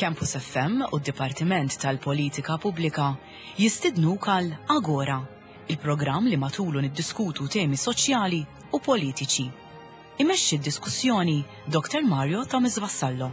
Campus FM u d-Dipartiment tal-Politika Pubblika jistidnuk għal Agora, il-programm li matulu niddiskutu temi soċjali u politiċi. Imexxi d-diskussjoni Dr. Mario Thomas Vassallo.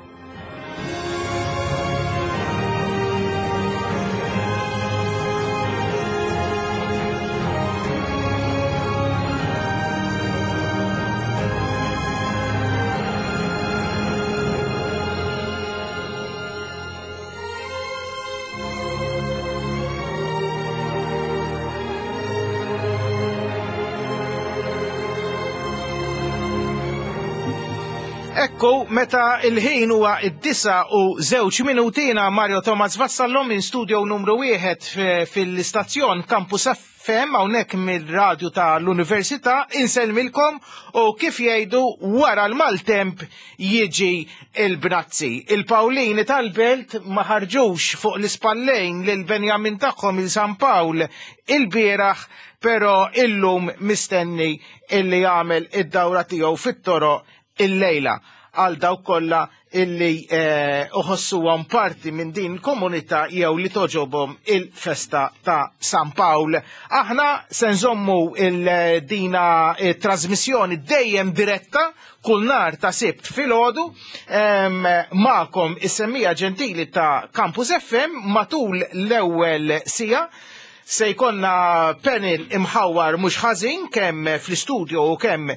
Ekku, meta il-ħin huwa id-disa u żewġ minutina Mario Thomas Vassallo minn studio numru wieħed fil-istazzjon Campus FM hawnhekk mill-radju ta' l-Università insellmilkom u kif jgħidu wara l-maltemp jiġi il-bnazzi. Il-Pawlini tal-Belt ma ħarġux fuq l-ispallejn lil Benjamin tagħhom il San Pawl il-bieraħ, però illum mistenni illi jagħmel id-dawra tiegħu fit-toroq illejla għal dawk kollha illi eh, uħossuhom parti minn din komunità jew li toġobhom il-festa ta' San Pawl. Aħna se nżommu il-dina eh, trasmissjoni dejjem diretta kull nar ta' sibt filgħodu magħkom is-semmija ġentili ta' Campus FM matul l-ewwel sija se jkollna panel imħawar mhux ħażin kemm fl-istudio u kemm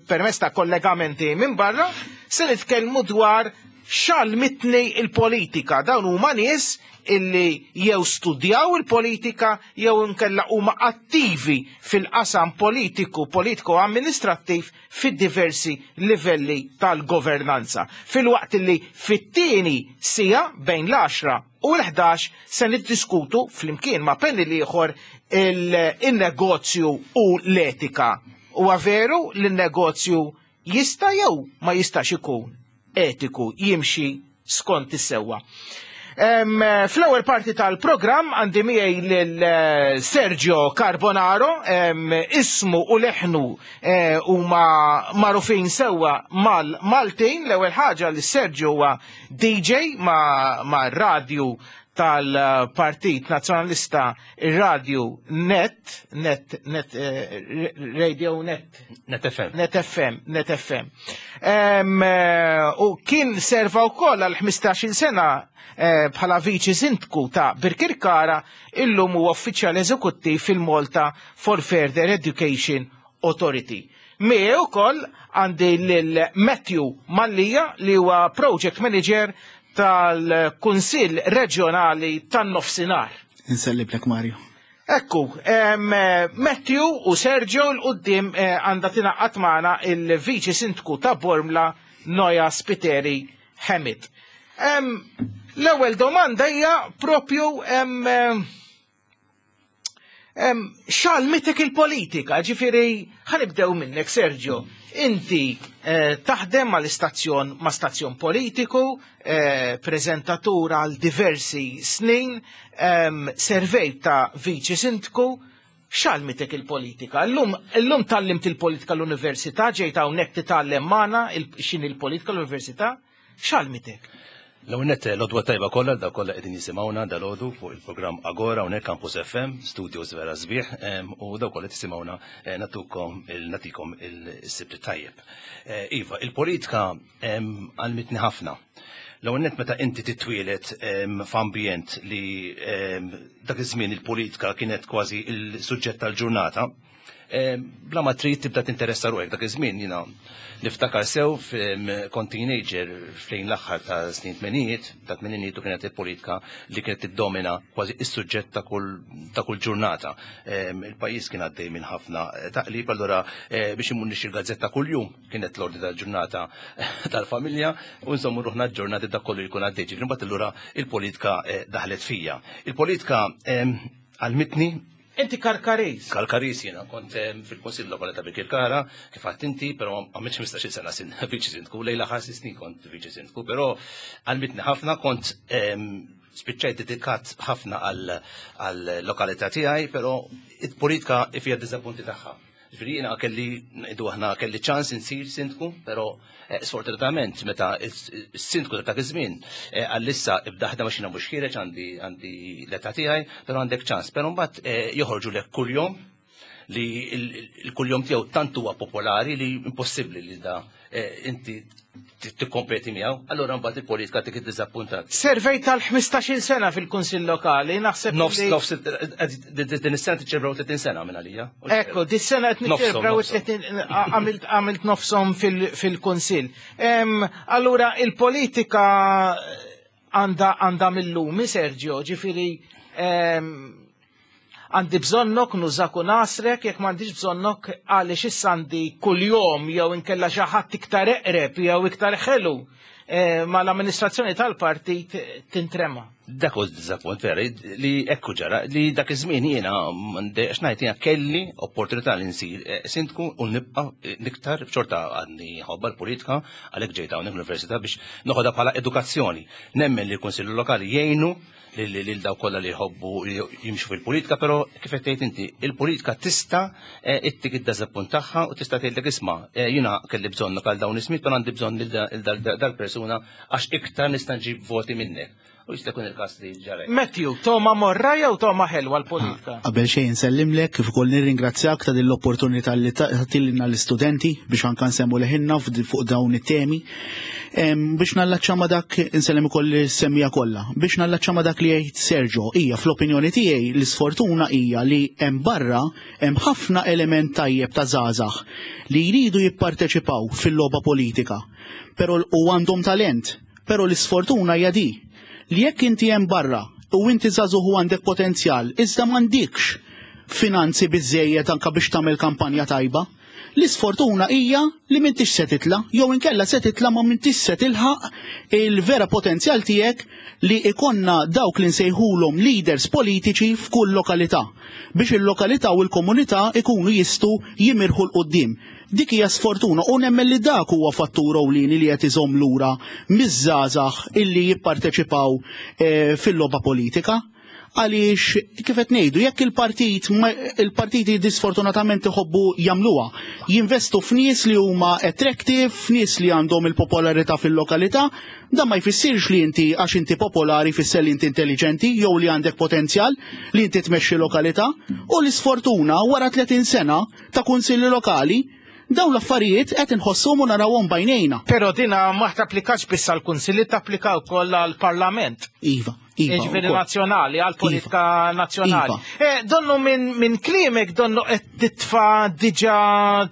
permezz ta' kollegamenti minn barra, se nitkellmu dwar x'għallmitni il-politika. Dawn huma nies illi jew studjaw il-politika jew inkella huma attivi fil-qasam politiku, politiku amministrattiv fid-diversi livelli tal-governanza. Filwaqt illi fit-tieni sija bejn l-10 u l-11 se niddiskutu flimkien ma' panel ieħor il-negozju u l-etika. Huwa veru li n-negozju jista' jew ma jistax ikun etiku jimxi skont is-sewwa. Fl-ewwel parti tal-programm għandi miegħi lil eh, Sergio Carbonaro, ismu u leħnu eh, huma magħrufin sewwa mal-Maltin. L-ewwel ħaġa li Sergio huwa DJ ma' radju tal-Partit Nazzjonalista ir-radju Net, Net, Net, eh, Radio Net. Net FM. Net FM, Net FM. U kien serva wkoll għal 15-il sena eh, bħala viċi sindku ta' Birkirkara illum huwa uffiċjal eżekuttiv fil-Malta for Further Education Authority. Miegħi wkoll għandi lil Matthew Mallia li huwa Project Manager tal-Kunsill Reġjonali tan-Nofsinhar. Inselliblek Mario. Ekku, Matthew u Sergio l-qoddim eh, għandha tingħaqad magħna il-Viċi Sindku ta' Bormla Noja Spiteri Hemit. L-ewwel domanda hija propju X'għallmitek il-politika, ġifieri ħanibdew minnek Sergio. Inti eh, taħdem mal-istazzjon ma' stazzjon politiku, eh, preżentatur għal diversi snin, servejt ta' viċi sindku, x'għallmitek il-politika? Illum illum tgħallimt il-politika l-università, ġejt hawnhekk titgħallem magħna x'inhi l-politika l-università? X'għallmitek? L-ewwel nett l-għodwa tajba kollha dawk kollha qegħdin jisimgħuna dalgħodu fuq il-programm Agora hawnhekk Campus FM, studios vera sbieħ, u dawk kollha tisimgħuna eh, natukom nagħtikom il-sibt tajjeb. Eh, iva, il-politika għalmitni ħafna. L-ewwel nett meta inti titwielet f'ambjent li dak iż-żmien il-politika kienet kważi il-suġġett tal-ġurnata, Eh, bla ma trid tibda tinteressa ruħek dak iż-żmien jiena niftakar sew kont teenager fejn l-aħħar ta' snin tmenijiet, ta' tmeninijiet u kienet il-politika li kienet tiddomina kważi is-suġġett ta' kull ta' kull ġurnata. Il-pajjiż kien għaddej minn ħafna eh, taqlib, allura eh, biex imur nixtri l-gazzetta kuljum kienet l-ordni tal-ġurnata tal-familja u nżommu ruħna ġurnata dak kollu jkun għaddej. Ġifieri mbagħad allura il-politika daħlet fija. Il-politika għalmitni Inti Karkaris. Karkaris jiena, kont eh, fil-Kunsill Lokali ta' Birkirkara, kif għadt inti, però għamilt 15 sena sin viċi sindku, lejla ħarsi snin kont viċi sindku, però għalmitni ħafna kont ehm, spiċċajt dedikat ħafna għal lokalità tiegħi, però il-politika fija diżappunti tagħha. Ġifieri jiena kelli ngħidu aħna kelli ċans insir sindku, però eh, sfortunatament meta s-sindku ta' dak iż-żmien eh, għall-issa ibda ħdem għax jiena mhux ħiereġ għandi għandi l-età tiegħi, però għandek ċans. Però mbagħad eh, joħorġu lek kuljum li l-kuljum tiegħu tant huwa popolari li impossibbli li da eh, inti tikkompeti miegħu, allura mbagħad il-politika tik iddiżappuntat. Servej tal-15-il sena fil-Kunsill Lokali, naħseb Nofs, nofs, eh, din is-sena tiċċelebraw 30 sena minn għalija. Ekku, dis-sena qed niċċelebraw 30 għamilt nofshom fil-Kunsill. Allura il-politika għandha għandha mill-lumi, Sergio, ġifieri Għandi bżonnok nużak u nasrek, jekk m'għandix bżonnok għaliex issa għandi kuljum jew inkella xi ħadd iktar eqreb jew iktar ħelu eh, mal-amministrazzjoni tal-partit tintrema. Dak hu diżappunt vera li ekku ġara li dak iż-żmien jiena għax ngħid jiena kelli opportunità li nsir eh, sindku u nibqa' eh, niktar xorta għadni ħobba l-politika għalhekk ġejt hawnhekk l-università biex noħodha bħala edukazzjoni. Nemmen li l-Kunsillu Lokali jgħinu lil dawk kollha li jħobbu jimxu fil-politika, però kif qed tgħid inti, il-politika tista' eh, ittik id-dażappunt tagħha u tista' tgħidlek isma' eh, jiena kelli bżonn għal dawn ismiet, però għandi bżonn lil dal-persuna għax iktar nista' nġib voti minnek. U jista' jkun il-każ li ġara. Matthew, toma morra jew toma ħelwa l-politika? Ah, qabel xejn nsellimlek kif ukoll nirringrazzjak ta' din l-opportunità li tagħtilna l-istudenti biex anke nsemmu leħinna fuq dawn it-temi. Biex nallaċċa ma' dak insellem ukoll is-semmija kollha. Biex nallaċċa ma' dak li jgħid Sergio, hija fl-opinjoni tiegħi l-isfortuna hija li hemm barra hemm ħafna element tajjeb ta' żgħażagħ li jridu jipparteċipaw fil-logħba politika. Però u għandhom talent, però l-isfortuna hija di li jekk inti hemm barra u inti żagħżugħ u għandek potenzjal, iżda m'għandikx finanzi biżejjed anka biex tagħmel kampanja tajba, L-isfortuna hija li m'intix se titla' jew inkella se titla' ma m'intix se tilħaq il-vera potenzjal tiegħek li ikonna dawk li nsejħulhom leaders politiċi f'kull lokalità biex il-lokalità u l-komunità ikunu jistgħu jimirħu 'l quddiem. Dik hija sfortuna u nemmen li dak huwa fattur ewlieni li qed iżomm lura miż-żgħażagħ illi jipparteċipaw eh, fil-logħba politika. Għaliex kif qed ngħidu, jekk il-partit il-partiti disfortunatament iħobbu jagħmluha, jinvestu f'nies li huma attractive, f'nies li għandhom il-popolarità fil-lokalità, dan ma jfissirx li inti għax inti popolari jfisser li inti intelligenti jew li għandek potenzjal li inti tmexxi lokalità. U l-isfortuna wara 30 sena ta' kunsilli lokali dawn l-affarijiet qed inħossuhom u narawhom b'għajnejna. Però dina ma tapplikax biss għall-kunsilli, tapplika wkoll għall-Parlament. Iva. Iva, Ġifieri nazzjonali, għal politika iva. nazzjonali. Iva. Eh, donnu minn min kliemek donnu qed titfa' diġà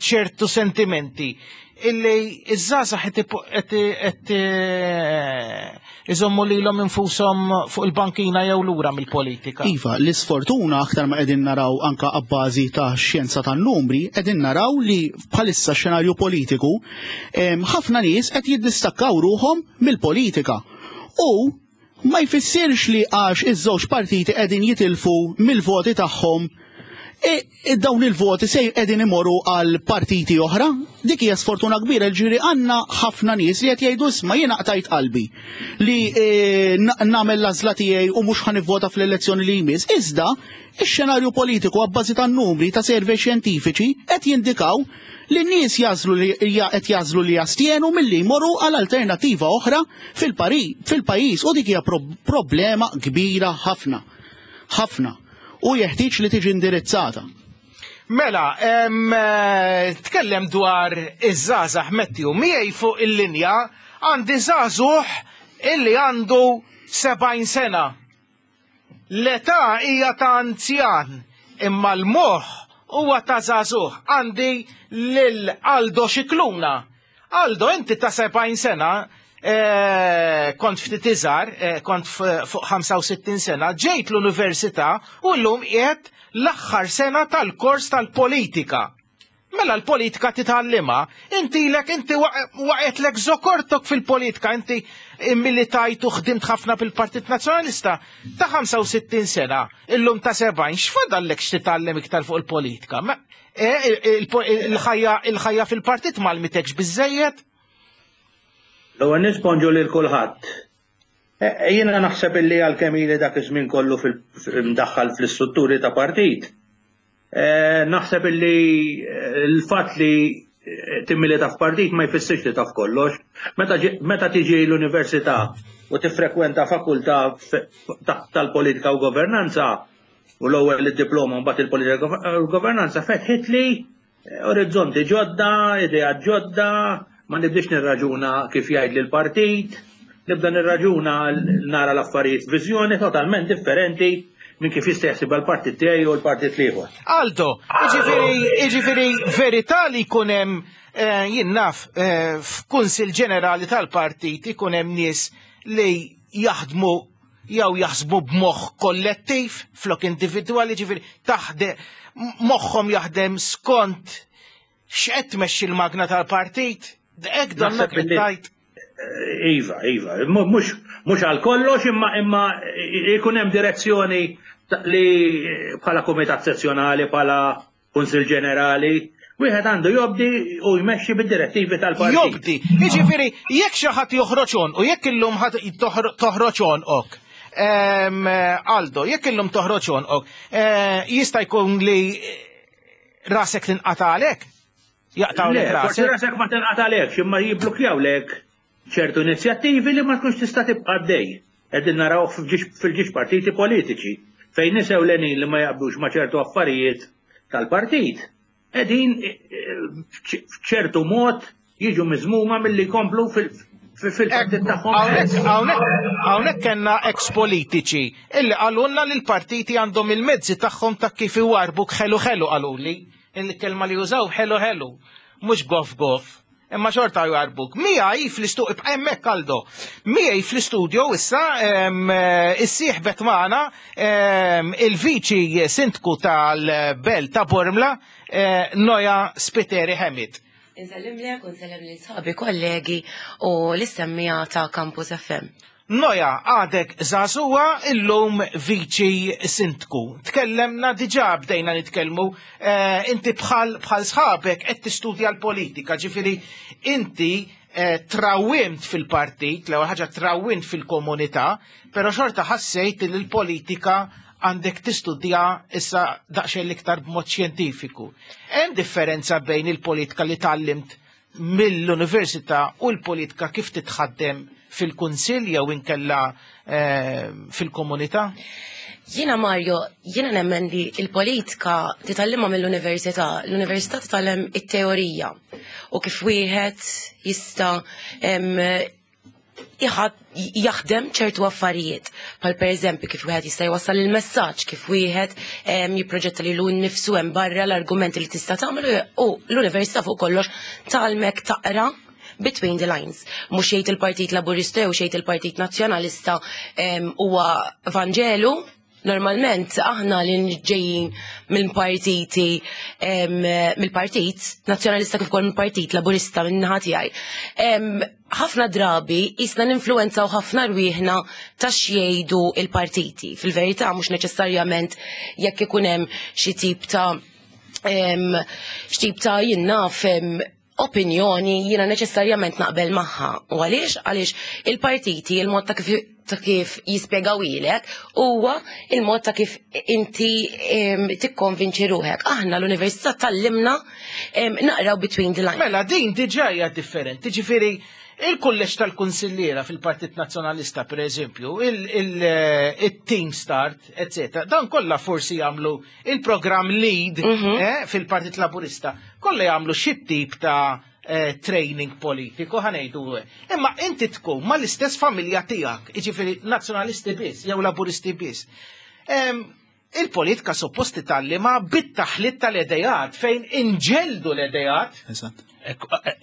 ċertu sentimenti illi iż-żgħażagħ qed eh, iżommu lilhom infushom fuq il-bankina jew lura mill-politika. Iva, l-isfortuna aktar ma qegħdin naraw anka abbażi ta' xjenza tan-numri, qegħdin naraw li bħalissa xenarju politiku ħafna nies qed jiddistakkaw ruħhom mill-politika. U Ma jfissirx li għax iż-żewġ partiti qegħdin jitilfu mill-voti tagħhom e, dawn il-voti se qegħdin imorru għal partiti oħra. Dik hija sfortuna kbira ġifieri għandna ħafna nies li qed jgħidu isma' jiena qtajt qalbi li e, nagħmel l-għażla tiegħi u mhux ħa nivvota fl-elezzjoni li jmiss. Iżda ix-xenarju politiku abbażi tan-numri ta' survey xjentifiċi qed jindikaw li n-nies jagħżlu li qed jagħżlu li jastjenu milli jmorru għal alternattiva oħra fil-pajjiż u dik hija problema kbira ħafna. Ħafna. U jeħtieġ li tiġi indirizzata. Mela, eh, tkellem dwar iż-żgħażagħ Matthew miegħi fuq il-linja għandi żagħżugħ illi għandu 70 sena. L-età hija ta' anzjan, imma l-moħħ huwa ta' żagħżugħ. Għandi lil Aldo Scicluna. Aldo, inti ta' 70 sena, eh, kont ftit iżgħar, eh, kont fuq 65 sena, ġejt l-università u llum qiegħed l-aħħar sena tal-kors tal-politika. Mela l-politika titgħallimha, inti ilek inti waqgħetlek żokortok fil-politika, inti immilitajt u ħdimt ħafna fil-Partit Nazzjonalista ta' 65 sena, illum ta' 70, x'fadallek x'titgħallem iktar fuq il-politika? E, il-ħajja fil-partit ma għallmitekx biżejjed? L-ewwel nett bonġu lil kulħadd. E, jiena naħseb illi għalkemm ili dak iż-żmien kollu mdaħħal fl-istrutturi ta' partit. Naħseb illi l-fatt li timmilita f'partit ma jfissirx li taf kollox. Meta tiġi l-università u tiffrekwenta fakultà tal-politika u governanza, u l-ewwel id-diploma mbagħad il-politika u governanza, fetħitli orizzonti ġodda, ideat ġodda, ma nibdix nirraġuna kif jgħid l-partit, nibda nirraġuna, nara l-affarijiet viżjoni totalment differenti minn kif jista' jaħsibha l-partit tiegħi u l-partit l-ieħor. Aldo, jiġifieri verità li jkun hemm jien naf f'Kunsill Ġenerali tal-partit ikun hemm nies li jaħdmu jew jaħsbu b'moħħ kollettiv flok individwali, ġifieri taħde moħħhom jaħdem skont x'qed tmexxi l-magna tal-partit? Hekk donnok qed tgħid. Iva, iva, mhux għal kollox, imma jkun hemm direzzjoni li bħala kumitat sezzjonali, bħala Kunsill Ġenerali, wieħed għandu jobdi u jmexxi bid-direttivi tal-partit. Jobdi, jiġifieri jekk xi ħadd joħroġ u jekk illum toħroġ għonqok. Aldo, jekk illum toħroġ għonqok, jista' jkun li rasek tinqatalek? Jaqtawlek rasek? Forsi rasek ma tinqatalekx, imma jibblukjawlek ċertu inizjattivi li ma tkunx tista' tibqa' għaddej. Qegħdin naraw fil-ġiex partiti politiċi fejn nies ewlenin li ma jaqblux ma' ċertu affarijiet tal-partit qegħdin f'ċertu mod jiġu miżmuma milli jkomplu fil-partit tagħhom. Hawnhekk kellna ex-politiċi illi qalulna li l-partiti għandhom il-mezzi tagħhom ta' kif iwarbuk ħelu ħelu, qaluli. Il-kelma li jużaw ħelu ħelu, mhux gof gof. Imma xorta jwarbuk. Miegħi fl-istudio, ibqa' hemmhekk Aldo. Miegħi fl-istudio issa issieħbet magħna il-viċi sindku tal-Belt ta' Bormla, Noja Spiteri Hemid. Insellimlek u nsellem lil sħabi kollegi u l-istemmija ta' Campus FM. Noja, għadek żagħżugħa, illum viċi sindku. Tkellemna diġà, bdejna nitkellmu, inti bħal bħal sħabek qed tistudja l-politika, ġifieri inti trawwimt fil-partit, l-ewwel ħaġa trawwimt fil-komunità, però xorta ħassejt li l-politika għandek tistudja issa daqsxejn l-iktar b'mod xjentifiku. Hemm differenza bejn il-politika li tgħallimt mill-università u l-politika kif titħaddem fil-kunsill jew inkella fil-komunità? Jiena Mario, jiena nemmen li l-politika titgħallimha mill-università, l-università titgħallem it-teorija u kif wieħed jista' jaħdem ċertu affarijiet, bħal pereżempju kif wieħed jista' jwassal il-messaġġ, kif wieħed jipproġetta lilu nnifsu hemm barra, l-argumenti li tista' tagħmel, u l-università fuq kollox tgħallmek taqra between the lines. Mhux jgħid il-Partit Laburista jew xejn il-Partit Nazzjonalista huwa Vanġelu. Normalment aħna li ġejjin minn partiti, mill-Partit Nazzjonalista kif ukoll mill-Partit Laburista minn naħa tiegħi, ħafna drabi jisna ninfluwenzaw ħafna rwieħna ta' x'jgħidu il-partiti. Fil-verità mhux neċessarjament jekk ikun hemm xi tip ta' x'tip ta' jien naf opinjoni jiena neċessarjament naqbel magħha. U għaliex? Għaliex il-partiti, il-mod ta' kif ta' kif jispjegaw ilek huwa il-mod ta' kif inti tikkonvinċi ruħek. Aħna l-università tallimna naqraw between the lines. Mela din diġà hija differenti, ġifieri il-kulleġġ tal-kunsilliera fil-Partit Nazzjonalista, per eżempju, il-Team Start, eccetera, dan kollha forsi jagħmlu il-programm Lead fil-Partit Laburista, kollha jagħmlu xi tip ta' training politiku, ħa ngħidu. Imma inti tkun mal-istess familja tiegħek, jiġifieri nazzjonalisti biss jew laburisti biss. Il-politika suppost titgħallima bit-taħlit tal-idejat, fejn inġeldu l-idejat. Eżatt.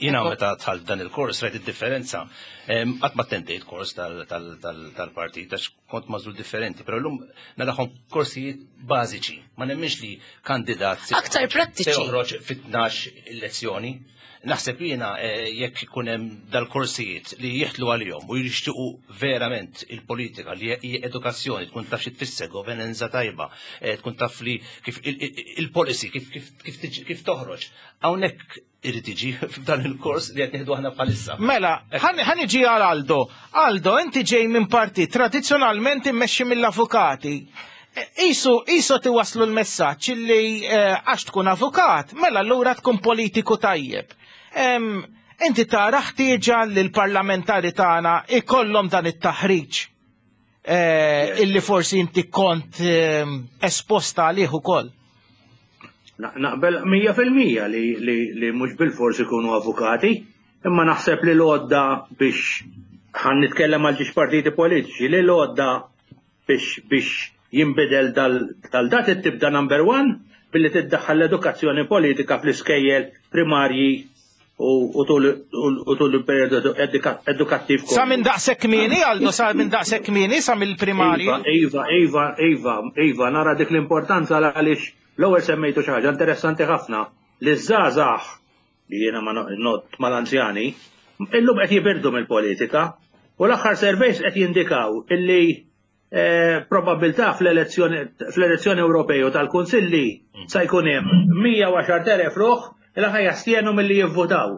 Jiena meta dħalt dan il-kors rajt id-differenza. Qatt ma attendejt kors tal-partit għax kont mażul differenti, però llum narahom korsijiet bażiċi. Ma nemminx li kandidat se Aktar prattiċi. se joħroġ fit-12 lezzjoni. Naħseb jiena jekk ikun hemm dal-korsijiet li jieħdlu għalihom u jixtiequ verament il-politika li hija edukazzjoni, tkun taf xi tfisser governanza tajba, tkun taf li kif il-policy kif toħroġ. Hawnhekk irid iġi f'dan il-kors li qed nieħdu aħna bħalissa. Mela, ħa niġi għal Aldo. Aldo, inti ġej minn partit tradizzjonalment immexxi mill-avukati. Isu, isu tiwaslu l-messaġġ li eh, għax tkun avukat, mela allura tkun politiku tajjeb. Inti tara ħtieġa li l-parlamentari tagħna ikollhom dan it-taħriġ eh, illi forsi inti kont esposta għalih ukoll. Naqbel 100% li, li, li mhux bil-fors ikunu avukati, imma naħseb li l-għodda biex ħan nitkellem għal ġiex partiti politiċi, li l-għodda biex biex jinbidel dal-dat tibda number one billi tiddaħħal l-edukazzjoni politika fl-iskejjel primarji u tul il-periodu edukattiv. Sa minn daqshekk kmieni, Aldo, sa minn daqshekk kmieni, sa mill-primarji. Iva, iva, iva, iva, nara dik l-importanza għaliex l-ewwel semmejtu xi ħaġa interessanti ħafna li żgħażagħ li jiena ma not mal-anzjani, illum qed jibirdu mill-politika u l-aħħar surveys qed jindikaw illi eh, probabilità fl-elezzjoni Ewropej u tal-Kunsilli sa jkun hemm 110,000 ruħ li ħa jastjenu milli jivvotaw,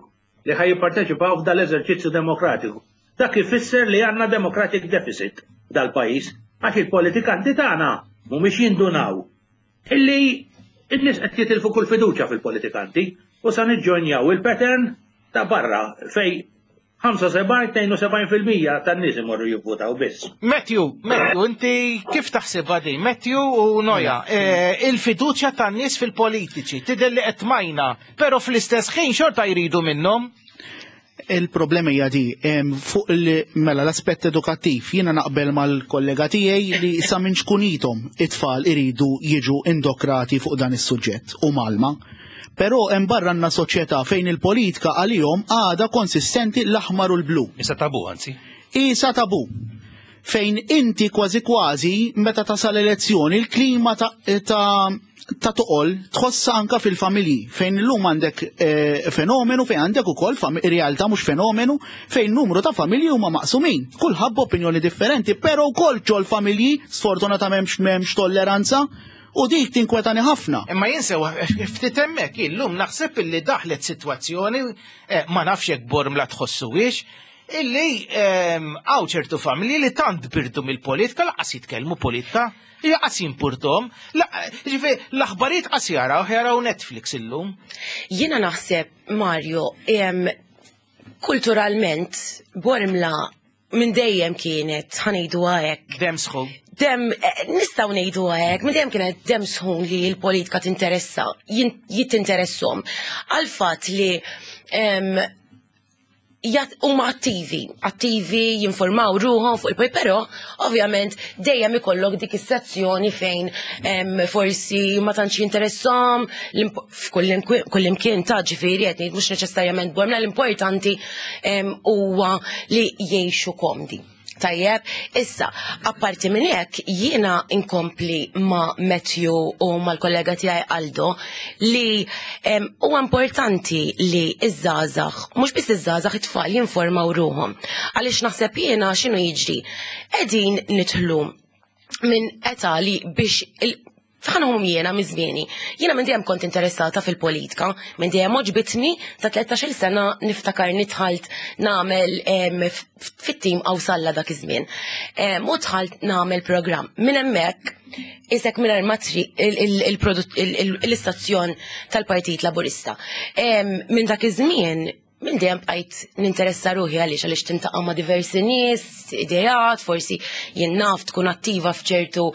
li ħa jipparteċipaw f'dal-eżerċizzju demokratiku. Dak ifisser li għandna democratic deficit dal-pajjiż għax il-politikanti tagħna mhumiex jindunaw illi n-nies qed jitilfu kull fiduċja fil-politikanti u sa niġġonjaw il-pattern ta' barra fej 75-72% tan-nies imorru jivvutaw biss. Matthew, Matthew, inti kif taħsibha din? Matthew u Noja, eh, il-fiduċja tan-nies fil-politiċi tidher li qed majna, però fl-istess ħin xorta jridu minnhom. Il-problema hija di, fuq mela l-aspett edukattiv, jiena naqbel mal-kollega tiegħi li sa minn xkunithom it-tfal iridu jiġu indokrati fuq dan is-suġġett u malma. Però hemm barra għandna soċjetà fejn il-politika għalihom għadha konsistenti l-aħmar u l-blu. Isa tabu anzi. Isa tabu. Fejn inti kważi kważi meta tasal elezzjoni il-klima ta', ta ta' toqol tħossa anka fil-familji fejn illum għandek eh, fenomenu fejn għandek ukoll realtà mhux fenomenu fejn numru ta' familji huma maqsumin. Kulħadd b'opinjoni differenti, però wkoll ġol familji sfortunatament m'hemmx tolleranza u dik tinkwetani ħafna. Imma jinsew ftit hemmhekk illum naħseb illi daħlet sitwazzjoni eh, ma nafx jekk Bormla tħossuwiex illi ehm, hawn ċertu familji li tant birdu mill-politika laqas jitkellmu politika, laqas jimpurtom, ġifieri l-aħbarijiet qas jaraw jaraw Netflix illum. Jiena naħseb, Mario, ehm, kulturalment Bormla minn dejjem kienet ħanejdu hekk. Dem sħun. Dem, eh, nistgħu ngħidu hekk, minn dejjem kienet dem sħun li l-politika tinteressa, jittinteressom. Għal fatt li huma attivi, attivi jinformaw ruħhom fuq il-poj, però ovvjament dejjem ikollok dik is-sezzjoni fejn forsi ma tantx jinteressom f'kull imkien ta' ġifieri qed ngħid mhux neċessarjament Bormla l-importanti huwa li jgħixu komdi. Tajjeb, issa, apparti minn hekk jiena inkompli ma' Matthew u mal-kollega tiegħi Aldo li huwa importanti li iż-żgħażagħ, mhux biss iż-żgħażagħ it-tfal jinformaw ruhom. Għaliex naħseb jiena x'inhu jiġri. Qegħdin nidħlu minn età li biex Fħanhom jiena mizmieni. Jiena minn dejjem kont interessata fil-politika, minn dejjem oġbitni ta' 13-il sena niftakar nidħalt nagħmel fit-tim Awsalla dak iż-żmien. U dħalt nagħmel programm. Minn hemmhekk isek mingħajr ma l-istazzjon tal-Partit Laburista. Minn dak iż-żmien minn dejjem bqajt ninteressa ruħi għaliex għaliex tintaqa' ma' diversi nies, ideat, forsi jien naf tkun attiva f'ċertu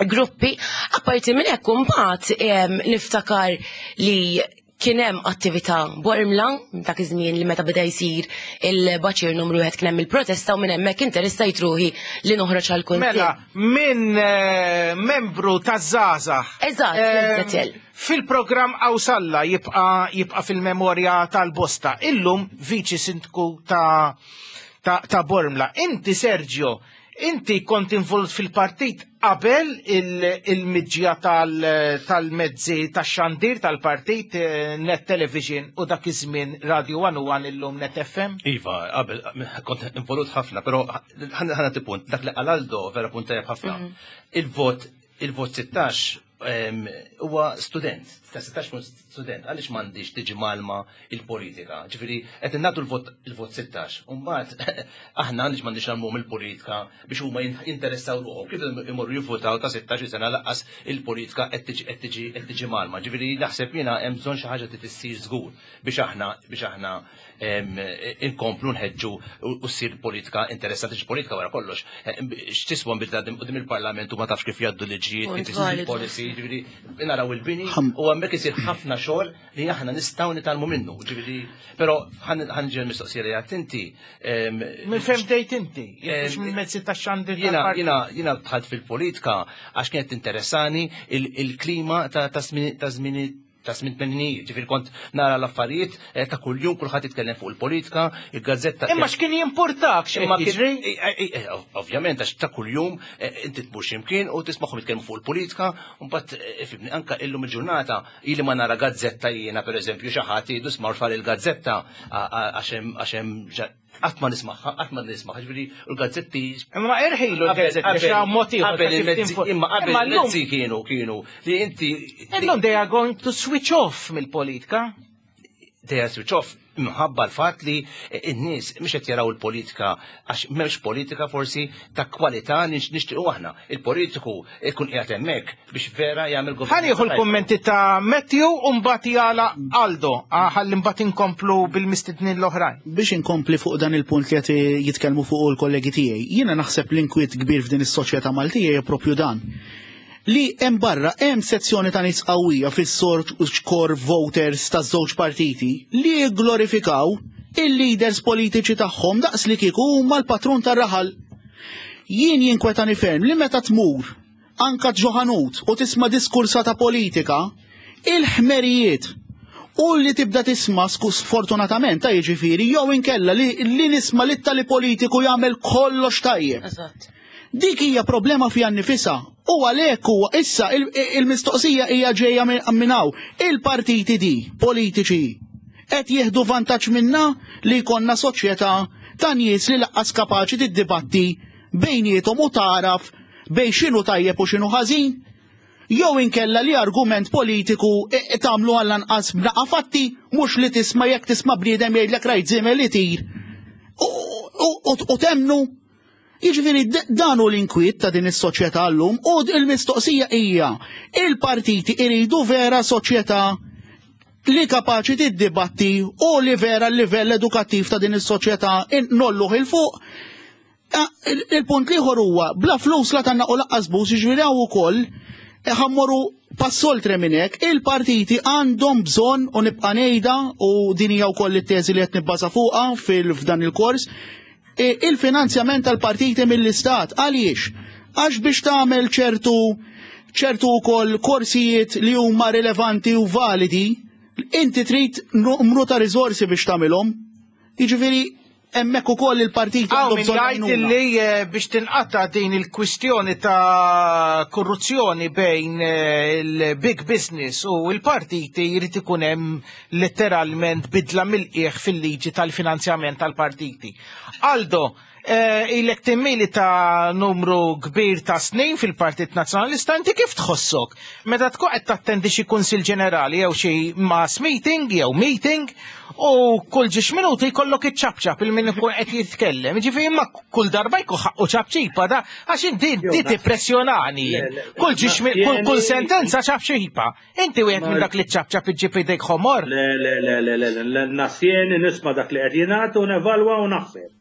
gruppi. Apparti minn hekk imbagħad niftakar li kien hemm attività Bormla dak iż-żmien li meta beda jsir il-baċir numru wieħed kien hemm il-protesta u minn hemmhekk interessajt ruħi li noħroġ għal kunsill. Mela, minn eh, membru taż-żgħażagħ. Eżatt, eh, Fil-programm Qawsalla jibqa' jibqa' fil-memorja tal-bosta. Illum viċi sindku ta' ta', ta Bormla. Inti Sergio, inti kont involut fil-partit qabel il-miġja tal-mezzi tal tax-xandir tal-partit eh, Net Television u dak iż-żmien Radio 101 illum Net FM? Iva, qabel kont involut ħafna, però ħana punt, dak li qal Aldo vera punt tajjeb ħafna. Mhm. Il-vot il-vot 16 huwa student, ta' 16 kun student, għaliex m'għandix tiġi malma il-politika. Ġifieri qed nagħtu l-vot il-vot 16. U mbagħad aħna għaliex m'għandix nagħmluhom il-politika biex huma jinteressaw ruħhom. Kif imorru jivvotaw ta' 16 sena laqqas il-politika qed tiġi qed tiġi qed tiġi malma. Ġifieri naħseb jiena hemm bżonn xi ħaġa trid issir żgur biex aħna biex aħna inkomplu nħeġġu u ssir politika interessanti politika wara kollox. X'tiswa nbidla qudiem il-Parlament u ma tafx kif jgħaddu liġijiet, kif isir policy, ġifieri naraw il-bini u hemmhekk isir ħafna xogħol li aħna nistgħu nitgħallmu minnu. Ġifieri, però ħanġi l-mistoqsija li għadt inti. Minn fejn bdejt inti? Mhux minn mezzi tax-xandir. Jiena jiena jiena dħalt fil-politika għax kienet interessani il-klima ta' żmien ta' żmien tmeninijiet, ġifieri kont nara l-affarijiet eh, ta' kuljum kulħadd jitkellem fuq il-politika, il-gazzetta. Imma x'kien jimpurtak x'imma jiġri? Eh, eh, ovvjament għax ta' kuljum inti tmur x'imkien u tismagħhom jitkellmu fuq il-politika, u mbagħad fibni anka illum il-ġurnata ili ma nara gazzetta jiena pereżempju xi ħadd jgħidu smar far il-gazzetta għax hemm Qatt ma nismagħha, qatt ma nismagħha, ġifieri l-gazzetti. Imma irħilu l-gazzetti xi mod ieħor. Qabel il-mezzi, imma qabel il-mezzi kienu kienu li inti. Illum they are going to switch off mill-politika. They are switch off minħabba l-fatt li n-nies mhux qed jaraw il-politika għax m'hemmx politika forsi ta' kwalità nixtiequ aħna. Il-politiku ikun qiegħed hemmhekk biex vera jagħmel govern. Ħanieħu l-kummenti ta' Matthew u mbagħad jala Aldo, ah, ħalli mbagħad inkomplu bil-mistednin l-oħrajn. Biex inkompli fuq dan il-punt li qed jitkellmu fuq il-kollegi tiegħi, jiena naħseb l-inkwiet kbir f'din is-soċjetà Maltija hija propju dan. Li hemm barra hemm sezzjoni ta' nies qawwija fis-sort core voters taż-żewġ partiti li jigglorifikaw il-leaders politiċi tagħhom daqs li kieku huma l-patrun tar-raħal. Jien jinkwetani ferm li meta tmur anka ġo ħanut u tisma' diskursata politika, il-ħmerijiet u li tibda tisma' sfortunatament ta' jiġifieri jew inkella li, li nisma' li tali politiku jagħmel kollox tajjeb. Dik hija problema fiha nnifisha u għalhekk huwa issa il-mistoqsija hija ġejja minn hawn. Il-partiti di politiċi qed jieħdu vantaġġ minna li jkollna soċjetà ta' nies li laqqas kapaċi tiddibatti bejniethom u tagħraf bejn x'inhu tajjeb u x'inhu ħażin, jew inkella li argument politiku tagħmlu għall-anqas b'naqa' fatti mhux li tisma' jekk tisma' bniedem jgħidlek rajt żiemel itir u temmnu. Jiġifieri dan hu l-inkwiet ta' din is-soċjetà llum u l-mistoqsija hija il-partiti iridu vera soċjetà li kapaċi tiddibatti u li vera l-livell edukattiv ta' din is-soċjetà nolluh il fuq. Ah, il-punt liħor huwa bla flus la tanna u laqqas bus jiġifieri hawn ukoll eh, ħammorru pass oltre minn hekk, il-partiti għandhom bżonn u nibqa' ngħidha u din hija wkoll it-teżi li qed nibbaża fuqha fil-f'dan il-kors, eh, il-finanzjament tal-partiti mill-istat. Għaliex? Għax biex tagħmel ċertu ċertu wkoll korsijiet li huma rilevanti u validi, inti trid numru ta' riżorsi biex tagħmilhom. Jiġifieri hemmhekk ukoll il-partit għandu bżonn jgħid li eh, biex tinqata' din il-kwistjoni ta' korruzzjoni bejn eh, il-big business u l-partiti jrid ikun hemm letteralment bidla mill-qiegħ fil-liġi tal-finanzjament tal-partiti. Aldo, eh, ilek timmili ta' numru kbir ta' snin fil-Partit Nazzjonalista, inti kif tħossok? Meta tkun qed tattendi xi kunsill ġenerali jew xi mass meeting jew meeting u kull ġiex minuti jkollok iċ-ċapċap il min ikun qed jitkellem. Ġifieri imma kull darba jkun ħaqqu ċapċipa da għax inti inti tippressjonani. Kull ġiex kull sentenza ċapċipa. Inti wieħed minn dak li ċapċap iġġib idejk ħomor. Le le le le le le nasjeni nisma' dak li qed jingħad u nevalwa u naħseb.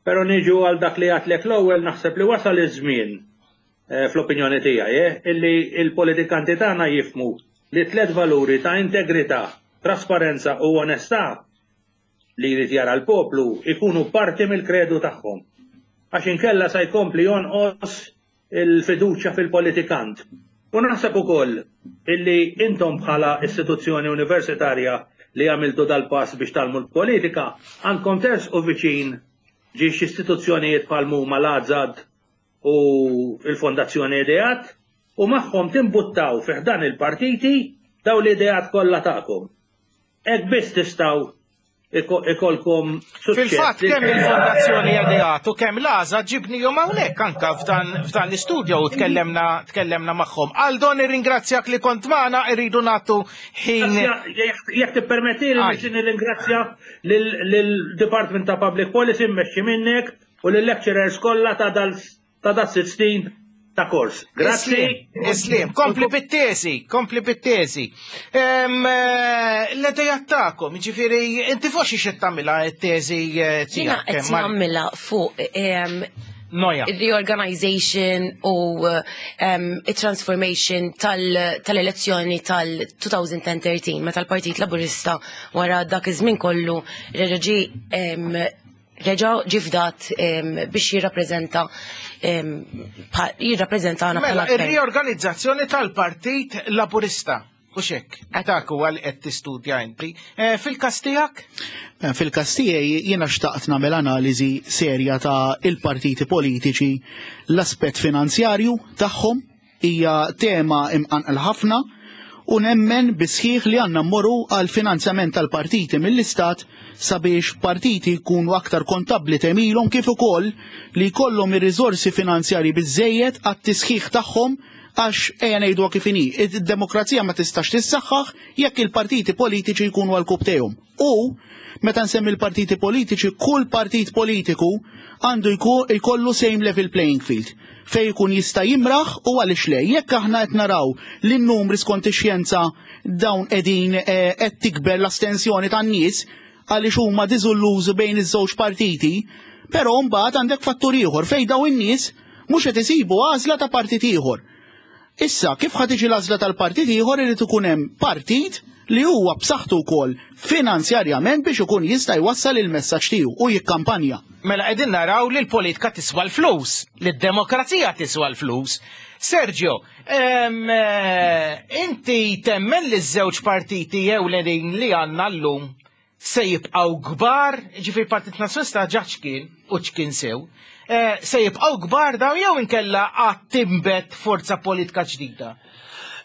Però niġu għal dak li għadtlek l-ewwel naħseb li wasal iż-żmien eh, fl-opinjoni tiegħi, eh, illi il-politikanti tagħna jifmu li tlet valuri ta' integrità, trasparenza u onestà li jrid jara l-poplu ikunu parti mill-kredu tagħhom. Għax inkella sa jkompli jonqos il-fiduċja fil-politikant. U naħseb ukoll illi intom bħala istituzzjoni universitarja li għamiltu dal-pass biex tgħallmu l-politika, għandkom tersqu viċin ġiex istituzzjonijiet bħal huma l-AZAD u l-Fondazzjoni Ideat u magħhom timbuttaw fi ħdan il-partiti daw l-ideat kollha tagħkom. Hekk biss tistgħu Ikolkom suċċess. Fil-fatt kemm il-Fondazzjoni Ideat u kemm l-Għażla ġibnihom hawnhekk anka f'dan f'dan l-istudjo u tkellemna tkellemna magħhom. Aldo nirringrazzjak li kont magħna irridu nagħtu ħin. Jekk tippermettili nixtieq nirringrazzja lill-Department ta' Public Policy mmexxi minnek u lill-lecturers kollha ta' dal ta' da sitt snin ta' kors. Grazzi. Islim, kompli bit-tesi, kompli bit-tesi. Eh, l-idejat tagħkom, ġifieri inti fuq xi xed tagħmilha t-teżi eh, tiegħek. Jiena qed nagħmilha fuq Noja. Reorganization u transformation tal-elezzjoni tal-2013 meta l-Partit Laburista wara dak iż-żmien kollu reġa' ġie reġa' ġie fdat biex jirrappreżenta jirrappreżentana Mela, ir-riorganizzazzjoni tal-Partit Laburista. U xek, dak huwa li qed tistudja inti. Eh, fil-każ tiegħek? Eh, fil-każ tiegħi jiena xtaqt nagħmel analiżi serja ta' il-partiti politiċi l-aspett finanzjarju tagħhom Hija tema imqanqla ħafna u nemmen bis-sħiħ li għandna mmorru għal finanzjament tal-partiti mill-Istat sabiex partiti jkunu aktar kontabbli t'għemilhom kif ukoll li jkollhom ir-riżorsi finanzjarji biżżejjed għat-tisħiħ tagħhom għax ejja ngħiduha kif inhi, id-demokrazija ma tistax tissaħħaħ jekk il-partiti politiċi jkunu għal kubtejhom. U, meta nsemmi l-partiti politiċi, kull partit politiku għandu jkollu same level playing field fejn ikun jista' jimraħ u għaliex le. Jekk aħna qed naraw li n-numri skont ix-xjenza dawn qegħdin eh, qed tikber l-astensjoni tan-nies għaliex huma diżullużi bejn iż-żewġ partiti, però mbagħad għandek fattur ieħor fejn dawn in-nies mhux qed isibu għażla ta' partit ieħor. Issa, kif ħa tiġi l-għażla tal-partit ieħor irid ikun hemm partit li huwa b'saħħtu wkoll finanzjarjament biex ikun jista' jwassal il-messaġġ tiegħu u jikkampanja. Mela qegħdin naraw li l-politika tiswa l-flus, li d-demokrazija tiswa l-flus. Sergio, eh, inti temmen li ż-żewġ partiti ewlenin li għandna llum se jibqgħu kbar, ġifieri Partit Nazzjonalista ġa ċkien u ċkien sew, eh, se jibqgħu kbar daw jew inkella għad timbet forza politika ġdida?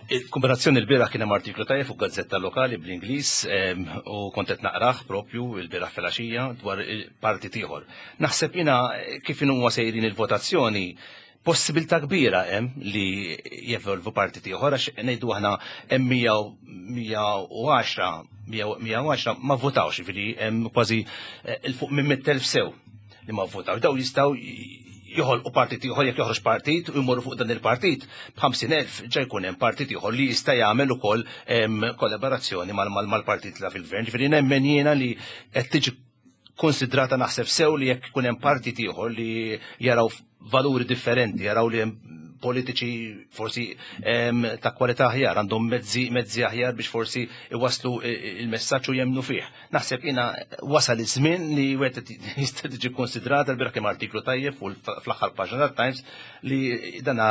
Il-kombinazzjoni l-bieraħ kien hemm artiklu tajjeb fuq gazzetta lokali bl-Ingliż u kont qed naqrah propju l-bieraħ filgħaxija dwar partit ieħor. Naħseb jiena kif inhu sejrin il-votazzjoni Possibilità kbira hemm li jevolvu partit ieħor għax ngħidu aħna hemm 110 110 ma votawx, jiġifieri hemm kważi eh, il fuq minn 100,000 sew li ma votawx. Daw jistgħu joħolqu partit ieħor jekk joħroġ partit u jmorru fuq dan il-partit b'50,000 ġa jkun hemm partit ieħor li jista' jagħmel ukoll kollaborazzjoni mal-partit la fil-gvern. Ġifieri nemmen jiena li qed tiġi konsidrata naħseb sew li jekk ikun hemm partit ieħor li jaraw valuri differenti, jaraw li hemm politiċi forsi ta' kwalità aħjar, għandhom mezzi mezzi aħjar biex forsi iwaslu il-messaġġ u jemnu fih. Naħseb jiena wasal iż-żmien li wieħed jista' tiġi konsidrata l-bieraħ kemm artiklu tajjeb fuq fl-aħħar paġna tat-Times li dana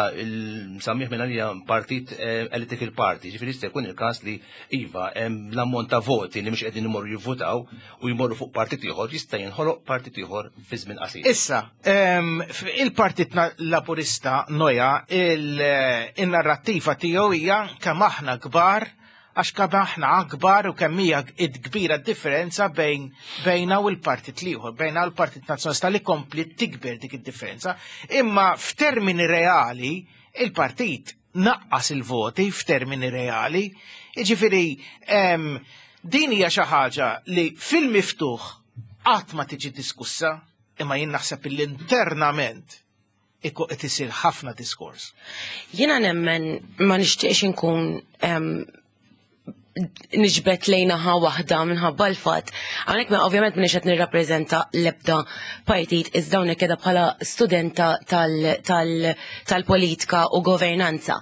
msammih minn għalija partit eh, political party, ġifieri jista' jkun il-każ li iva hemm l-ammont ta' voti li mhux qegħdin imorru jivvutaw u jmorru fuq partit ieħor jista' jinħoloq partit ieħor fi żmien qasir. Issa, il-Partit Laburista Noja il-narrattiva tiegħu hija kemm aħna kbar għax kemm aħna akbar u kemm hija kbira differenza bejn bejna u l-partit l-ieħor, bejna u l-Partit Nazzjonalista li kompli tikber dik id-differenza. Imma f'termini reali il-partit naqqas il-voti f'termini reali. Jiġifieri din hija xi ħaġa li fil-miftuħ qatt ma tiġi diskussa, imma jien naħseb li internament qed isir ħafna diskors. Jiena nemmen ma nixtieqx inkun niġbed lejn naħa waħda minħabba l-fatt. Hawnhekk ma ovvjament m'iniex qed nirrappreżenta l-ebda partit iżda hawnhekk qiegħda bħala studenta tal-politika u governanza.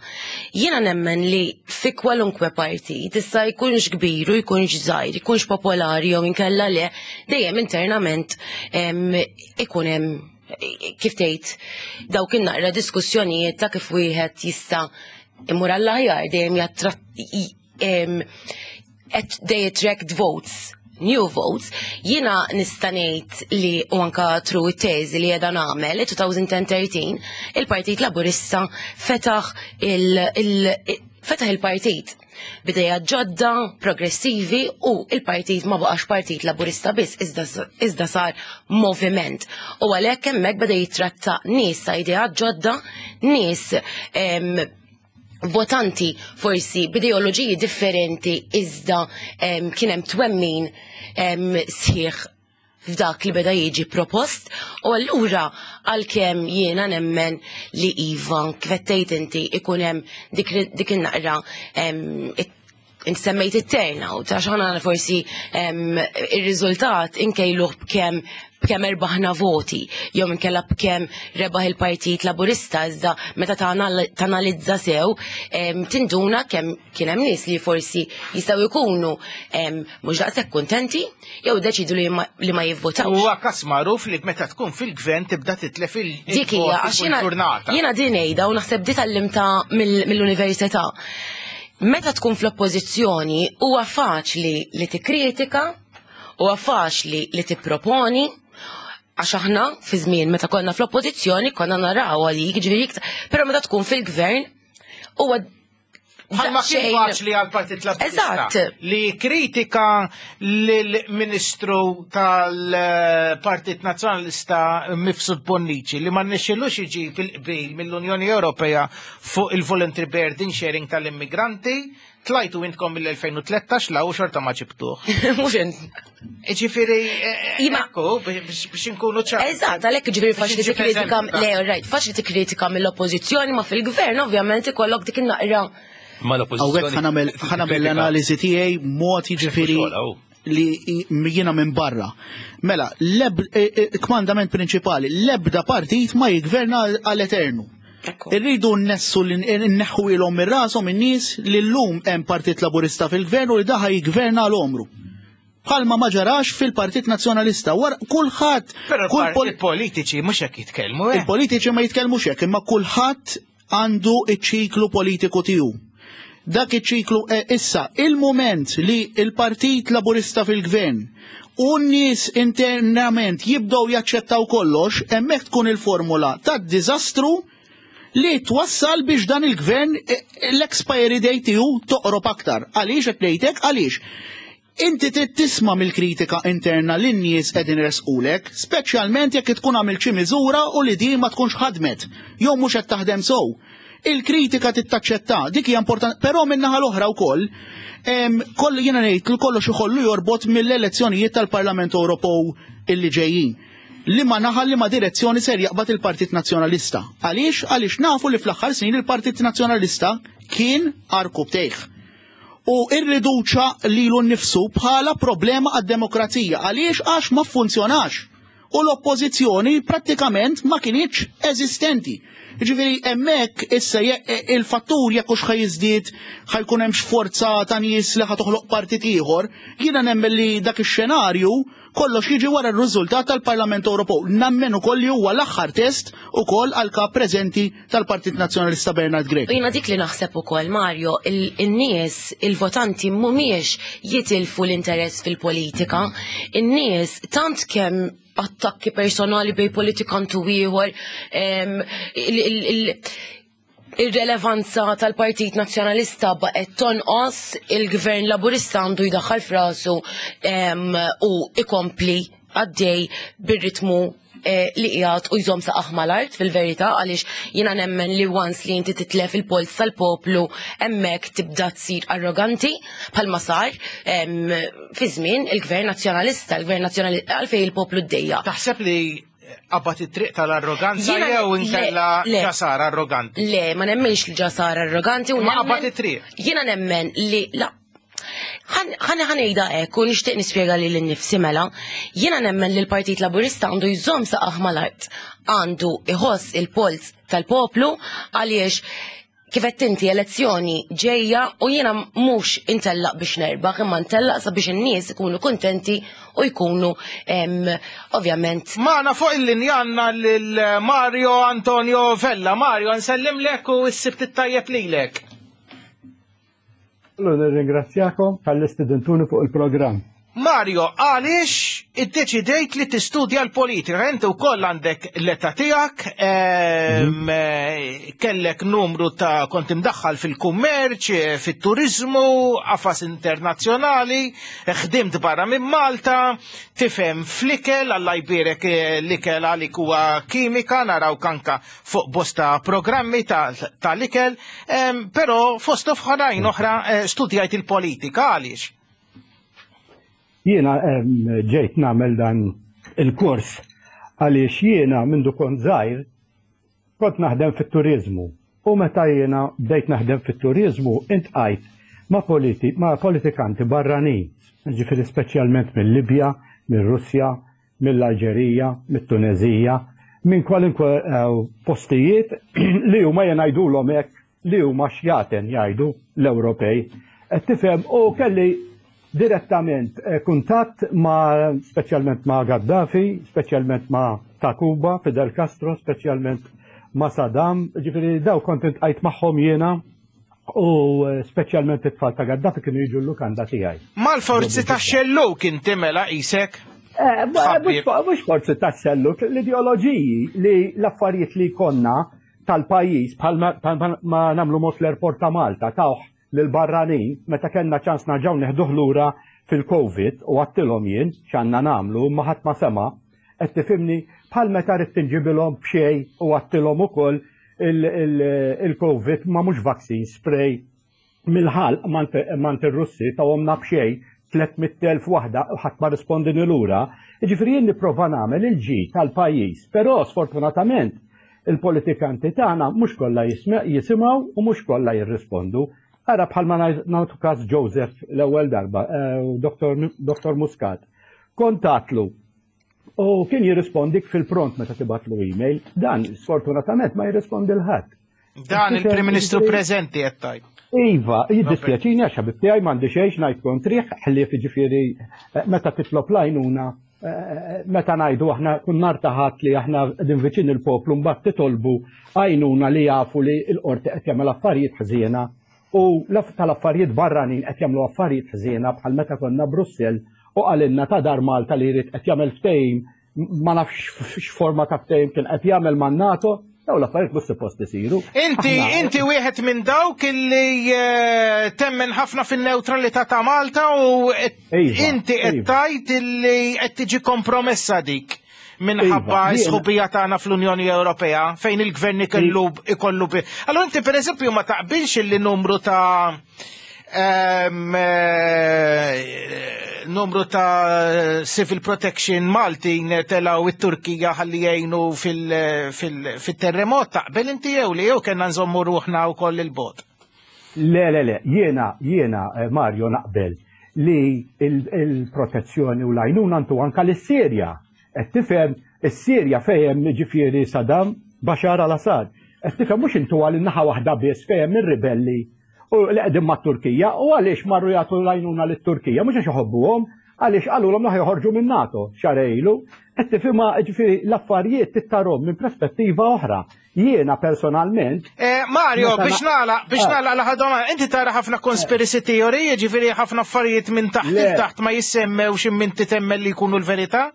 Jiena nemmen li fi kwalunkwe partit issa jkunx kbir u jkunx żgħir, jkunx popolari jew inkella le, dejjem internament ikun hemm kif tgħid dawk in-naqra diskussjonijiet ta' kif wieħed jista' imur għall-aħjar dejjem they attract votes new votes, jiena nista' ngħid li u anka true it-teżi li qiegħda nagħmel 2013 il-Partit Laburista fetaħ il, il fetaħ il-partit. B'idejat ġodda, progressivi u il-partit ma baqax Partit Laburista biss iżda sar moviment. U għalhekk hemmhekk beda jitratta nies ta' ideat ġodda, nies votanti forsi b'ideoloġiji differenti iżda kien hemm twemmin sħiħ f'dak li beda jiġi propost u allura għalkemm jiena nemmen li iva kif qed tgħid inti ikun hemm dik, dik in-naqra inti semmejt it-turnout għax aħna forsi ir-riżultat inkejluh b'kemm b'kemm erbaħna voti jew inkella b'kemm rebaħ il-Partit Laburista iżda meta tanalizza sew tinduna kemm kien hemm nies li forsi jistgħu jkunu mhux daqshekk kuntenti jew deċidu li ma jivvotawx. Huwa kas magħruf li meta tkun fil-gvern tibda titlef il Dik hija għax jiena din ngħidha u naħseb di tgħallimtha mill-università. Meta tkun fl-oppożizzjoni huwa faċli li tikkritika, huwa faċli li tipproponi, għax aħna fi żmien meta konna fl-oppożizzjoni konna naraw għalik, ġifieri iktar, però meta tkun fil-gvern huwa Bħalma kien faċli għal-Partit Laburista li kritika lill-Ministru tal-Partit Nazzjonalista Mifsud Bonnici li ma rnexxilux iġib il-qbil mill-Unjoni Ewropea fuq il-voluntary burden sharing tal-immigranti, tlajtu intkom mill-2013 la u xorta ma ġibtuh. Mhux int. Ġifieri, ekku, biex inkunu ċar. Eżatt, għalhekk ġifieri faċli tikkritika, le, right, faċli tikkritika mill-oppożizzjoni ma fil-gvern ovvjament ikollok dik in-naqra. Ma l-oppożizzjoni. Hawnhekk ħa nagħmel l-analiżi tiegħi mod jiġifieri li jiena minn barra. Mela, kmandament prinċipali, l-ebda partit ma jigverna għal-eternu. Irridu nnessu li nneħħu ilhom minn rashom in-nies li llum hemm Partit Laburista fil-gvern u li daħa jigverna għal għomru. Bħalma ma ġarax fil-Partit Nazzjonalista. Wara kulħadd Però il-politiċi mhux hekk jitkellmu. Eh? Il-politiċi ma jitkellmux hekk, imma kulħadd għandu iċ-ċiklu politiku tiegħu. Dak iċ-ċiklu eh, issa il-moment li il-Partit Laburista fil-Gvern u n-nies internament jibdew jaċċettaw kollox, hemmhekk tkun il-formula tad-diżastru li twassal biex dan il-gvern eh, l-expiry date tiegħu toqrob aktar. Għaliex qed ngħidlek għaliex? Inti trid tisma' mill-kritika interna li n-nies qegħdin resqulek, speċjalment jekk tkun għamilt xi miżura u li din ma tkunx ħadmet, jew mhux qed taħdem sew. Il-kritika tittaċċetta, dik hija importanti, però min-naħa l-oħra wkoll, kollu jiena ngħid li kollox ikollu jorbot mill-elezzjonijiet tal-Parlament Ewropew illi ġejjin. Li ma naħa li ma direzzjoni ser jaqbad il-Partit Nazzjonalista. Għaliex? Għaliex nafu li fl-aħħar snin il-Partit Nazzjonalista kien għarkupptejh u irriduċa lilu nnifsu bħala problema għad-demokrazija. Għaliex? Għax ma funzjonax. U l-oppożizzjoni prattikament ma kinitx eżistenti. Ġifieri hemmhekk issa il-fattur jekk hux ħa jiżdied ħa jkun hemm forza ta' nies li ħa toħloq partit ieħor, jiena nemmen li dak ix-xenarju kollox jiġi wara r-riżultat tal-Parlament Ewropew. Nemmen ukoll li huwa l-aħħar test ukoll għal kap preżenti tal-Partit Nazzjonalista Bernard Grech. U jiena dik li naħseb ukoll Mario, in-nies, il-votanti mhumiex jitilfu l-interess fil-politika, in-nies tant kemm attakki personali bej politikantu ieħor, il-relevanza tal-Partit Nazzjonalista baqgħet tonqos, il-Gvern Laburista għandu jdaħħal frasu u ikompli għaddej bir-ritmu li qiegħed u jżomm saqajh mal-art fil-verità għaliex jiena nemmen li once li inti titlef il-pols tal-poplu hemmhekk tibda tsir arroganti bħalma sar fi żmien il-Gvern Nazzjonalista, il-Gvern Nazzjonalista għalfejn il-poplu ddejja. Taħseb li qabad it-triq tal-arroganza jew inkella ġa sar arroganti? Le, ma nemmenx li ġa sar arroganti. Ma qabad it-triq. Jiena nemmen li la ħa ngħidha hekk u nixtieq nispjega lili nnifsi mela, jiena nemmen li l-Partit Laburista għandu jżomm saqajh mal-art, għandu iħoss il-pols tal-poplu għaliex kif qed inti elezzjoni ġejja u jiena mhux intellaq biex nerbaħ imma ntellaq sabiex in-nies ikunu kuntenti u jkunu ovvjament. Magħna fuq il-linja għandna lil Mario Antonio Vella. Mario, nsellimlek u s-sibt it-tajjeb lilek. Allora nirringrazzjakom tal-li stidintuni fuq il-programm. Mario, għaliex iddeċidejt li tistudja l-politika? Inti wkoll għandek l-età tiegħek, kellek numru ta' kont imdaħħal fil-kummerċ, fit-turiżmu, qafas internazzjonali, ħdimt barra minn Malta, tifhem fl-ikel, Alla jbierek l-ikel għalik huwa kimika, narawk anka fuq bosta programmi tal-ikel, però fost oħrajn oħra studjajt il-politika, għaliex? Jiena ġejt nagħmel dan il-kors għaliex jiena mindu kont żgħir kont naħdem fit-turiżmu u meta jiena bdejt naħdem fit-turiżmu intqajt ma' politi ma' politikanti barranin, ġifieri speċjalment mill-Libja, mir-Russja, mill-Alġerija, mit-Tuneżija, minn kwalunkwe postijiet li huma jien ngħidulhom hekk li huma xjaten jgħidu l-Ewropej. Qed tifhem u kelli direttament kuntatt ma' speċjalment ma' Gaddafi, speċjalment ma' ta' Kuba, Fidel Castro, speċjalment ma' Saddam, ġifieri daw kont intqajt magħhom jiena u speċjalment it-tfal ta' Gaddafi kienu jiġu l-lukanda tiegħi. Mal-forzi tax-xellug inti mela qisek? Mhux forzi tax-xellug, l-ideoloġiji li l-affarijiet li jkollna tal-pajjiż bħal ma nagħmlu mod l-airport ta' Malta tawh lill-barranin meta kellna ċans narġgħu neħduh lura fil-Covid u għadtilhom jien x'għandna nagħmlu imma ħadd ma sema', qed tifhimni, bħal meta ridt inġibilhom b'xejn u għadtilhom ukoll il-Covid ma mhux vaccine, spray mill-ħalq m'għand ir-Russi tawhomna b'xejn 300,000 waħda u ħadd ma rrispondini lura. Jiġifieri jien nipprova nagħmel il-ġid tal-pajjiż, però sfortunatament il-politikanti tagħna mhux kollha jisimgħu u mhux kollha jirrispondu. Ara bħalma nagħtu każ Joseph l-ewwel darba, Dr. Muscat. Kont għatlu u kien jirrispondik fil-pront meta tibgħatlu email, dan sfortunatament ma jirrispondi l-ħadd. Dan il-Prim Ministru preżenti qed tgħid. Iva, jiddispjaċini għax ħabib tiegħi m'għandi xejn ngħid kontrih, ħlief jiġifieri meta titlob l-għajnuna meta ngħidu aħna kun nhar ta' Ħadd li aħna qegħdin viċin il-poplu mbagħad titolbu għajnuna li jafu li l-qorti qed jagħmel affarijiet ħżiena u tal-affarijiet barranin qed jagħmlu affarijiet ħżiena bħal meta konna Brussell u qalilna ta' Dar Malta li jrid qed jagħmel ftehim ma nafx x'forma ta' ftehim kien qed jagħmel man-NATO, daw l-affarijiet mhux suppost isiru. Inti inti wieħed minn dawk illi eh, temmen ħafna fin-newtralità ta' Malta u iva, inti qed iva. tgħid illi qed tiġi kompromessa dik minħabba iva, sħubija tagħna fl-Unjoni Ewropea fejn il-gvern ikollu ikollu Allora inti pereżempju ma taqbilx illi numru ta' Eh, numru ta' civil protection Maltin telaw it-Turkija ħalli jgħinu fil-terremot taqbel inti jew li jew kellna nżommu ruħna wkoll il-bot. Le, le, le, jiena, jiena, eh, Mario, naqbel li il-protezzjoni u l-għajnuna ntu anka l-Sirja. Qed tifhem, is-Sirja fejn ġifieri Saddam, Bashar al-Assad. Qed tifhem mhux intu għal naħa waħda biss fejn ir-ribelli u li qegħdin mat-Turkija u għaliex marru jagħtu l-għajnuna lit-Turkija mhux għax iħobbuhom, għaliex qalulhom li joħorġu minn NATO xahar ilu. Qed tifhimha ġifieri l-affarijiet tittarhom minn perspettiva oħra. Jiena personalment. Eh, Mario, biex nagħlaq, biex eh. nagħlaq l-aħħar domanda, inti tara ħafna conspiracy theory, jiġifieri ħafna affarijiet minn taħt taħt ma jissemmewx imma inti temmen li jkunu l-verità?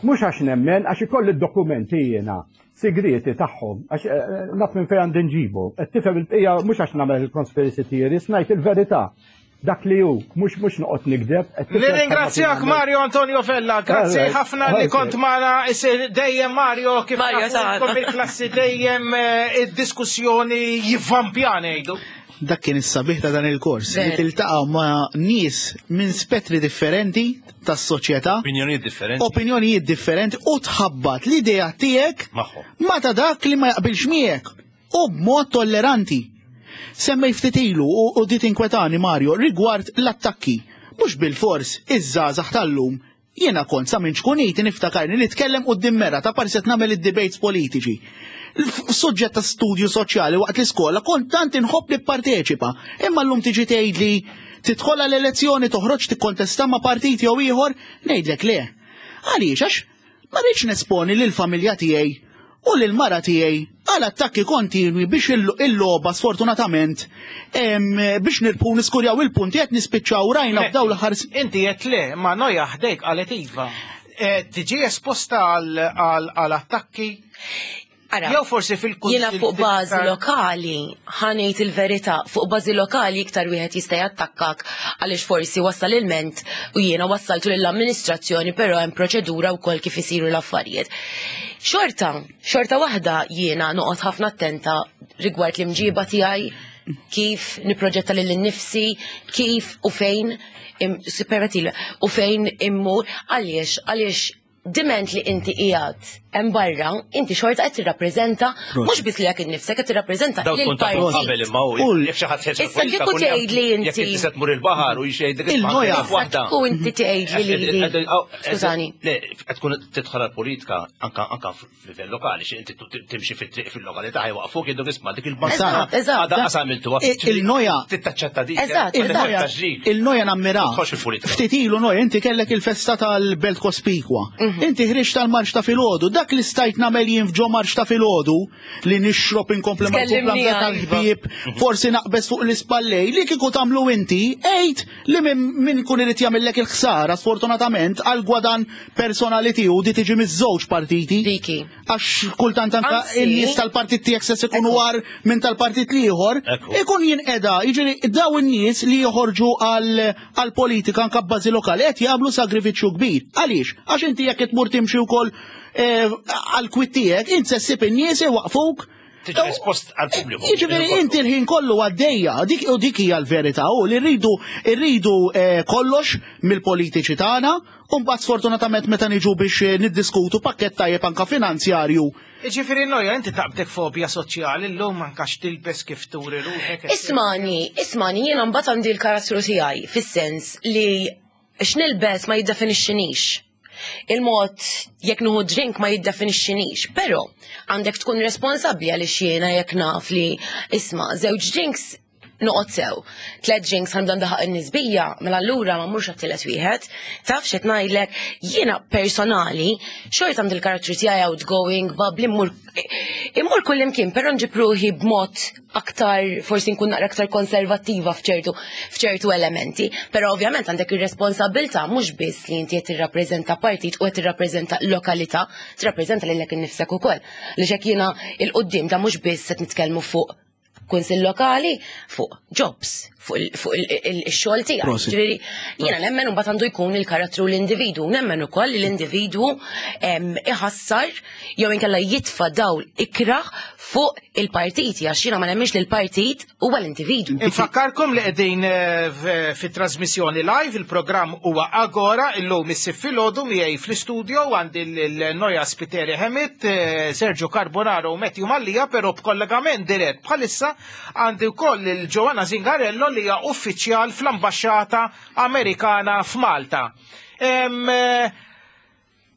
Mhux għax nemmen, għax ikolli d-dokumenti jiena sigrieti tagħhom, għax eh, eh, naf minn fejn għandi nġibu. Qed tifhem il-bqija mhux għax nagħmel il-conspiracy theories, ngħid il-verità. Dak li hu, mhux mhux noqgħod nikdeb. Nirringrazzjak Mario Antonio Vella, grazzi ħafna li kont magħna isir dejjem Mario kif Mario il-klassi dejjem eh, id-diskussjoni jivvampja ngħidu. Dak kien is-sabiħ ta' dan il-kors, li tiltaqa' ma' nies minn spettri differenti tas-soċjetà. Opinjonijiet differenti. Opinjonijiet differenti u tħabbat l-idea tiegħek ma' ta' dak li ma jaqbilx miegħek u b'mod tolleranti. Semmej ftit ilu u di tinkwetani Mario rigward l-attakki. Mhux bilfors iż-żgħażagħ tal-lum Jiena kont sa minn ċkuniti niftakarni nitkellem quddiem mera ta' parsi qed nagħmel id-debates politiċi. F'suġġett ta' studju soċjali waqt l-iskola kont tant inħobb nipparteċipa. Imma llum tiġi tgħidli tidħol għal elezzjoni toħroġ tikkontesta ma' partit jew ieħor, ngħidlek le. Għaliex għax ma rridx nesponi lill-familja tiegħi. u lill-mara tiegħi għal attakki kontinwi biex il-logħba sfortunatament biex nirbħu niskurjaw il-punti qed nispiċċaw rajna f'dawn l-aħħar Inti qed le, ma Noja ħdejk qalet iva. Tiġi esposta għal attakki? Ara, Jew forsi fil-kunsill Jiena fuq bażi lokali, ħa ngħid il-verità, fuq bażi lokali iktar wieħed jista' jattakkak għaliex forsi wassal ilment u jiena wassaltu lill-amministrazzjoni però hemm proċedura wkoll kif isiru l-affarijiet. Xorta, xorta waħda jiena noqgħod ħafna attenta rigward l-imġiba tiegħi, kif nipproġetta lil innifsi, kif u fejn, permettili, u fejn immur, għaliex, għaliex diment li inti qiegħed hemm barra, inti xorta qed tirrappreżenta mhux biss lilek innifsek qed tirrappreżenta Daw tkun tafu lill-partit. qabel imma hu jekk xi ħadd ħeġġ Issa kieku tgħid li inti- Jekk inti se tmur il-baħar u jxejdlek Il-noja. Issa kieku inti tgħid li lili. Skużani. Le, qed tkun tidħol għall-politika anka anka f'livell lokali, xi inti timxi fit-triq fil-lokalità ħajwaqfuk jgħiduk isma' dik il-banka. Eżatt, eżatt. Għadha qas għamiltuha. Il-noja- Tittaċċetta dik. Eżatt, eżatt. Il-noja nammira. Tħoss fil-politika. Ftit ilu noja, inti kellek il-festa tal-Belt Kospikwa. Inti ħriġt tal-marċ ta' filgħodu, dak li stajt nagħmel jien f'ġo marċ ta' filgħodu li nixrob inkompli mal Tkellimni kumplament għal, tal-ħbieb, forsi naqbeż fuq l-ispallej, li kieku tagħmlu inti, għid li min kun irid jagħmellek il-ħsara sfortunatament għal gwadan personali tiegħu di tiġi miż-żewġ partiti. Diki. Għax kultant anka Anzi. in-nies tal-partit tiegħek se ikunu war minn tal-partit l-ieħor, Ekku. ikun jinqeda, jiġifieri daw in-nies li joħorġu għal politika anka b'bażi lokali qed jagħmlu sagrifiċċju kbir. Għaliex? Għax inti jekk tmur timxi wkoll għal kwit tiegħek, int se ssib in-nies iwaqfuk. Tiġi espost għall-pubbliku. Jiġifieri inti l-ħin kollu għaddejja, dik u dik hija l-verità u li rridu rridu kollox mill-politiċi tagħna, u mbagħad sfortunatament meta niġu biex niddiskutu pakkett tajjeb anka finanzjarju. Jiġifieri Noja, inti taqbdek fobja soċjali llum anka x'tilbes kif turi ruħek. Ismani, ismani, jiena mbagħad għandi l-karattru tiegħi fis-sens li x'nilbes ma jiddefinixxinix. Il-mod jekk nieħu drink ma jiddefinixxinix, però għandek tkun responsabbli għaliex jiena jekk naf li isma' żewġ drinks noqgħod sew. 3 drinks ħa nibda ndaħaq in-nisbija, mela allura ma mmurx għat-tielet wieħed. Taf x'qed ngħidlek, jiena personali xorta għandi l-karattru tiegħi outgoing, bubbly, immur kullimkien, però nġib ruħi b'mod aktar, forsi nkun naqra aktar konservattiva f'ċertu elementi, però ovvjament għandek ir-responsabilità mhux biss li inti qed tirrappreżenta partit u qed tirrappreżenta lokalità, tirrappreżenta lilek innifsek ukoll. Li xek jiena il-qudiem ta' mhux biss qed nitkellmu fuq kunsill lokali, fuq jobs, fuq il-xogħol tiegħek. Prosit. Ġifieri, jiena nemmen u mbagħad għandu jkun il-karattru l-individwu, nemmen ukoll li l-individwu iħassar jew inkella jitfa' dawl ikraħ fuq il-partiti, għax jiena ma nemminx li l-partit huwa l-individwu. Infakkarkom li qegħdin fit-trasmissjoni live, il-programm huwa Agora, illum is-sibt filgħodu miegħi fl-istudio għandi l-Noja Spiteri Hemit, Sergio Carbonaro u Matthew Mallia, però b'kollegament dirett bħalissa għandi wkoll il-Joanna Zingarello li hija uffiċjal fl-Ambaxxata Amerikana f'Malta.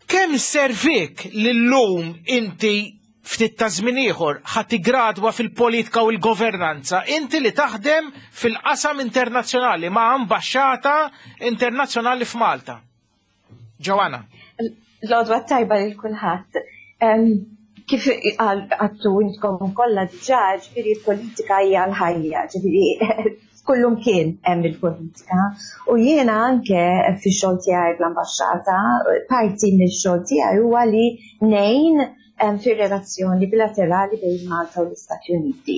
Kemm servik li llum inti ftit ta' żmien ieħor ħa tiggradwa fil-politika u l-governanza, inti li taħdem fil-qasam internazzjonali ma' ambaxxata internazzjonali f'Malta? Joanna. L-għodwa tajba lil kulħadd. Kif għattu intkom kollha diġà, ġifieri l-politika hija l-ħajja, ġifieri kullum kien hemm il-politika. U jiena anke fix-xogħol tiegħi bl-ambaxxata, parti mill-xogħol tiegħi huwa li ngħin fir-relazzjoni bilaterali bejn Malta u l-Istati Uniti.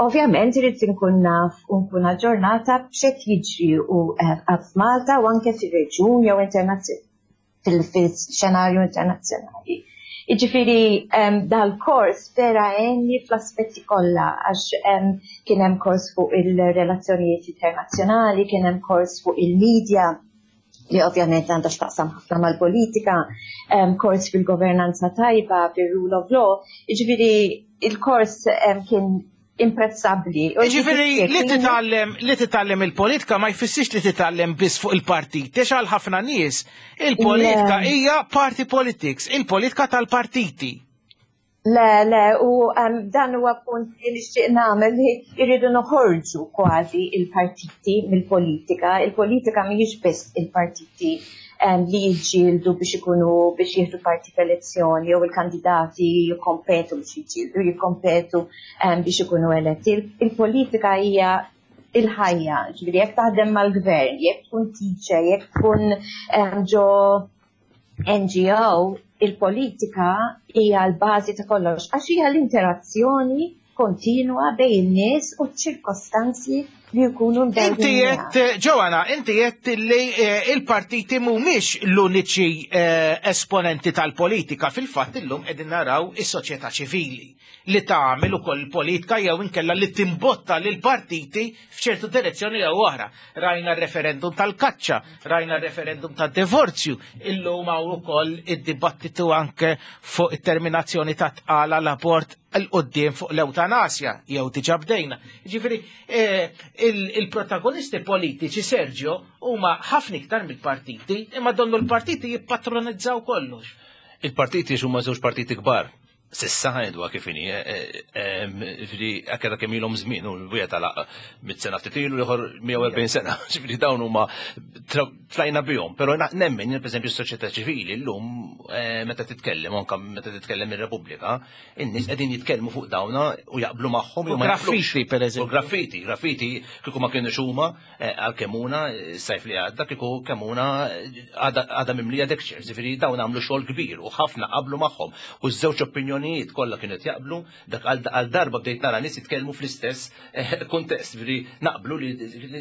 Ovvjament irid inkun naf u nkun aġġornata b'x'qed jiġri u f'Malta u anke fir-reġjun jew fil-xenarju internazzjonali. Jiġifieri dal-kors vera għenni fl-aspetti kollha, għax kien hemm kors fuq il-relazzjonijiet internazzjonali, kien hemm kors fuq il-media, li ovvjament għandha x'taqsam ħafna mal-politika, kors fil-governanza tajba, fil-rule of law, jiġifieri il-kors kien imprezzabbli. U Jiġifieri jiġifieri li titgħallem il-politika ma jfissirx li titgħallem biss fuq il-partit. Għax għal ħafna nies il-politika hija party politics, il-politika tal-partiti. Le, le, u dan huwa punt li nixtieq nagħmel li jridu noħorġu kważi il-partiti mill-politika. Il-politika mhijiex biss il-partiti. li jiġġieldu biex ikunu biex jieħdu parti f'elezzjoni jew il-kandidati jikkompetu biex jiġġieldu jikkompetu biex ikunu eletti. Il-politika hija il-ħajja, ġifieri jekk taħdem mal-gvern, jekk tkun teacher, jekk tkun ġo NGO, il-politika hija l-bażi ta' kollox għax hija l-interazzjoni kontinwa bejn in-nies u ċ-ċirkostanzi li jkunu Inti qed Joanna, inti qed li eh, il-partiti mhumiex l-uniċi eh, esponenti tal-politika fil-fatt illum qegħdin naraw is-soċjetà ċivili li tagħmel ukoll politika jew inkella li timbotta lil partiti f'ċertu direzzjoni jew oħra. Rajna r-referendum tal-kaċċa, rajna r-referendum tad-divorzju, illum hawn ukoll id-dibattitu anke fuq it-terminazzjoni ta' tqala l-abort 'l quddiem fuq l-ewtanasja jew diġà bdejna. Ġifieri eh, il-protagonisti politiċi Sergio huma ħafna iktar mill-partiti, imma donnu l-partiti jippatronizzaw kollox. Il-partiti huma żewġ partiti kbar. Sissa ħanidwa kif inhi, eh, eh, ġifieri anke dak kemm ilhom żmien u wieħed għalaq mit sena ftit ilu ieħor 140 sena, ġifieri dawn huma tlajna bihom, però nemmen pereżempju s-soċjetà ċivili llum meta titkellem anke meta titkellem ir-Repubblika, in-nies qegħdin jitkellmu fuq dawna u jaqblu magħhom jew ma Graffiti pereżempju. Graffiti, graffiti kieku ma kienux huma eh, għal Kemuna eh, sajf li għadda kieku Kemuna eh, għadha mimlija dekċer, ġifieri dawn għamlu xogħol kbir u ħafna qablu magħhom u ż-żewġ opinjonijiet kollha kienu jaqblu dak għal darba bdejt nara nies jitkellmu fl-istess kuntest, ġifieri naqblu li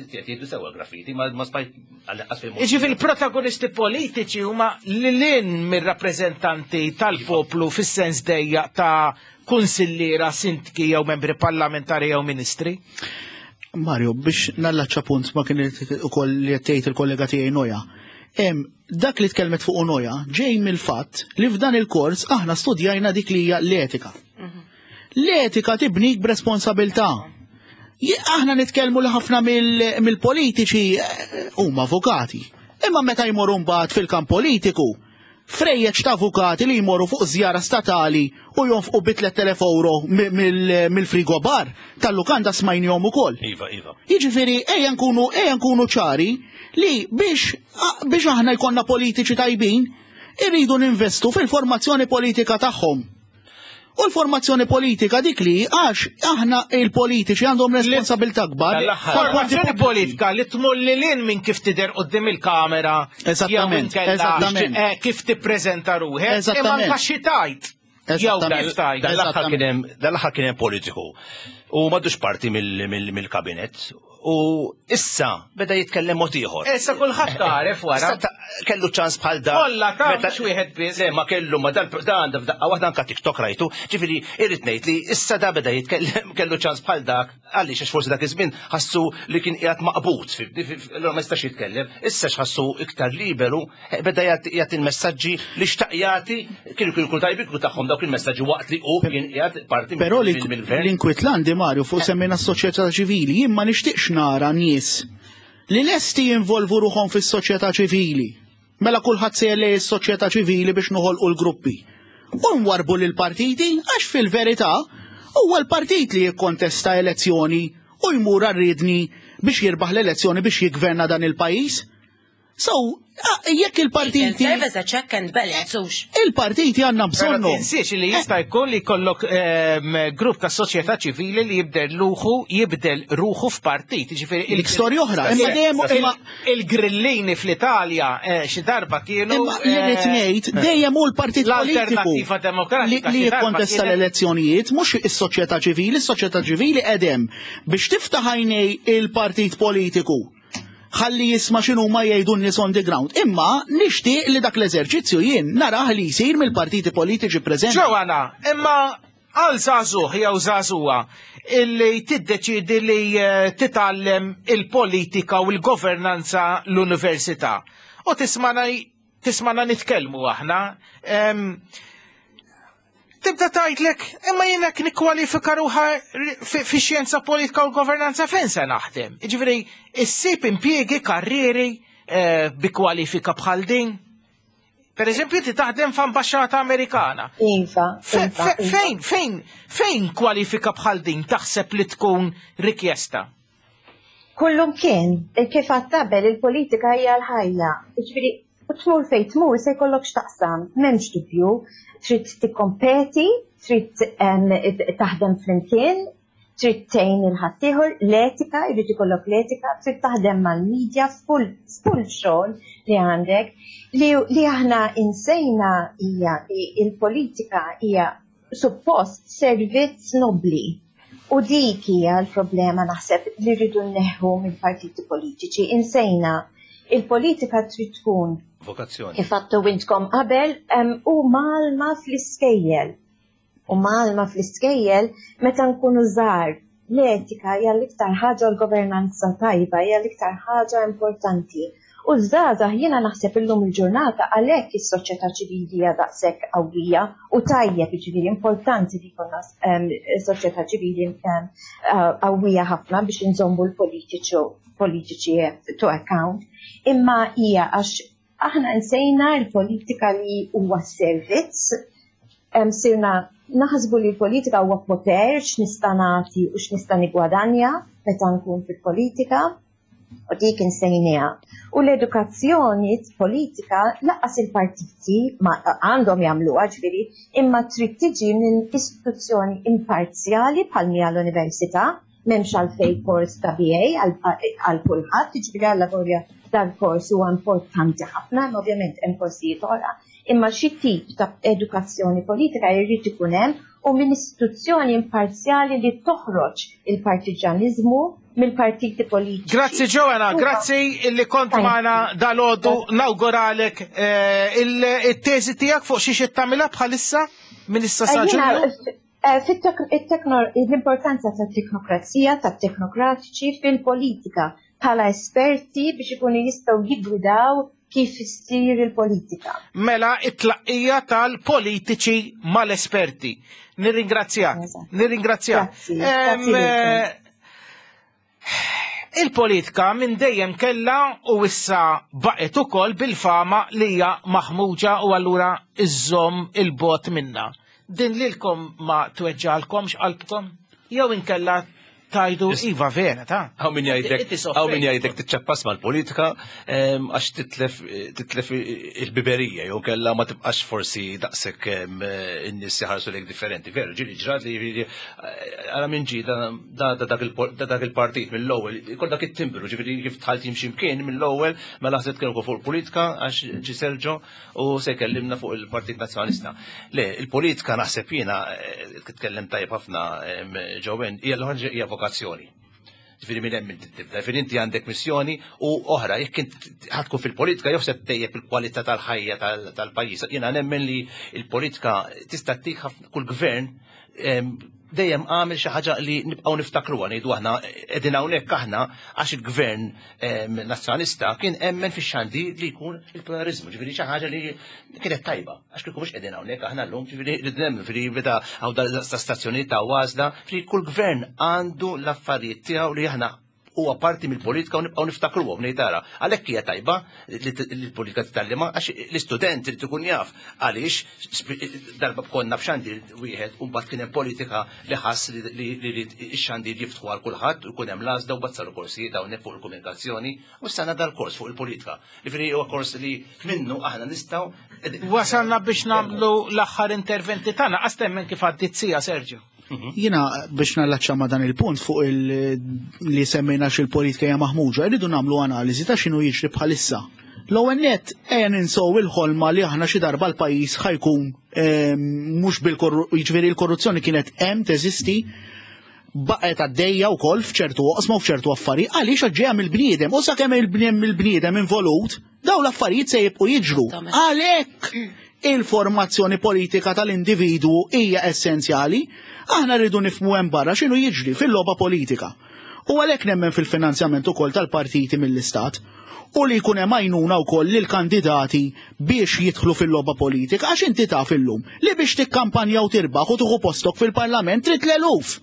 qed jgħidu sewwa graffiti ma smajt Jiġifieri il-protagonisti politiċi huma lil mir-rappreżentanti tal-poplu fis-sens dejjaq ta' kunsilliera, sindki jew membri parlamentari jew ministri. Mario, biex nallaċċa punt ma kien ukoll li qed tgħid il-kollega tiegħi Noja. Dak li tkellmet fuq Noja ġej mill-fatt li f'dan il-kors aħna studjajna dik li hija l-etika. Mhm. L-etika tibnik b'responsabilità. Aħna nitkellmu li ħafna mill-politiċi eh, huma avukati. Imma meta jmorru mbagħad fil-kamp politiku, frejjeġ ta' avukati li jmorru fuq żjara statali u jonfqu bi 3000 euro mill-frigo bar tal-lukanda smajnihom ukoll. Iva, iva. Jiġifieri ejja nkunu ejja nkunu ċari li biex biex aħna jkollna politiċi tajbin, irridu ninvestu fil-formazzjoni politika tagħhom. U l-formazzjoni politika dik li għax aħna il-politiċi għandhom responsabilità kbar. Formazzjoni politika li tmur lil hinn minn kif tidher quddiem il-kamera. Eżattament. Eżattament. Eh, kif tippreżenta ruħek. Eżattament. Imma xi tajt. Jew kif tajt. Dal-aħħar kien hemm politiku. U m'għadux parti mill-kabinet U issa beda jitkellem mod ieħor. Issa kulħadd għaref wara. Kellu ċans bħal dan. Kollha ta' mhux wieħed biss. Le ma kellu ma dan dan f'daqqa waħda anka TikTok rajtu. Ġifieri irrid ngħid li issa da beda jitkellem kellu ċans bħal dak għaliex għax forsi dak iż-żmien ħassu li kien qiegħed maqbud allura ma jistax jitkellem. Issa x'ħassu iktar liberu eh, beda jagħti il-messaġġi li xtaq jagħti kienu kienu kull tajbi kienu tagħhom dawk il-messaġġi waqt li hu kien qiegħed parti Però li l-inkwitlandi Mario fuq eh. semmejna s-soċjetà ċivili, jien ma nixtieqx nara nies li lesti jinvolvu ruħhom fis-soċjetà ċivili. Mela kulħadd se lej is-soċjetà ċivili biex noħolqu l-gruppi. U nwarbu lil partiti għax fil-verità huwa l-partit li jikkontesta elezzjoni u jmur għar-riedni biex jirbaħ l-elezzjoni biex jiggverna dan il-pajjiż. So, jekk il-partiti. Serve as a check and balance, hux. Il-partiti għandna bżonnu. Tinsiex li jista' jkun li jkollok ehm, grupp ta' soċjetà ċivili li jibdel ruħu jibdel ruħu f'partit. Ġifieri Dik storja oħra. Imma dejjem imma il-grillini fl-Italja eh, xi darba kienu. Imma li rrid eh, ngħid dejjem hu l-partit politiku. L-Alternattiva Demokratika li jikkontesta l-elezzjonijiet mhux is-soċjetà ċivili, is-soċjetà ċivili qegħdem biex tiftaħ għajnej il-partit politiku ħalli jisma' x'inhuma jgħidu n-nies on the ground. Imma nixtieq li dak l-eżerċizzju jien narah li jsir mill-partiti politiċi preżenti. Joanna, imma għal żagħżugħ jew żagħżugħa illi tiddeċiedi li eh, titgħallem il-politika u l-governanza l-università u tismana tismana nitkellmu aħna. Tibda tgħidlek, imma jien hekk nikkwalifika ruħa fi xjenza politika u governanza fejn se naħdem. Jiġifieri issib impjiegi, karrieri eh, bi kwalifika bħal din. Per eżempju, ti taħdem f'ambaxxata Amerikana. Iva. iva, iva. Fejn, fejn, fejn kwalifika bħal din taħseb li tkun rikjesta? Kullum kien, kif għadd qabel il-politika hija l-ħajja. Jiġifieri, U tmur fejn tmur se jkollok x'taqsam, m'hemmx dubju, trid tikkompeti, trid taħdem flimkien, trid tgħin lil ħaddieħor, l-etika, jrid ikollok l-etika, trid taħdem mal-media f'kull f'kull xogħol li għandek. Li, li aħna insejna hija li l-politika hija suppost servizz nobbli. U dik hija l-problema naħseb li rridu nneħħu mill-partiti politiċi. Insejna il-politika trid tkun vokazzjoni. Kif għadtu intkom qabel u mgħallma fl-iskejjel. U mgħallma fl-iskejjel meta nkunu żgħar. L-etika hija l-iktar ħaġa l-governanza tajba hija l-iktar ħaġa importanti. U ż-żgħażagħ jiena naħseb illum il-ġurnata għalhekk is-soċjetà ċivili hija daqshekk qawwija u tajjeb jiġifieri importanti li jkollna soċjetà ċivili qawwija ħafna biex inżommu l-politiċi politiċi to account. Imma hija għax aħna nsejna l-politika li huwa servizz, sirna naħsbu li l-politika huwa poter x'nista' nagħti u x'nista' nigwadanja meta nkun fil-politika u dik insejniha. U l-edukazzjoni politika lanqas il-partiti ma għandhom jagħmluha ġifieri, imma trid tiġi minn istituzzjoni imparzjali bħal mija l-università, m'hemmx għalfejn kors ta' BA għal kulħadd, jiġifieri allavolja dal-kors huwa importanti ħafna, imma ovvjament hemm korsijiet oħra, imma xi tip ta' edukazzjoni politika jrid ikun hemm u minn istituzzjoni imparzjali li toħroġ il-partiġjaniżmu mill-partiti politiċi. Grazzi Joanna, grazzi illi kont magħna dalgħodu nawguralek eh, il-teżi tiegħek fuq xi xi tagħmilha bħalissa minn issa sa eh, Ġunju? Eh, l-importanza tat-teknokrazija, tat-teknokratiċi fil-politika bħala esperti biex ikunu jistgħu jiggwidaw kif issir il-politika. Mela it-tlaqqija tal-politiċi mal-esperti. Nirringrazzjak. Nirringrazzjak. Eh, il-politika minn dejjem kella u issa baqgħet ukoll bil-fama li hija maħmuġa u allura iżżomm il-bot minna. Din lilkom ma tweġġalkomx qalbkom? Jew inkella tajdu iva vera ta' Hawn min jgħidlek hawn min jgħidlek tiċċappas mal-politika għax titlef titlef il-biberija jew kellha ma tibqax forsi daqshekk in-nies jħarsu lejk differenti. Veru, ġieli ġrat li għara minn ġi da dak il-partit mill-ewwel, kol dak it-timbru, ġifieri kif tħalt jimxi mkien mill-ewwel mela ħseb tkellmu fuq il-politika għax ġi Sergio u se jkellimna fuq il-Partit Nazzjonalista. Le, il-politika naħseb jiena eh, titkellem tajjeb ħafna Jowen, hija l hija vokazzjoni. Ġifieri minn hemm inti tibda, ġifieri inti għandek missjoni u oħra, jekk int ħadkun fil-politika jew se ttejjeb il-kwalità tal-ħajja tal-pajjiż. Jiena nemmen li l-politika tista' ttik kull gvern dejjem għamel xi ħaġa li nibqgħu niftakruha ngħidu aħna qegħdin hawnhekk aħna għax il-gvern nazzjonalista kien emmen fix-xandir li jkun il-pluralizmu, ġifieri xi ħaġa li kienet tajba għax kieku mhux qegħdin hawnhekk aħna llum, ġifieri rrid nemmen ġifieri meta hawn ta' stazzjonijiet ta' għażla, ġifieri kull gvern għandu l-affarijiet tiegħu li aħna huwa parti mill-politika u nibqgħu niftakruhom ngħid tara. Għalhekk hija tajba li l-politika titgħallimha għax l-istudent irid ikun jaf għaliex darba konna b'xandir wieħed u mbagħad kien hemm politika li ħass li jrid ix-xandir jiftħu għal kulħadd u jkun hemm l-għażla u mbagħad saru korsijiet hawnhekk fuq il-komunikazzjoni u issa għandna dal-kors fuq il-politika. Jiġifieri huwa kors li minnu aħna nistgħu Wasalna biex nagħmlu l-aħħar interventi tagħna, qas temmen kif għaddiet sija Sergio. Mhm. Jina biex nallaċċa ma' dan il-punt fuq il li semmejna xil-politika hija maħmuġa, rridu nagħmlu analiżi ta' x'inhu jiġri bħalissa. L-ewwel nett ejja ninsow il-ħolma li aħna xi darba l-pajjiż ħajkun ehm, mhux bil jiġifieri l-korruzzjoni kienet hemm teżisti baqgħet għaddejja wkoll f'ċertu oqsma u f'ċertu affarijiet għaliex ġejja mill-bniedem u sakemm il-bniedem involut Dawn l-affarijiet se jibqu jiġru. Għalhekk il-formazzjoni politika tal-individwu hija essenzjali. Aħna rridu nifhmu hemm barra x'inhu jiġri fil-logħba politika. U għalhekk nemmen fil-finanzjament ukoll tal-partiti mill-istat u li jkun hemm għajnuna wkoll lill-kandidati biex jidħlu fil-logħba politika għax inti taf illum li biex tikkampanja u tirbaħ u tieħu postok fil-parlament trid l-eluf.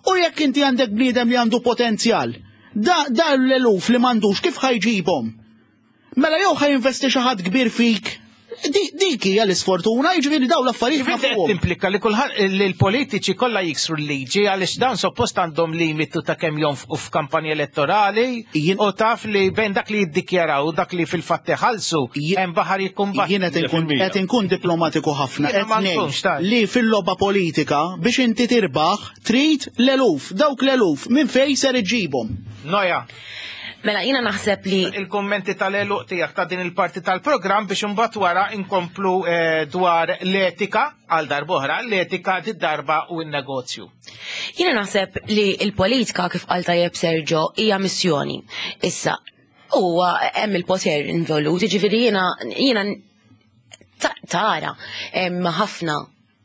U jekk inti għandek bniedem li għandu potenzjal, da, da l-eluf li m'għandux kif ħajġibhom? Mela jew ħajinvesti xi ħadd kbir fik, Dik hija l-isfortuna, jiġifieri dawn l-affarijiet Ġifieri qed timplika li kulħadd li l-politiċi kollha jiksru l-liġi għaliex dawn suppost għandhom limitu ta' kemm jonfqu f'kampanja elettorali u taf li bejn dak li jiddikjaraw u dak li fil-fatt iħallsu hemm baħar jikkumbatti. Jien qed inkun diplomatiku ħafna qed ngħid li fil-logħba politika biex inti tirbaħ trid l-eluf, dawk l-eluf minn fejn ser iġġibhom. Noja. Mela jiena naħseb li. Il-kummenti tal-għeluq tiegħek ta' din il-parti tal-programm biex imbagħad wara inkomplu eh, dwar l-etika għal darb'oħra, l-etika d-darba u n-negozju. Jiena naħseb li l-politika kif qal tajjeb Sergio hija missjoni. Issa, huwa hemm il-poter involut, jiġifieri jiena jiena tara hemm ħafna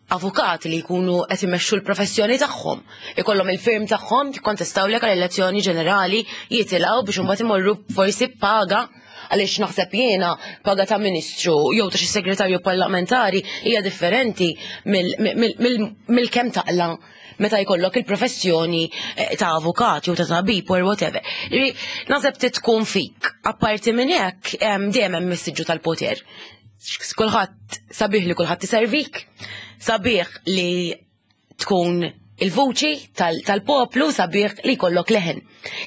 avukati li jkunu qed imexxu l-professjoni tagħhom. Ikollhom il-firm tagħhom jikkontestawlek għal elezzjoni ġenerali jitilgħu biex imbagħad imorru forsi paga għaliex naħseb jiena paga ta' ministru jew ta' xi segretarju parlamentari hija differenti mill-kemm taqla meta jkollok il-professjoni eh, ta' avukat jew ta' tabib or whatever. Naħseb tkun fik. Apparti minn hekk dejjem hemm is-siġġu tal-poter. Kulħadd sabiħ li kulħadd iservik, sabiħ li tkun il-vuċi tal-poplu sabiħ li jkollok leħen.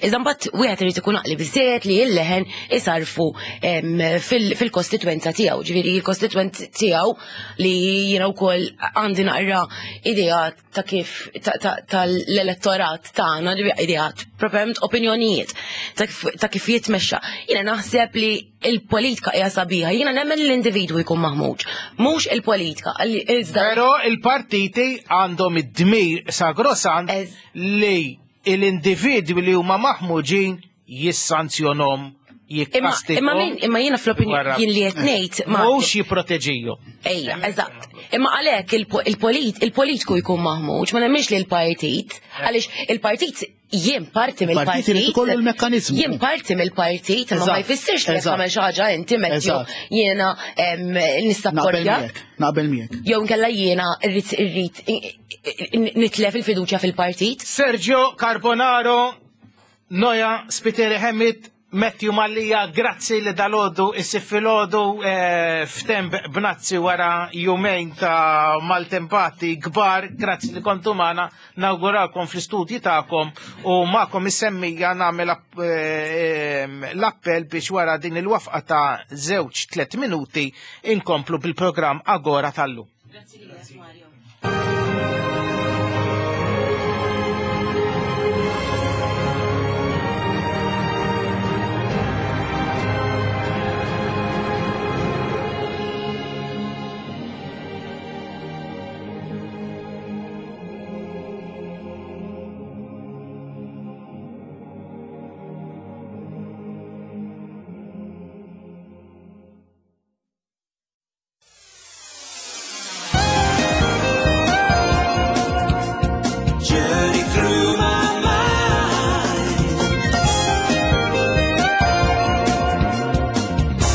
Iżda mbagħad wieħed irid ikun aqli biżejjed li l-leħen isarfu fil-kostitwenza tiegħu. Ġifieri il-kostitwent tiegħu li jiena wkoll għandi naqra ideat ta' kif tal-elettorat tagħna, ideat, proprjament opinjonijiet ta' kif jitmexxa. Jiena naħseb li il-politika hija sabiħa, jiena nemmen li l-individwu jkun maħmuġ, mhux il-politika. Iżda Però il-partiti għandhom id-dmir sagrosant li l-individwi li huma maħmuġin jissanzjonhom jikkastigahom. Imma min, imma jiena fl-opinjoni jien li qed ngħid ma mhux jipproteġihom. Ejja, eżatt. Imma għalhekk il-politiku jkun maħmuġ, ma nemminx li l-partit, għaliex il-partit jien parti mill-partit. Partit ikollu l-mekkaniżmu. Jien parti mill-partit, ma ma jfissirx li tagħmel xi ħaġa inti Matthew jiena nistapporja. Naqbel miegħek. Jew nkella jiena rrid irrid nitlef il-fiduċja fil-partit. Sergio Carbonaro, Noja Spiteri Hemit, Matthew Mallia, grazzi li dalodu issib filgħodu eh, f'temp b'nazzi wara jumejn ta' maltempati kbar, grazzi li kontu magħna, nawguralkom fl-istudji tagħkom u magħkom is-semmija nagħmel eh, l-appell biex wara din il-wafqa ta' żewġ tliet minuti inkomplu bil-programm Agora tal-lum. Grazzi lilek Mario. Journey through my mind.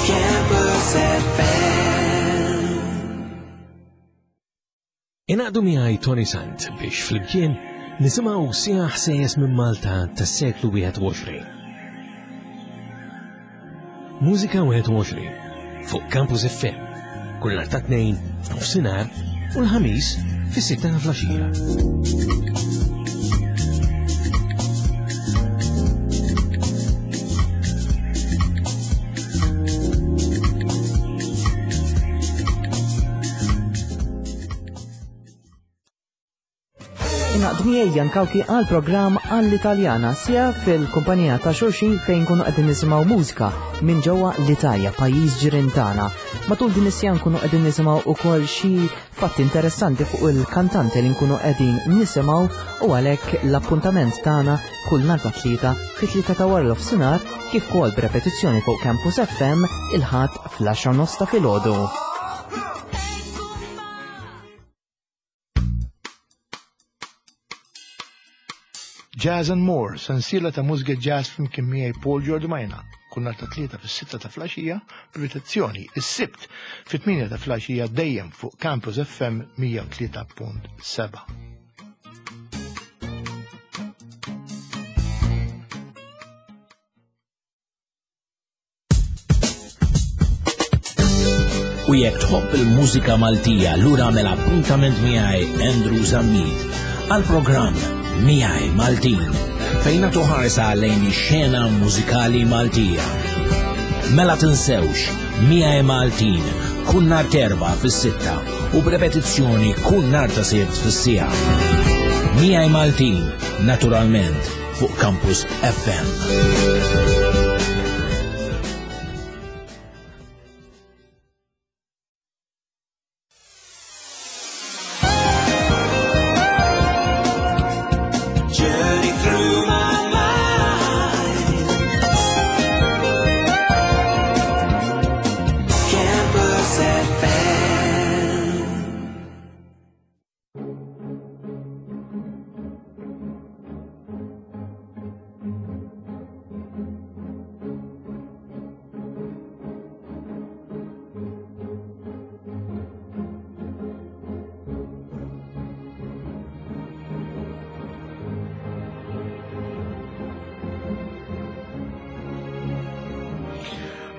Campus FM. Ingħaqdu miegħi Tony Sant biex flimkien nisimgħu siegħa ħsejjes minn Malta tas-seklu 21. Mużika 21 fuq Campus FM kull nhar ta' tnejn f'nofsinhar u l-ħamis fis-sitta ta' flaxija. Ingħaqdu miegħi Jan Cauchi għal programm għall-Italjana sija fil-kumpanija ta' xulxin fejn nkunu qegħdin nisimgħu mużika minn ġewwa l-Italja, pajjiż ġirien tagħna. Matul din is-sija nkunu qegħdin nisimgħu wkoll xi fatti interessanti fuq il-kantanti li nkunu qegħdin nisimgħu u għalhekk l-appuntament tagħna kull nhar ta' tlieta fit-tlieta ta' wara nofsinhar kif ukoll b'repetizzjoni fuq Campus FM il-Ħadd fl-10 nofs ta' filgħodu. Jazz and More, sensiela ta' mużika jazz flimkien miegħi Paul Giordmaina, kull nhar ta' tlieta fis-sitta ta' flaxija, b'ripetizzjoni is-Sibt fit-8 ta' flaxija dejjem fuq Campus FM 103.7. U jekk tħobb il-mużika Maltija, lura għamel appuntament miegħi Andrew Zammit għal programm Miegħi Maltin fejn nagħtu ħarsa lejn ix-xena mużikali Maltija. Mela tinsewx Miegħi Maltin kull nhar terba fis-sitta u b'repetizzjoni kull nhar ta' sibt fis-siegħa. Miegħi Maltin, naturalment, fuq Campus FM. Journey through my mind. Campus FM.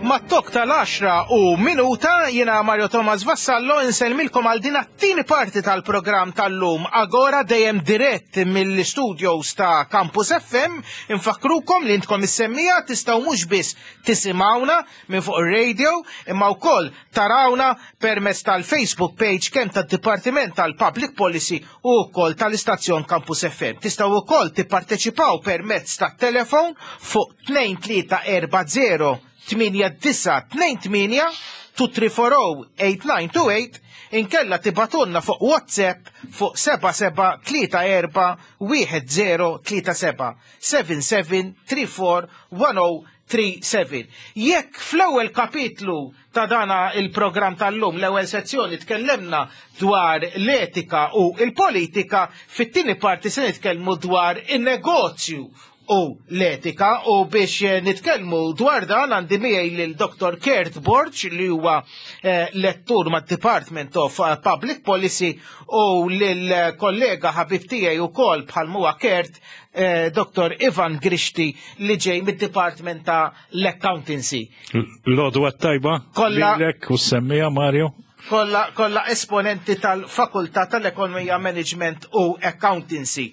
Mat-tok tal-10 u minuta jiena Mario Thomas Vassallo insellmilkom għal din it-tieni parti tal-programm tal-lum Agora dejjem dirett mill-studios ta' Campus FM. Infakkrukom li intkom is-semmija tistgħu mhux biss tisimgħuna minn fuq ir-radio imma wkoll tarawna permezz tal-Facebook page kemm tad-Dipartiment tal-Public Policy u wkoll tal-istazzjon Campus FM. Tistgħu wkoll tipparteċipaw permezz tat-telefon fuq 2340 8928 2340-8928 inkella tibatunna fuq WhatsApp fuq 7734 1037 7734 1037. Jekk fl-ewwel kapitlu ta' dana il-programm tal-lum, l-ewwel sezzjoni tkellemna dwar l-etika u il-politika, fit-tieni parti se nitkellmu dwar in-negozju u l-etika u biex eh, nitkellmu dwar dan għandi miegħi lil Dr. Kurt Borg li huwa eh, lettur mad-Department of eh, Public Policy u lil kollega ħabib tiegħi wkoll bħal huwa Kurt Dr. Ivan Grixti li ġej mid-Department ta' l-Accountancy. L-għodwa tajba, Kolla- lilek u semmija Mario. Kolla, kolla esponenti tal-Fakultà tal-Ekonomija Management u Accountancy.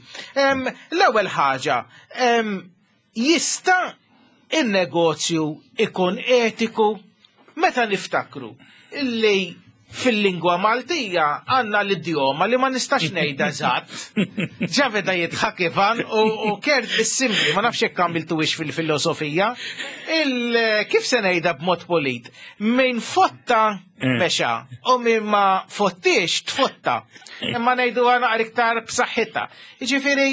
L-ewwel ħaġa, jista' in-negozju ikun etiku meta niftakru illi fil-lingwa Maltija għandna l-idjoma li ma nistax ngħidha eżatt. Ġa beda jidħak Ivan u Kurt bis-simli, ma nafx jekk għamiltuhiex fil-filosofija. Kif se ngħidha b'mod polit? Min fotta mexa u min ma fottiex tfotta. Imma ngħiduha naqra iktar b'saħħitha. Jiġifieri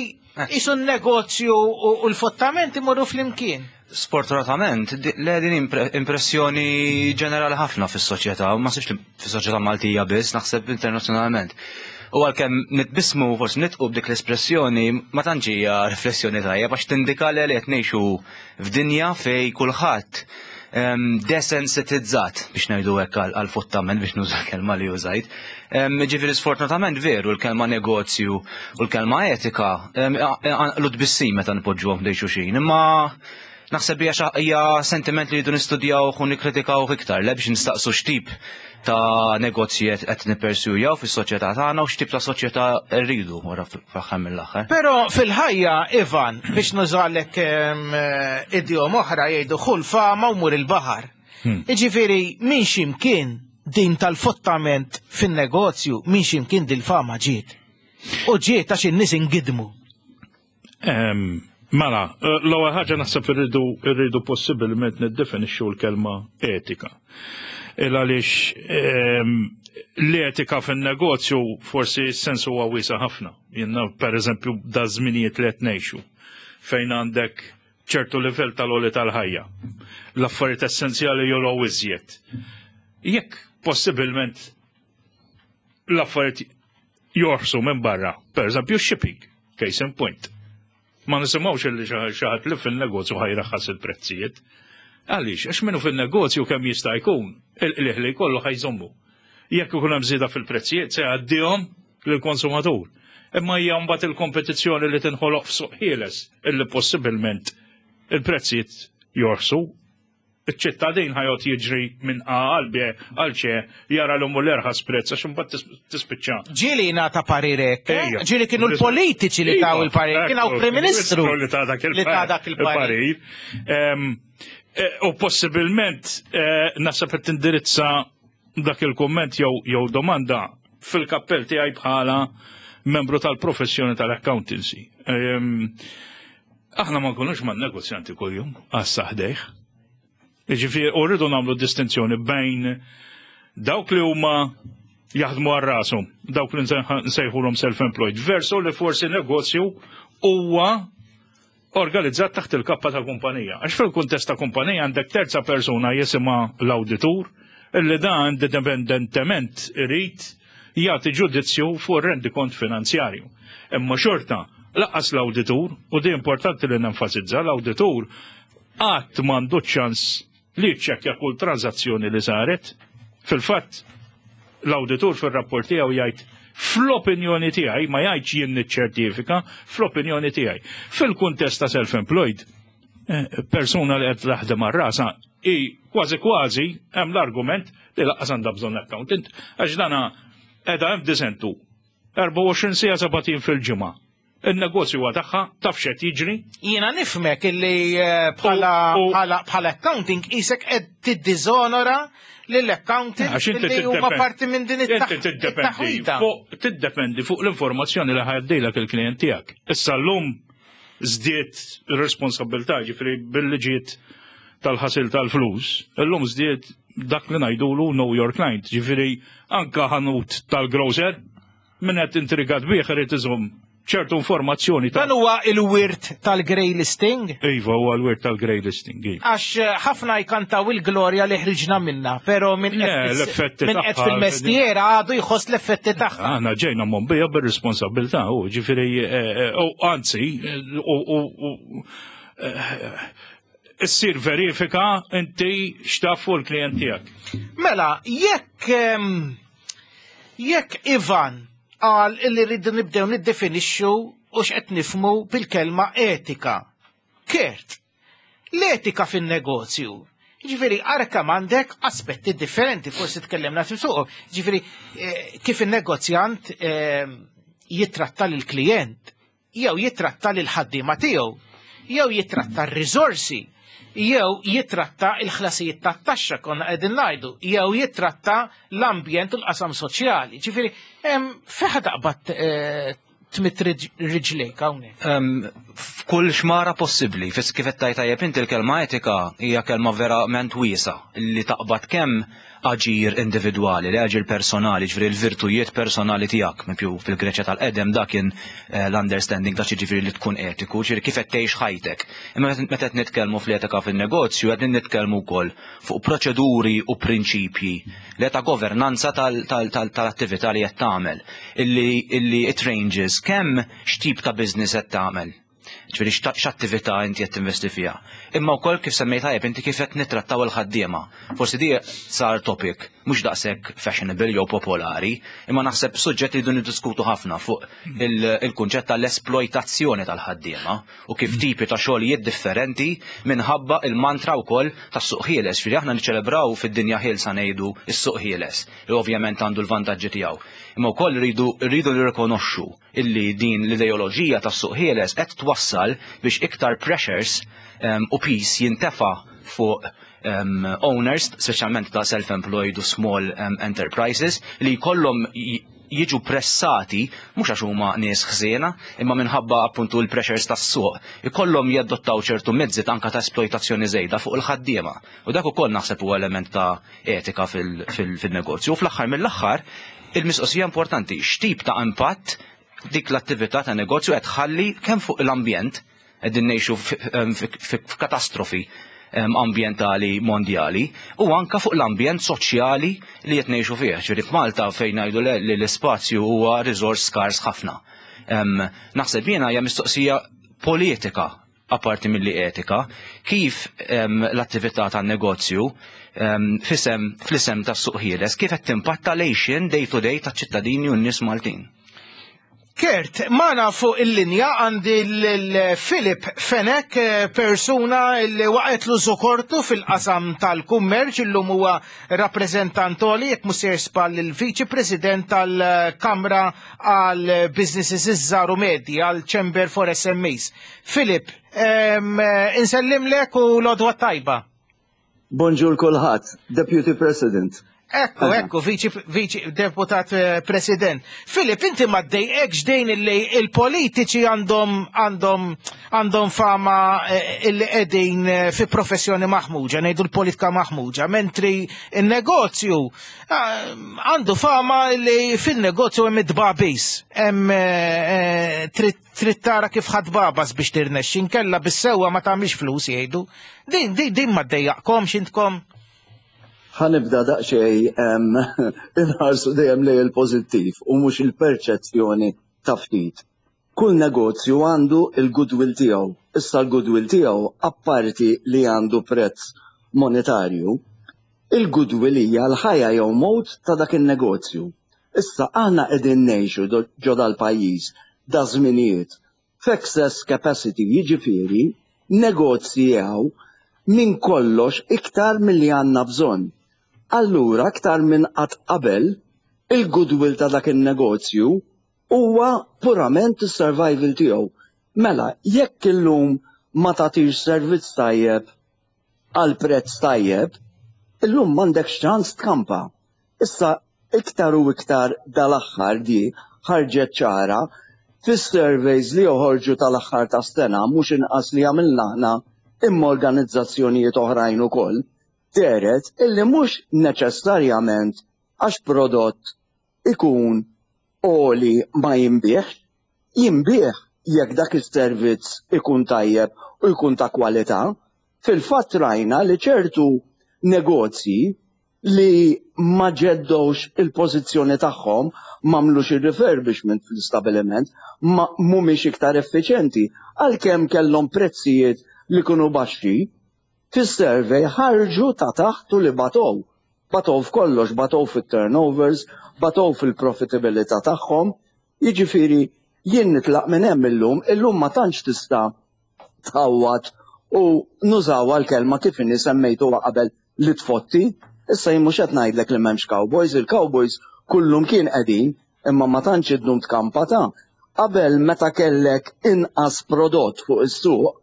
qisu n-negozju u l-fottament imorru flimkien. Sfortunatament, le din impressjoni ġenerali ħafna fis-soċjetà, u ma sibx li fis-soċjetà Maltija biss, naħseb internazzjonalment. U għalkemm nitbissmu forsi nitqu b'dik l-espressjoni, ma tantx hija riflessjoni tajjeb għax tindika li qed ngħixu f'dinja fej kulħadd desensitizzat biex ngħidu hekk għal fottament biex nuża l-kelma li użajt. Ġifieri sfortunatament veru l-kelma negozju u l-kelma etika għanqlu tbissim meta npoġġuhom ħdejn xulxin, imma naħseb hija sentiment li jridu nistudjaw u nikkritikaw iktar, le biex nistaqsu x'tip ta' negozji qed nippersjujaw fis-soċjetà tagħna u x'tip ta' soċjetà rridu wara fl-aħħar mill-aħħar. Però fil-ħajja, Ivan, biex nużalek idjom oħra jgħidu ħu l-fama u mur il-baħar. Jiġifieri minn x'imkien din tal-fottament fin-negozju, minn x'imkien dil-fama ġiet. U ġiet għax in-nies ingidmu. Mela, l-ewwel ħaġa naħseb irridu possibilment niddefinixxu l-kelma etika. Il għaliex l-etika fin-negozju forsi s-sens huwa wiesa' ħafna. Jiena per eżempju da żminijiet li qed ngħixu fejn għandek ċertu livell tal-għoli tal-ħajja. L-affarijiet essenzjali jogħlew iżjed. Jekk possibilment l-affarijiet jorħsu minn barra, per eżempju shipping, case in point. Ma nisimgħux illi xi ħadd li fin-negozju ħa jraħħas il-prezzijiet. Għaliex, għax minnu fin-negozju kemm jista' jkun, il-qliħ li jkollu ħa jżommu. Jekk ikun hemm żieda fil-prezzijiet se jgħaddihom lill-konsumatur. Imma hija mbagħad il-kompetizzjoni li tinħoloq f'suq ħieles illi possibilment il-prezzijiet jorħsu. Iċ-ċittadin ħa joqgħod jiġri minn A għal B għal C jara l hu l-erħas prezz għax imbagħad tispiċċa. Ġieli ngħata parir hekk, eh? Ġieli kienu l-politiċi li taw il-parir, kien hawn Prim Ministru li ta' dak il-parir. Eh, u possibilment eh, naħseb qed tindirizza dak il-kumment jew domanda fil-kappell tiegħi bħala membru tal-professjoni tal-accountancy. Ehm, aħna ma nkunux ma' negozjanti kuljum għassa ħdejh. Ġifieri u rridu nagħmlu distinzjoni bejn dawk li huma jaħdmu għal rashom, dawk li nsejħulhom self-employed, versu li forsi negozju huwa organizzat taħt il-kappa ta' kumpanija. Għax fil-kuntest ta' kumpanija għandek terza persuna jisimha l-awditur, illi dan indipendentement irid jagħti ġudizzju fuq ir-rendikont finanzjarju. Imma xorta, lanqas l-awditur, u di importanti li nenfasizza, l-awditur qatt m'għandu ċans li jiċċekkja kull tranżazzjoni li saret. Fil-fatt, l-awditur fir-rapport tiegħu jgħid fl-opinjoni tiegħi, ma jgħidx jien niċċertifika, fl-opinjoni tiegħi. Fil-kuntest ta' self-employed, eh, persuna li qed taħdem għal rasa i kważi kważi hemm l-argument li laqqas għandha bżonn accountant għax dana qiegħda hemm disentu 24 sija 7 fil-ġimgħa. Il-negozju huwa tagħha, taf x'qed jiġri. Jiena nifhmek illi eh, bħala bħala accounting isek qed tiddizonora lill-accountant li huma parti minn din it-taħwita. Tiddependi fuq l-informazzjoni li ħaddilek il-klient tiegħek. Issa llum żdied ir-responsabilità ġifieri billi ġiet tal-ħasil tal-flus, illum żdied dak li ngħidulu know your client, ġifieri anka ħanut tal-grocer min qed intrigat bih irid iżomm ċertu informazzjoni ta' Dan huwa il-wirt tal-grey listing? Iva, huwa l-wirt tal-grey listing. Iva. Għax eh, ħafna jkantaw il-glorja li ħriġna minna, pero minn l-effetti min qed fil-mestiera għadu jħoss l-effetti tagħha. Aħna ġejna mombija bir-responsabilità, u ġifieri, eh, eh, u anzi, u issir verifika inti x'taf fuq il-klient tiegħek. Mela, jekk ehm, jekk Ivan qal illi rridu nibdew niddefinixxu u x'qed nifmu bil-kelma etika. Kert, l-etika fin-negozju. Ġifieri, ara kemm għandek aspetti differenti, forsi tkellimna fuqhom. Ġifieri, eh, kif in-negozjant eh, jitratta lill-klijent, jew jitratta lil ħaddiema tiegħu, jew jitratta r-riżorsi, jew jitratta il-ħlasijiet tat-taxxa konna qegħdin ngħidu, jew jitratta l-ambjent u l-qasam soċjali. Ġifieri, hemm fejn taqbad eh, tmidd riġlejk hawnhekk. F'kull xmara possibbli, fis kif qed tgħid tajjeb inti l-kelma etika hija kelma verament wiesa li taqbad kemm aġir individwali, li aġir personali, ġifieri l-virtujiet personali tiegħek, mipju fil-Greċja tal-qedem dak kien eh, l-understanding ta' ġifieri li tkun etiku, ġifieri kif qed tgħix ħajtek. Imma meta qed nitkellmu fl-etika fin-negozju qed nitkellmu wkoll fuq proċeduri u prinċipji li ta' governanza tal-attività li qed tagħmel, illi it ranges kemm x'tip ta' business qed tagħmel. Ġifieri x'attività inti qed tinvesti fiha. Imma wkoll kif semmejt tajjeb inti kif qed nittrattaw il-ħaddiema. Forsi di sar topic mhux daqshekk fashionable jew popolari, imma naħseb suġġett li rridu niddiskutu ħafna fuq il-kunċett tal-esploitazzjoni tal-ħaddiema u kif tipi ta' xogħlijiet differenti minħabba il-mantra wkoll tas-suq ħieles. Ġifieri aħna niċċelebraw fid-dinja ħielsa ngħidu s-suq ħieles, li ovvjament għandu l-vantaġġi tiegħu. Imma wkoll rridu nirrikonoxxu illi din l-ideoloġija tas-suq ħieles qed twassal biex iktar pressures u peace jintefa' fuq owners, speċjalment ta' self-employed u small enterprises, li jkollhom jiġu pressati, mhux għax huma nies ħżiena, imma minħabba appuntu l-pressures tas-suq, ikollhom jadottaw ċertu mezzi ta' anka ta' esploitazzjoni żejda fuq il-ħaddiema. U dak ukoll naħseb huwa element ta' etika fil-negozju. U fl-aħħar mill-aħħar, il-mistoqsija importanti, x'tip ta' impatt dik l-attività ta' negozju qed tħalli kemm fuq l-ambjent, qegħdin ngħixu f'katastrofi ambjentali mondjali, u anka fuq l-ambjent soċjali li qed ngħixu fih. Ġifieri f'Malta fejn ngħidu li l-ispazju huwa riżors skars ħafna. Naħseb jiena hija mistoqsija politika apparti milli etika, kif l-attività tan-negozju fisem fl-isem tas-suq ħieles kif qed timpatta l-għixien day to day taċ-ċittadini u n-nies Maltin. Kurt, magħna fuq il-linja għandi lil Philip Fenech, persuna li waqgħetlu żokortu fil-qasam tal-kummerċ, illum huwa rappreżentant għoli, jekk mhux sejjer żball il-Viċi President tal-Kamra għal Businesses iż-Żgħar u Medji, għal Chamber for SMEs. Philip, insellimlek u l-għodwa t-tajba. Bonġur kulħadd, Deputy President. Ekku, ekku, viċi deputat eh, president. Filip, inti ma ddejqekx dejn illi il-politiċi għandhom għandhom għandhom fama eh, illi qegħdin eh, fi professjoni maħmuġa, ngħidu l-politika maħmuġa, mentri il-negozju għandu fama illi fin-negozju hemm id-dbabis, hemm trid Trid tara kif ħadd babas biex tirnexxi, inkella bis-sewwa ma tagħmilx flus jgħidu. Din din din ma ddejjaqkomx intkom? Ħa nibda daqsxejn inħarsu dejjem lejn il-pożittiv u mhux il-perċezzjoni ta' ftit. Kull negozju għandu l-goodwill tiegħu. Issa l-goodwill tiegħu apparti li għandu prezz monetarju, il-goodwill hija l-ħajja jew mewt ta' dak in-negozju. Issa aħna qegħdin ngħixu ġo dal-pajjiż daż-żminijiet f'excess capacity jiġifieri negozji hawn minn kollox iktar milli għandna bżonn. Allura aktar minn qatt qabel il-goodwill ta' dak in-negozju huwa purament is-survival tiegħu. Mela jekk illum ma tagħtix servizz tajjeb għal prezz tajjeb, illum m'għandekx ċans tkampa. Issa iktar u iktar dal-aħħar di ħarġet ċara fis-surveys li joħorġu tal-aħħar tas-sena mhux inqas li għamilna aħna imma organizzazzjonijiet oħrajn ukoll, dehret illi mhux neċessarjament għax prodott ikun għoli ma jinbiegħx, jinbiegħ jekk dak is-servizz ikun tajjeb u jkun ta' kwalità. Fil-fatt rajna li ċertu negozji li ma ġeddewx il-pożizzjoni tagħhom, m'għamlux ir-refurbishment fl-istabiliment, ma mhumiex iktar effiċjenti, għalkemm kellhom prezzijiet li kienu baxxi, fis-survey ħarġu ta' taħt u li batow. Batow f'kollox, batow fit-turnovers, batow fil-profitabilità tagħhom. Jiġifieri jien nitlaq minn hemm illum, illum ma tantx tista' tħawwad u nużawha l-kelma kif inhi semmejtuha qabel li tfotti. Issa jien mhux qed ngħidlek li m'hemmx cowboys, il-cowboys kullumkien qegħdin, imma ma tantx iddum tkampa ta'. Qabel meta kellek inqas prodott fuq is-suq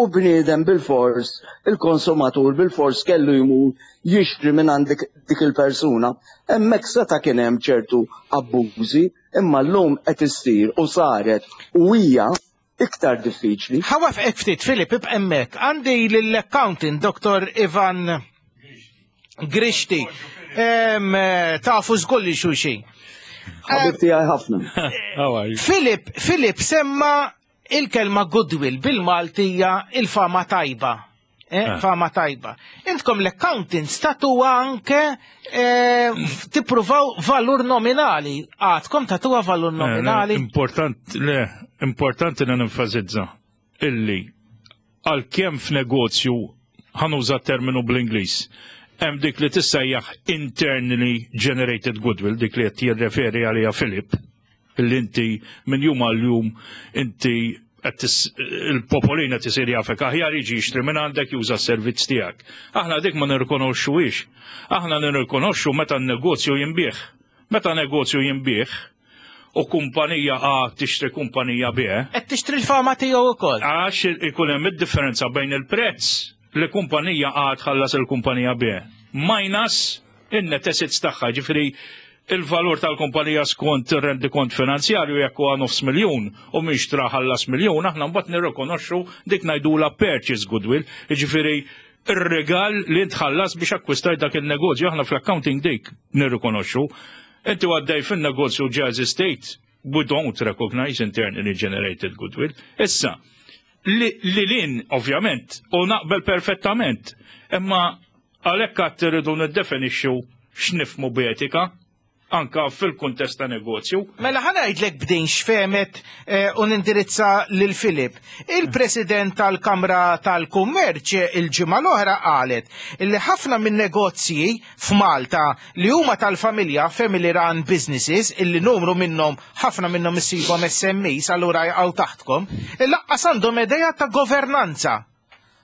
u bniedem bilfors, il-konsumatur bilfors kellu jmur jixtri mingħand dik il-persuna, hemmhekk seta' kien hemm ċertu abbużi, imma llum qed issir u saret u hija iktar diffiċli. Ħa wafqek ftit, Filip, ibqa' hemmhekk. Għandi lill-accountant Dr. Ivan Grixti. Tafu żgur li xulxin. Ħabib tiegħi ħafna. Filip, Filip semma il-kelma goodwill bil-Maltija il-fama tajba. Eh, ah. Fama tajba. Intkom l-accountants tatuha anke eh, tippruvaw valur nominali. Għadkom tatuha valur eh, nominali. Important, le, importanti li nenfasizza illi għalkemm f'negozju ħanuża terminu bl-Ingliż hemm dik li tissejjaħ internally generated goodwill, dik li qed jirreferi għaliha Filip, Illi inti minn jum għal jum inti il-popolina tisir jafek aħjar jiġi jixtri minn għandek juża s-servizz tiegħek. Aħna dik ma nirrikonoxxuhiex. Aħna nirrikonoxxu meta n-negozju jinbiegħ. Meta negozju jinbiegħ u kumpanija A tixtri kumpanija B. Qed tixtri l-fama tiegħu wkoll. Għax ikun hemm id-differenza bejn il-prezz li kumpanija A tħallas il-kumpanija B minus in-net assets tagħha, ġifieri il-valur tal-kumpanija skont ir-rendikont finanzjarju jekk huwa nofs miljun u min xtra ħallas miljun, aħna mbagħad nirrikonoxxu dik ngħidulha purchase goodwill, jiġifieri ir-rigal li int ħallas biex akkwistajt dak il-negozju, aħna fl-accounting dik nirrikonoxxu. Inti għaddej fin-negozju Jazz Estate, we don't recognize internally generated goodwill. Issa, li lin, ovvjament, u naqbel perfettament, imma għalhekk għad irridu niddefinixxu x'nifhmu b'etika. anka fil-kuntest ta' negozju. Mela ħa ngħidlek b'din x'fehmet eh, u nindirizza lil Filip. Il-President tal-Kamra tal-Kummerċ il-ġimgħa l-oħra qalet li ħafna minn negozji f'Malta li huma tal-familja family run businesses illi numru minnhom ħafna minnhom issibhom SMEs allura jaqgħu taħtkom, laqqas għandhom idea ta' governanza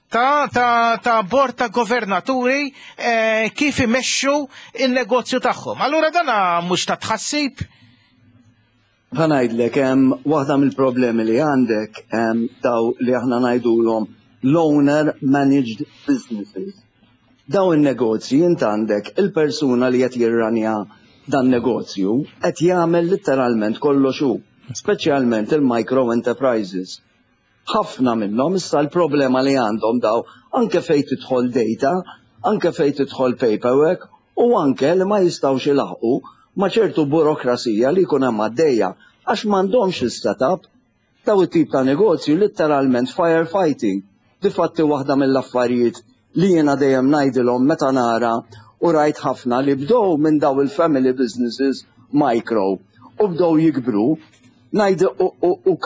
ta' ta' ta' bord ta' governaturi eh, kif imexxu il-negozju tagħhom. Allura dana mhux ta' tħassib? Ħa ngħidlek hemm waħda mill-problemi li għandek daw li aħna ngħidulhom l-owner managed businesses. Daw in-negozji int għandek il-persuna li qed jirranja dan negozju qed jagħmel litteralment kollox hu, speċjalment il-micro enterprises. Ħafna minnhom issa l-problema li għandhom daw anke fejn tidħol data, anke fejn tidħol paperwork u anke li ma jistgħux ilaħħqu ma' ċertu burokrasija li jkun hemm għaddejja għax m'għandhomx is-setup. Daw it-tip ta' negozju litteralment firefighting. Difatti waħda mill-affarijiet li jiena dejjem ngħidilhom meta nara u rajt ħafna li bdew minn daw il-family businesses micro u bdew jikbru ngħid u u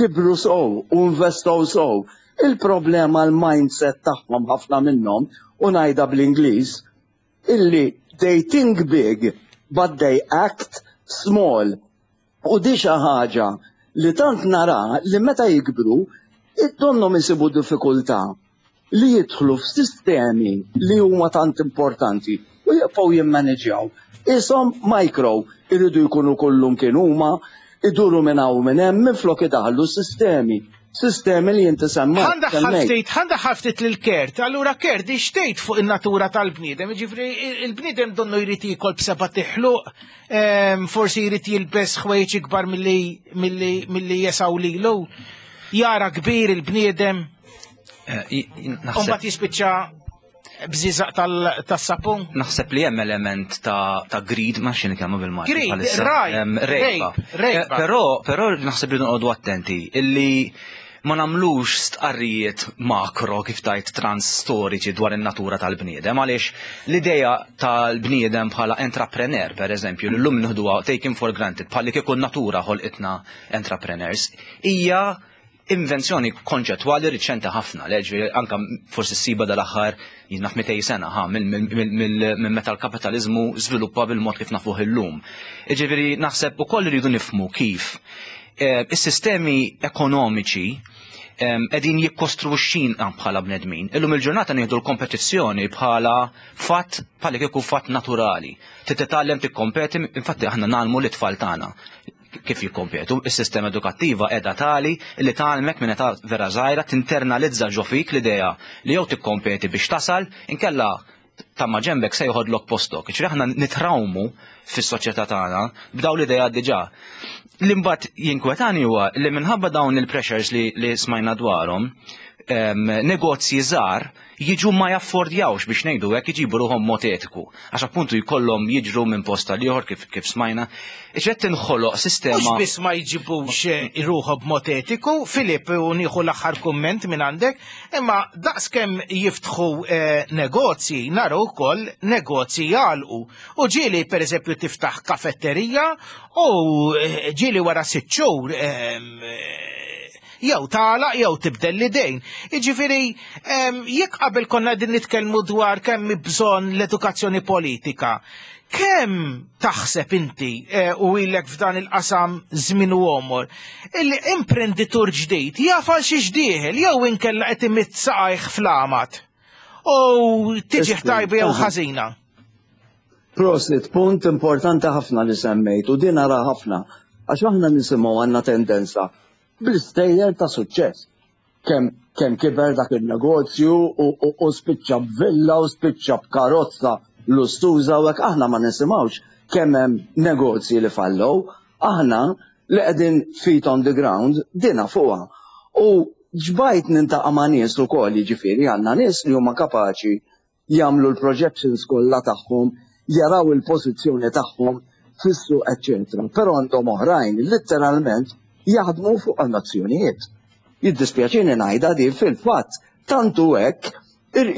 kibru sew u investow sew. Il-problema l-mindset tagħhom ħafna minnhom u ngħidha bl-Ingliż illi they think big but they act small. U di xi ħaġa li tant nara li meta jikbru donnhom isibu diffikultà li jidħlu f'sistemi li huma tant importanti u jibqgħu jimmaneġjaw. Ishom micro iridu jkunu kullum kien huma, iduru minn hawn minn hemm minflok idaħlu sistemi. Sistemi li inti semmejt. Ħa ndaħħal ftit, ħa ndaħħal ftit lil Kurt. Allura Kurt, x'tgħid fuq in-natura tal-bniedem? Jiġifieri il-bniedem donnu jrid jiekol b'seba' tiħluq, forsi jrid jilbes ħwejjeġ ikbar milli jesgħu lilu. Jara kbir il-bniedem. Umbat jispiċċa bżiżaq tas-sapun. Naħseb li hemm element ta' greed, ma xini kemm bil-Malti. Greed, rajt, rejba. Però, però naħseb li noqogħdu attenti illi ma nagħmlux stqarrijiet makro kif tajt trans storiċi dwar in-natura tal-bniedem għaliex l-idea tal-bniedem bħala entrepreneur per eżempju li llum nieħduha taken for granted bħalli kieku natura ħolqitna entrepreneurs hija invenzjoni konċettwali riċenti ħafna, leġvi anka forsi ssiba dal-aħħar jien naf 200 sena ħa minn meta l-kapitaliżmu żviluppa bil-mod kif nafuh illum. Jiġifieri naħseb ukoll irridu nifhmu kif eh, is-sistemi ekonomiċi qegħdin jikkostruxxina bħala bnedmin. Illum il-ġurnata nieħdu l-kompetizzjoni bħala fatt bħala kieku fatt naturali. Titgħallem tikkompeti, infatti aħna nagħlmu l-itfal tagħna kif jikkompetu. Is-sistema edukattiva qiegħda tali li tgħallmek minn età vera żgħira tinternalizza ġo fik l-idea li jew tikkompeti biex tasal, inkella ta' ma ġembek se joħodlok postok. Ġifieri aħna nitrawmu fis-soċjetà tagħna b'daw l-idea diġà. Li mbagħad jinkwetani huwa li minħabba dawn il-pressures li, li smajna dwarhom, negozji żgħar jiġu ma jaffordjawx biex ngħidu hekk iġibu ruħhom mod etiku. Għax appuntu jkollhom jiġru minn post għal ieħor kif, kif smajna. Iġed tinħoloq sistema. Mhux biss ma jġibux eh, ruħhom b'mod etiku, Filip u nieħu l-aħħar kumment minn għandek, imma daqskemm jiftħu eh, negozji, naru wkoll negozji jagħlqu. U ġieli pereżempju tiftaħ kafetterija u eh, ġieli wara sitt xhur jew tagħlaq jew tibdel l-idejn. Jiġifieri jekk qabel konna qegħdin nitkellmu dwar kemm bżonn l-edukazzjoni politika, kemm taħseb inti eh, u ilek f'dan il-qasam żmien u għomor, illi imprenditur ġdid jaf għal xiex dieħel jew inkella qed imidd saqajh fl-għamad u tiġi tajba jew ħażina. Prosit, punt importanti ħafna li semmejt u din ara ħafna għax aħna nisimgħu għandna tendenza bl-istejjer ta' suċċess. Kemm kemm kiber dak il-negozju u, u, u spiċċa b'villa u spiċċa b'karozza lustuża u hekk aħna ma nisimgħux kemm hemm negozji li fallow, aħna li qegħdin feet on the ground dina fuqha. U ġbajt nintaqa' ma' nies ukoll jiġifieri għandna nies li huma kapaċi jagħmlu l-projections kollha tagħhom, jaraw il-pożizzjoni tagħhom fis-suq eċċetera. Però għandhom oħrajn litteralment jaħdmu fuq nazzjonijiet. Jiddispjaċini ngħidha din fil-fatt tant hu hekk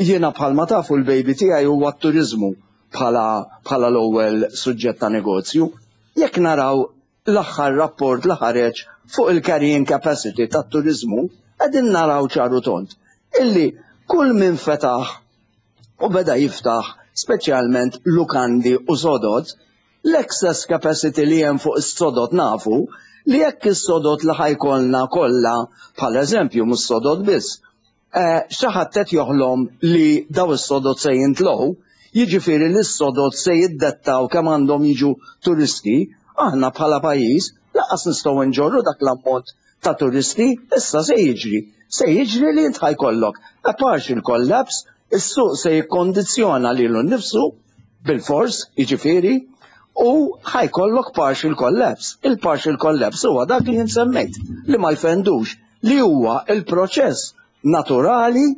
jiena bħalma tafu l-baby tiegħi huwa t-turiżmu. bħala bħala l-ewwel suġġett ta' negozju. Jekk naraw l-aħħar rapport li ħareġ fuq il-carrying capacity tat-turiżmu, qegħdin naraw ċar u tond illi kull min fetaħ u beda jiftaħ speċjalment lukandi u sodod, l-excess capacity li hemm fuq is-sodod nafu li jekk is-sodod li ħa jkollna kollha bħala eżempju mhux sodod biss, Xi ħadd qed joħlom li daw is-sodod se jintlow, jiġifieri li s-sodod se jiddettaw kemm għandhom jiġu turisti, aħna bħala pajjiż lanqas nistgħu nġorru dak l-ammont ta' turisti, issa se jiġri? Se jiġri li int ħa jkollok a partial collapse, is-suq se jikkondizzjona lilu nnifsu bilfors, jiġifieri, u ħa jkollok partial collapse. Il-partial collapse huwa dak li jien semmejt, li ma jfendux, li huwa l-proċess naturali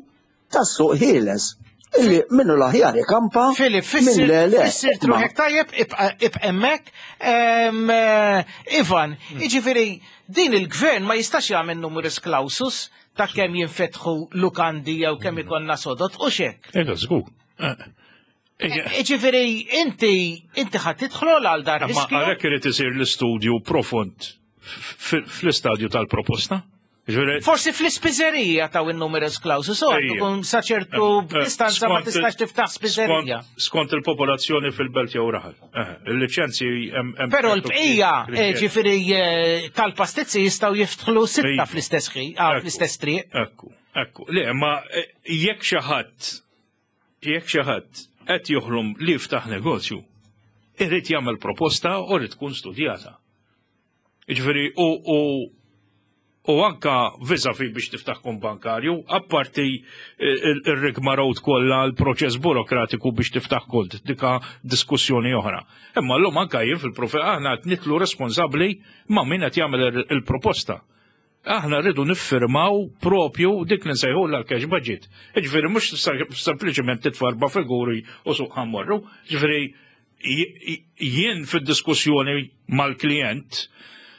tas-suq ħieles illi minnu l-aħjar ikampa Filip, minn le le. Fissirt ruħek tajjeb, ibqa' hemmhekk. Eh, Ivan, hmm. jiġifieri din il-gvern ma jistax jagħmel numerus clausus ta' kemm jinfetħu lukandi jew kemm hmm. ikonna sodot u xek. Ega, żgur. Eh, eh, inti inti ħadd tidħol għal dar. Ma għalhekk irid isir l-istudju profond fl-istadju tal-proposta. Forsi fl-ispiżerija ta' in-numerus clausus, u tkun sa ċertu eh, eh, distanza ma tistax tiftaħ spiżerija. Skont il-popolazzjoni fil-belt jew raħal. Eh, il-liċenzji hemm. Però l-bqija, ġifieri tal-pastizzi jistgħu jiftħlu sitta fl-istess ħin, ah, fl-istess triq. Ekku, ekku. Le, ma jekk xi ħadd jekk xi ħadd qed joħlom li jiftaħ negozju, irid jagħmel proposta u rrid tkun studjata. Jiġifieri u u u anka vis-a-vis biex tiftaħ kont bankarju, apparti ir-rigmarole kollha l-proċess burokratiku biex tiftaħ kont, dika diskussjoni oħra. Imma llum anka jien fil-profi aħna qed nitlu responsabbli ma' min qed jagħmel il-proposta. Aħna rridu niffirmaw propju dik li nsejħulha l-cash budget. Jiġifieri mhux sempliċement titfa' erba' figuri u suq ħammorru. Jiġifieri jien fid-diskussjoni mal-klijent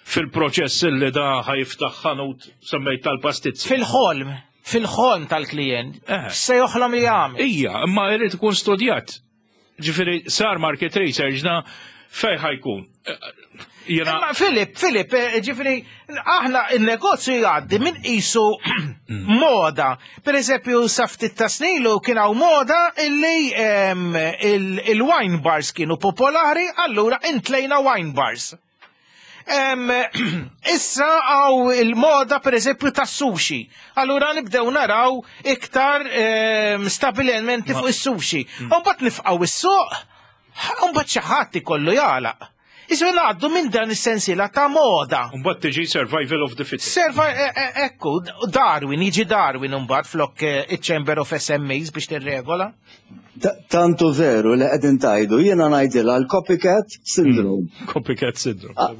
fil-proċess li da ħajftaħ ħanut semmejt tal-pastizzi. Fil-ħolm, fil-ħolm tal-klijent, eh. se joħlom li jagħmel. Ija, imma jrid ikun studjat. Ġifieri sar market research da fej ħajkun. Jena... Ma Filip, Filip, eh, ġifiri, aħna il-negozju jgħaddi minn isu moda. Per eżempju, saftit ta' snilu kien hawn moda illi il-wine bars kienu popolari, allura intlejna wine bars. Issa għaw il-moda per eżempju ta' sushi. Allura nibdew naraw iktar stabilimenti fuq is-sushi. Mm. U mbagħad nifqgħu is-suq, u mbagħad xi ħadd ikollu jagħlaq. Isu ngħaddu minn dan is-sensiela ta' moda. Mbagħad tiġi survival of the fittest. Serva e, e, ekku, Darwin, jiġi Darwin mbagħad flok eh, iċ-Chamber of SMEs biex tirregola. Tantu veru li qegħdin tajdu, jiena ngħidilha l-copycat syndrome. Hmm, copycat syndrome. Ah,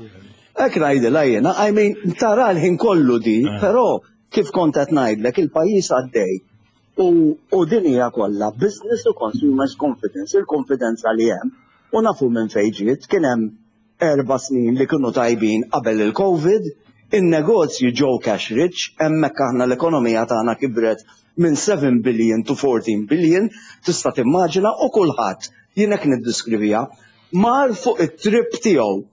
hekk ngħidilha jiena, I mean, tara l-ħin kollu di, ah. però kif kont qed ngħidlek il-pajjiż għaddej u, u din hija kollha business u consumers confidence, il-konfidenza li hemm u nafu minn fejn ġiet kien hemm Erba' snin li kienu tajbin qabel il-Covid, in-negozji ġew cash rich, hemmhekk aħna l-ekonomija tagħna kibret minn 7 billion to 14 billion, tista' timmaġina, u kulħadd, jien hekk niddiskriviha, mar fuq it-trip tiegħu.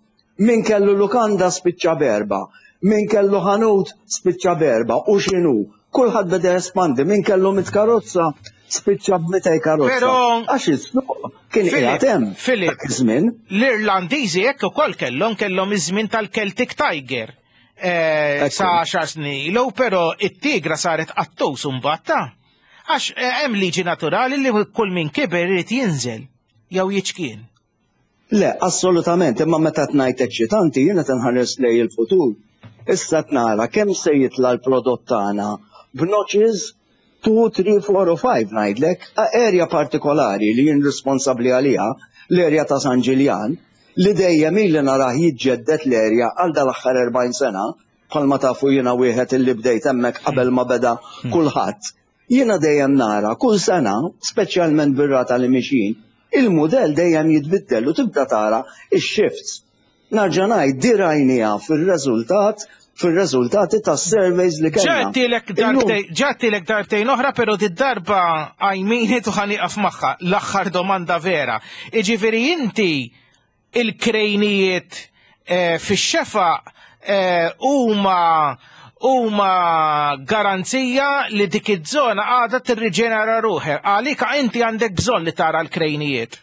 Min kellu lukanda spiċċa b'erba', min kellu ħanut spiċċa b'erba' u x'inhu, Kulħadd beda jespandi, min kellu mit karozza spiċċa b'mitej karozza. Però għax is-suq kien qiegħed hemm. Filip, żmien. L-Irlandiżi hekk ukoll kellhom kellhom iż-żmien tal-Celtic Tiger. Eh, sa għaxar snin ilu, però it-tigra saret qattus imbagħad ta' għax eh, hemm liġi naturali li kull min kiber irid jinżel jew jiċkien. Le, assolutament, imma meta qed ngħid eċċitanti jien qed inħares lejn il-futur. Issa qed nara kemm se jitla' l-prodott tagħna b'notches 2, 3, 4 u 5 ngħidlek, area partikolari li jien responsabbli għaliha, l-area ta' San Ġiljan, li dejjem ili narah jiġġedded l-area għal dal-aħħar 40 sena, bħalma tafu jiena wieħed illi bdejt hemmhekk qabel ma beda kulħadd. Jiena dejjem nara kull sena, speċjalment bir-rata li mixjin, il-mudell dejjem jitbiddel u tibda tara x-shifts. Narġa' ngħid, di rajniha fir-reżultat fir-reżultati tas-surveys li kellna. Ġa darbtejn, ġa darbtejn oħra, pero did-darba għajmini tu ħaniqaf magħha l-aħħar domanda vera. Iġifieri inti il-krejnijiet eh, fix-xefaq eh, huma huma garanzija li dik iż-żona għadha tirriġenera ruħha. Għalika inti għandek bżonn li tara l-krejnijiet.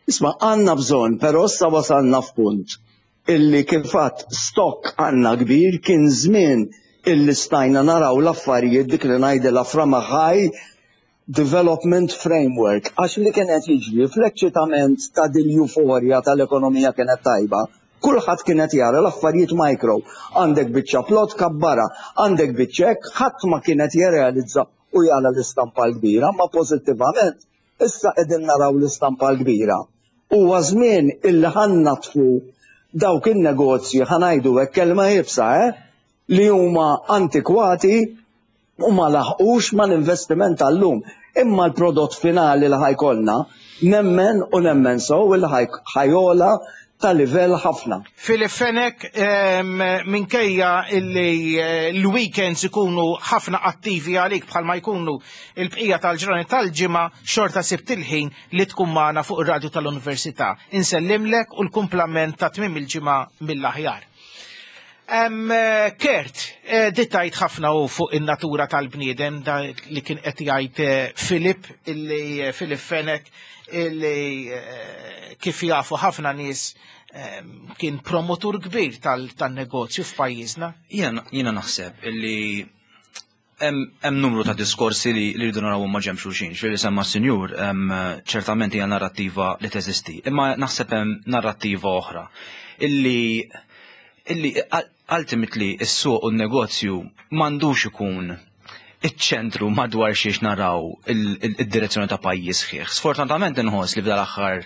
Isma' għandna bżonn, però issa wasalna f'punt illi kif għadt stock għandna kbir kien żmien illi stajna naraw l-affarijiet dik li ngħidilha from a high development framework għax li kien qed jiġri fl-eċċitament ta' din l-euforja tal-ekonomija kienet tajba, kulħadd kien qed jara l-affarijiet micro. Għandek biċċa plot kabbarha, għandek biċċa hekk, ħadd ma kien qed jirrealizza u jara l-istampa l-kbira, ma pożittivament issa qegħdin naraw l-istampa l-kbira. Huwa żmien illi ħa nnaddfu dawk in-negozji, ħa ngħidu hekk kelma iebsa, eh, li huma antikwati u ma laħqux mal-investiment tal-lum. Imma l-prodott finali li ħa jkollna, nemmen u nemmen sew illi ħa jogħla ta' livell ħafna. Philip Fenech, minkejja illi eh, l-weekends ikunu ħafna attivi għalik bħalma jkunu il-bqija tal-ġranet tal-ġimgħa xorta sibt il-ħin li tkun magħna fuq ir-radju tal-Università. Insellimlek u l-kumplament ta' tmiem il-ġimgħa mill-aħjar. Eh, Kert, eh, dittajt ħafna u fuq in-natura tal-bniedem da li kien qed jgħid eh, Filip, illi Filip Fenech, illi kif jafu ħafna nies kien promotur kbir tal-negozju f'pajjiżna. Jiena naħseb illi hemm numru ta' diskorsi li rridu narawhom ma' ġenb xulxin. Xi li semma s-sinjur ċertament hija narrattiva li teżisti, imma naħseb hemm narrattiva oħra illi illi ultimately is-suq u n-negozju m'għandux ikun iċ-ċentru madwar xiex naraw id-direzzjoni ta' pajjiż sħiħ. Sfortunatament inħoss li f'dal aħħar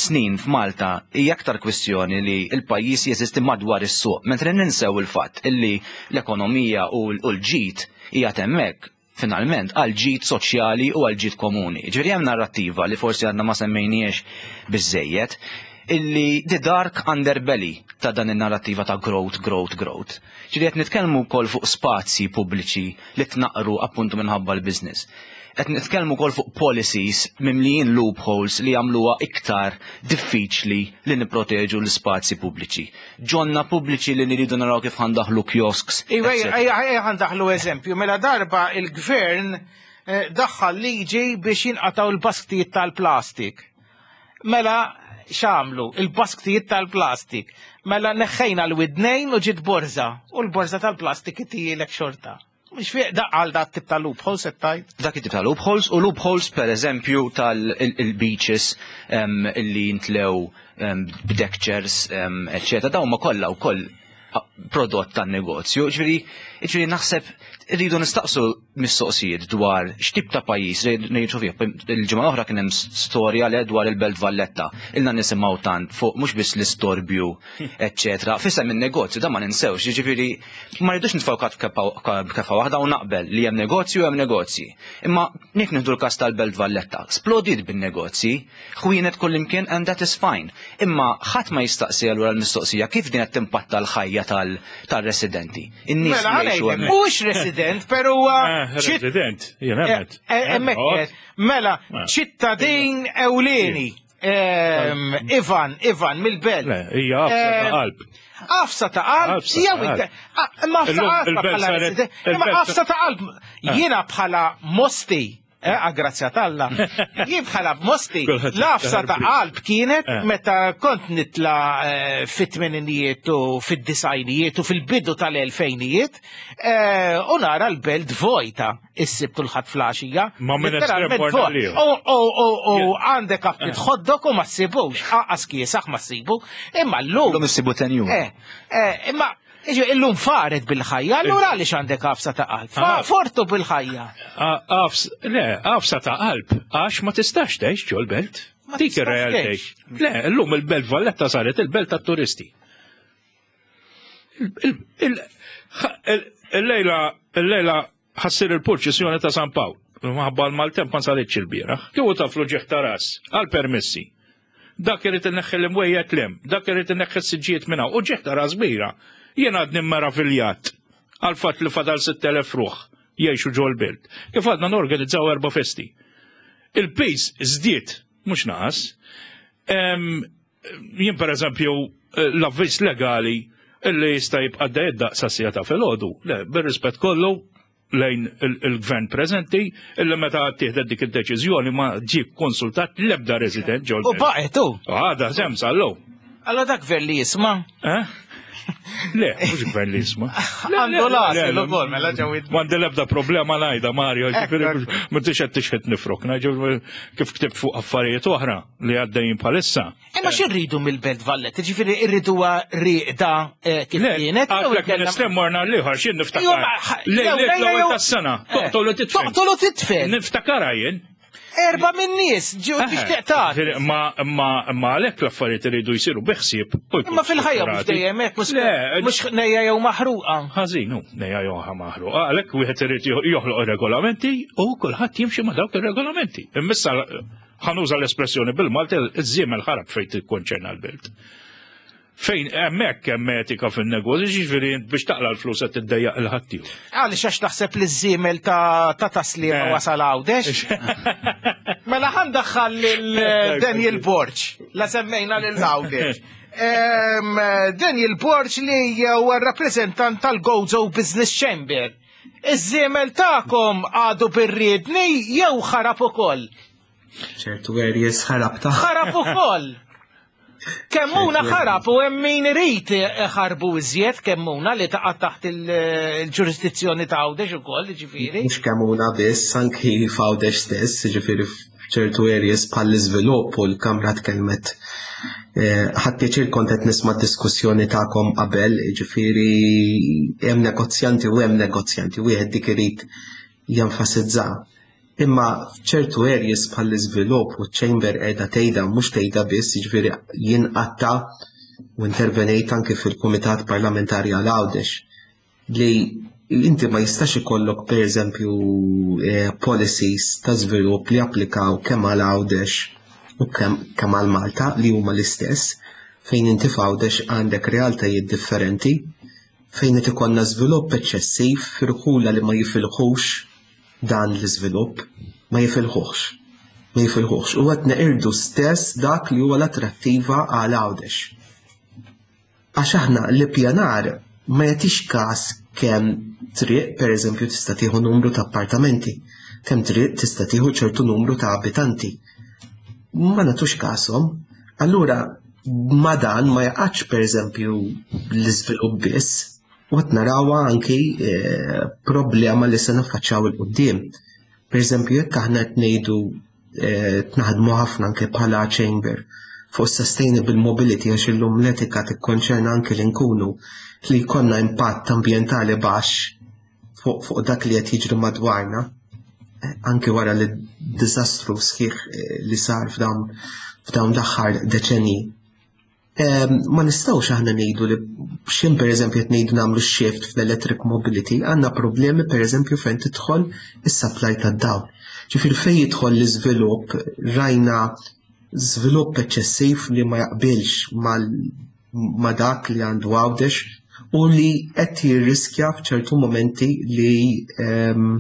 snin f'Malta hija aktar kwistjoni li l-pajjiż jeżisti madwar is-suq, mentri ninsew il-fatt illi l-ekonomija u l-ġid hija hemmhekk finalment għal ġid soċjali u għal ġid komuni. Ġifieri hemm narrattiva li forsi għadna ma semmejniex biżejjed illi the dark underbelly ta' dan in-narrattiva ta' growth, growth, growth. Ġifieri qed nitkellmu wkoll fuq spazji pubbliċi li tnaqru appuntu minħabba l-business. Qed nitkellmu wkoll fuq policies mimlijin loopholes li jagħmluha iktar diffiċli li nipproteġu l-ispazji pubbliċi. Ġonna pubbliċi li niridu naraw kif ħa ndaħħlu kiosks. Iwa, ejja ħa ndaħħlu eżempju. Mela darba il-gvern eh, daħħal liġi biex jinqataw il-basktijiet tal-plastik. Mela x'għamlu il-basktijiet tal-plastik. Mela neħħejna l-widnejn u ġiet borza u l-borza tal-plastik ittihielek xorta. Mhux fiq da għal dat tip ta' loopholes qed tgħid? Dak it-tip ta' loopholes u loopholes per eżempju tal-beaches illi jintlew b'deck chairs, eccetera. Dawn ma kollha wkoll prodott tan-negozju. Ġifieri, ġifieri naħseb rridu nistaqsu mistoqsijiet dwar x'tip ta' pajjiż ngħixu fih. Il-ġimgħa l-oħra kien hemm storja le dwar il-Belt Valletta. Ilna nisimgħu tant fuq mhux biss l-istorbju, eċċetera. F'isem in-negozju da ma ninsewx, jiġifieri ma rridux nitfgħu b'kefa waħda u naqbel li hemm negozju hemm negozji. Imma jekk nieħdu l-każ tal-Belt Valletta, splodiet bin-negozji, ħwienet kullimkien and that is fine. Imma ħadd ma jistaqsi allura l-mistoqsija kif din qed timpatta l-ħajja tal-residenti. In-nies Mela, li jgħixu hemmhekk. Mhux resident, pero huwa eh, resident, jien hemmhekk. Eh, eh, hemmhekk. Mela, ċittadin ewlieni. Ivan, Ivan, mill-belt. Le, hija għafsa ta' qalb. Għafsa ta' qalb, jew imma għafsa qalb bħala resident. Imma għafsa ta' qalb. Jiena bħala Mosti, għagrazzja t'Alla, jien bħala Mosti, l-għafsa ta' qalb kienet meta kont nitla fit-tmeninijiet u fid-disajnijiet u fil-bidu tal-elfejnijiet u nara l-belt vojta. Is-Sibt u l-Ħadd fl-għaxija. Ma minn estrem U għandek għaftit eh. ħoddok u ma ssibux, aqas kiesaħ ma ssibu, imma llum. Illum issibu tenju. Eh, eh, imma illum faret bil-ħajja, allura għaliex għandek għafsa ta' qalb? Ah. Fortu bil-ħajja. Le, għafsa ta' qalb, għax ma tistax tgħix ġol-belt. Dik ir-realtà. Le, illum il-belt Valletta saret il-belt tat-turisti. Il-lejla, il-lejla ħa ssir il-purċissjoni ta' San Pawl. Maħabba l-maltemp ma saritx il-bieraħ. Kieku taf l-uġigħ ta' ras għal permessi. Dak irid inneħħi l-imwejjed lem, dak irid inneħħi s-siġġijiet minn hawn. Uġigħ ta' ras kbira. Jien għadni meraviljat għal fatt li fadal 6,000 ruħ jgħixu ġol-belt. Kif għadna norganizzaw erba' festi. Il-piż żdied, mhux naqas. Jien per eżempju l-avviż legali illi jista' jibqa' għaddej id-daqs sas-siegħa ta' filgħodu. Le, bir-rispett kollu lejn il-gvern preżenti illi meta ttieħdet dik id-deċiżjoni ma ġie konsultat l-ebda resident ġol. U baqgħet hu. Għadha semm sal-lum. Allora dak gvern li jisma'? Eh? Le, mhux gvern li jisma'. Għandu l-għażel ukoll mela ġew M'għandi l-ebda problema ngħidha Mario, ġifieri ma tix qed tixħet nifrok, kif ktibt fuq affarijiet oħra li għaddejjin bħalissa. Imma xi rridu mill-Belt Valletta? Ġifieri rriduha rieqda eh, kif kienet? Għatlek minn estrem morna l-ieħor x'jien niftakar. Lejliet l-ewwel tas-sena, eh. toqtol u titfel. Toqtol u titfel. Niftakara jien. Erba minn nies ġew eh, tixtieq tagħti. Ma ma ma għalhekk l-affarijiet iridu jsiru bi ħsieb. Imma fil-ħajja mhux dejjem hekk mhux nejja jew maħruqa. Ħażin hu, nejja jew maħruqa. Għalhekk wieħed irid joħloq regolamenti u kulħadd jimxi ma' dawk ir-regolamenti. Immissa ħa nuża l-espressjoni bil-Malti, iż-żiemel ħarab fejn tikkonċerna l-belt. Fejn hemmhekk hemm etika fin-negozju, ġifieri biex taqla l-flus qed tiddejjaq il-ħaddieħor. Għaliex għax taħseb li ż-żiemel ta' ta' taslima eh. wasal Għawdex? Mela ħa ndaħħal lil Daniel Borg, la semmejna lil Għawdex. Daniel Borg li huwa rappreżentant tal-Gozo Business Chamber. Iż-żiemel tagħkom għadu bir-riedni jew ħarab ukoll? ċertu areas ħarab ta' ħarab ukoll. Kemmuna ħarab u hemm min irid ħarbu iżjed kemmuna li taqa' taħt il-ġurisdizzjoni ta' Għawdex ukoll, ġifieri. Mhux kemmuna biss, anki f'Għawdex stess, ġifieri f'ċertu areas bħall-iżvilupp u l-Kamra tkellmet eh, ħadd pjaċir kont qed nisma' diskussjoni tagħkom qabel, ġifieri hemm negozjanti u hemm negozjanti, wieħed dik irid jenfasizza. Imma f'ċertu areas bħall-iżvilupp u ċ-chamber qiegħda tgħidha mhux tgħidha biss, jiġifieri jien qatta u intervenejt anke fil-Kumitat Parlamentari għal Għawdex li inti ma jistax ikollok pereżempju eh, policies ta' żvilupp li applikaw kemm għal Għawdex u kemm għal Malta li huma l-istess fejn inti f'Għawdex għandek realtajiet differenti fejn qed ikollna żvilupp eċċessiv f'irħula li ma jifilħux dan l-iżvilupp, ma jifilħuhx. Ma jifilħuhx. U qed neqirdu stess dak li huwa l-attrattiva għal Għawdex. Għax aħna l-ippjanar ma jagħtix każ kemm triq pereżempju tista' tieħu numru ta' appartamenti, kemm triq tista' tieħu ċertu numru ta' abitanti. Ma nagħtux kashom. Allura ma dan ma jaqgħadx pereżempju l-iżvilupp biss, u qed narawha anki eh, problema li se naffaċċjaw il quddiem. Pereżempju jekk aħna qed ngħidu eh, naħdmu ħafna anke bħala chamber fuq sustainable mobility għax illum l-etika tikkonċerna anke li nkunu li jkollna impatt ambjentali baxx fuq fuq dak li qed jiġri madwarna, eh, anke wara li diżastru sħiħ eh, li sar f'dawn f'dawn l-aħħar deċenji. Ehm, ma nistgħux aħna ngħidu li x'in pereżempju qed ngħidu nagħmlu shift fl-electric mobility, għandna problemi pereżempju fejn tidħol is-supply tad-dawl. Ġifieri fejn jidħol l-iżvilupp rajna żvilupp eċċessiv li ma jaqbilx mal ma' dak li għandu Għawdex u li qed jirriskja f'ċertu momenti li um,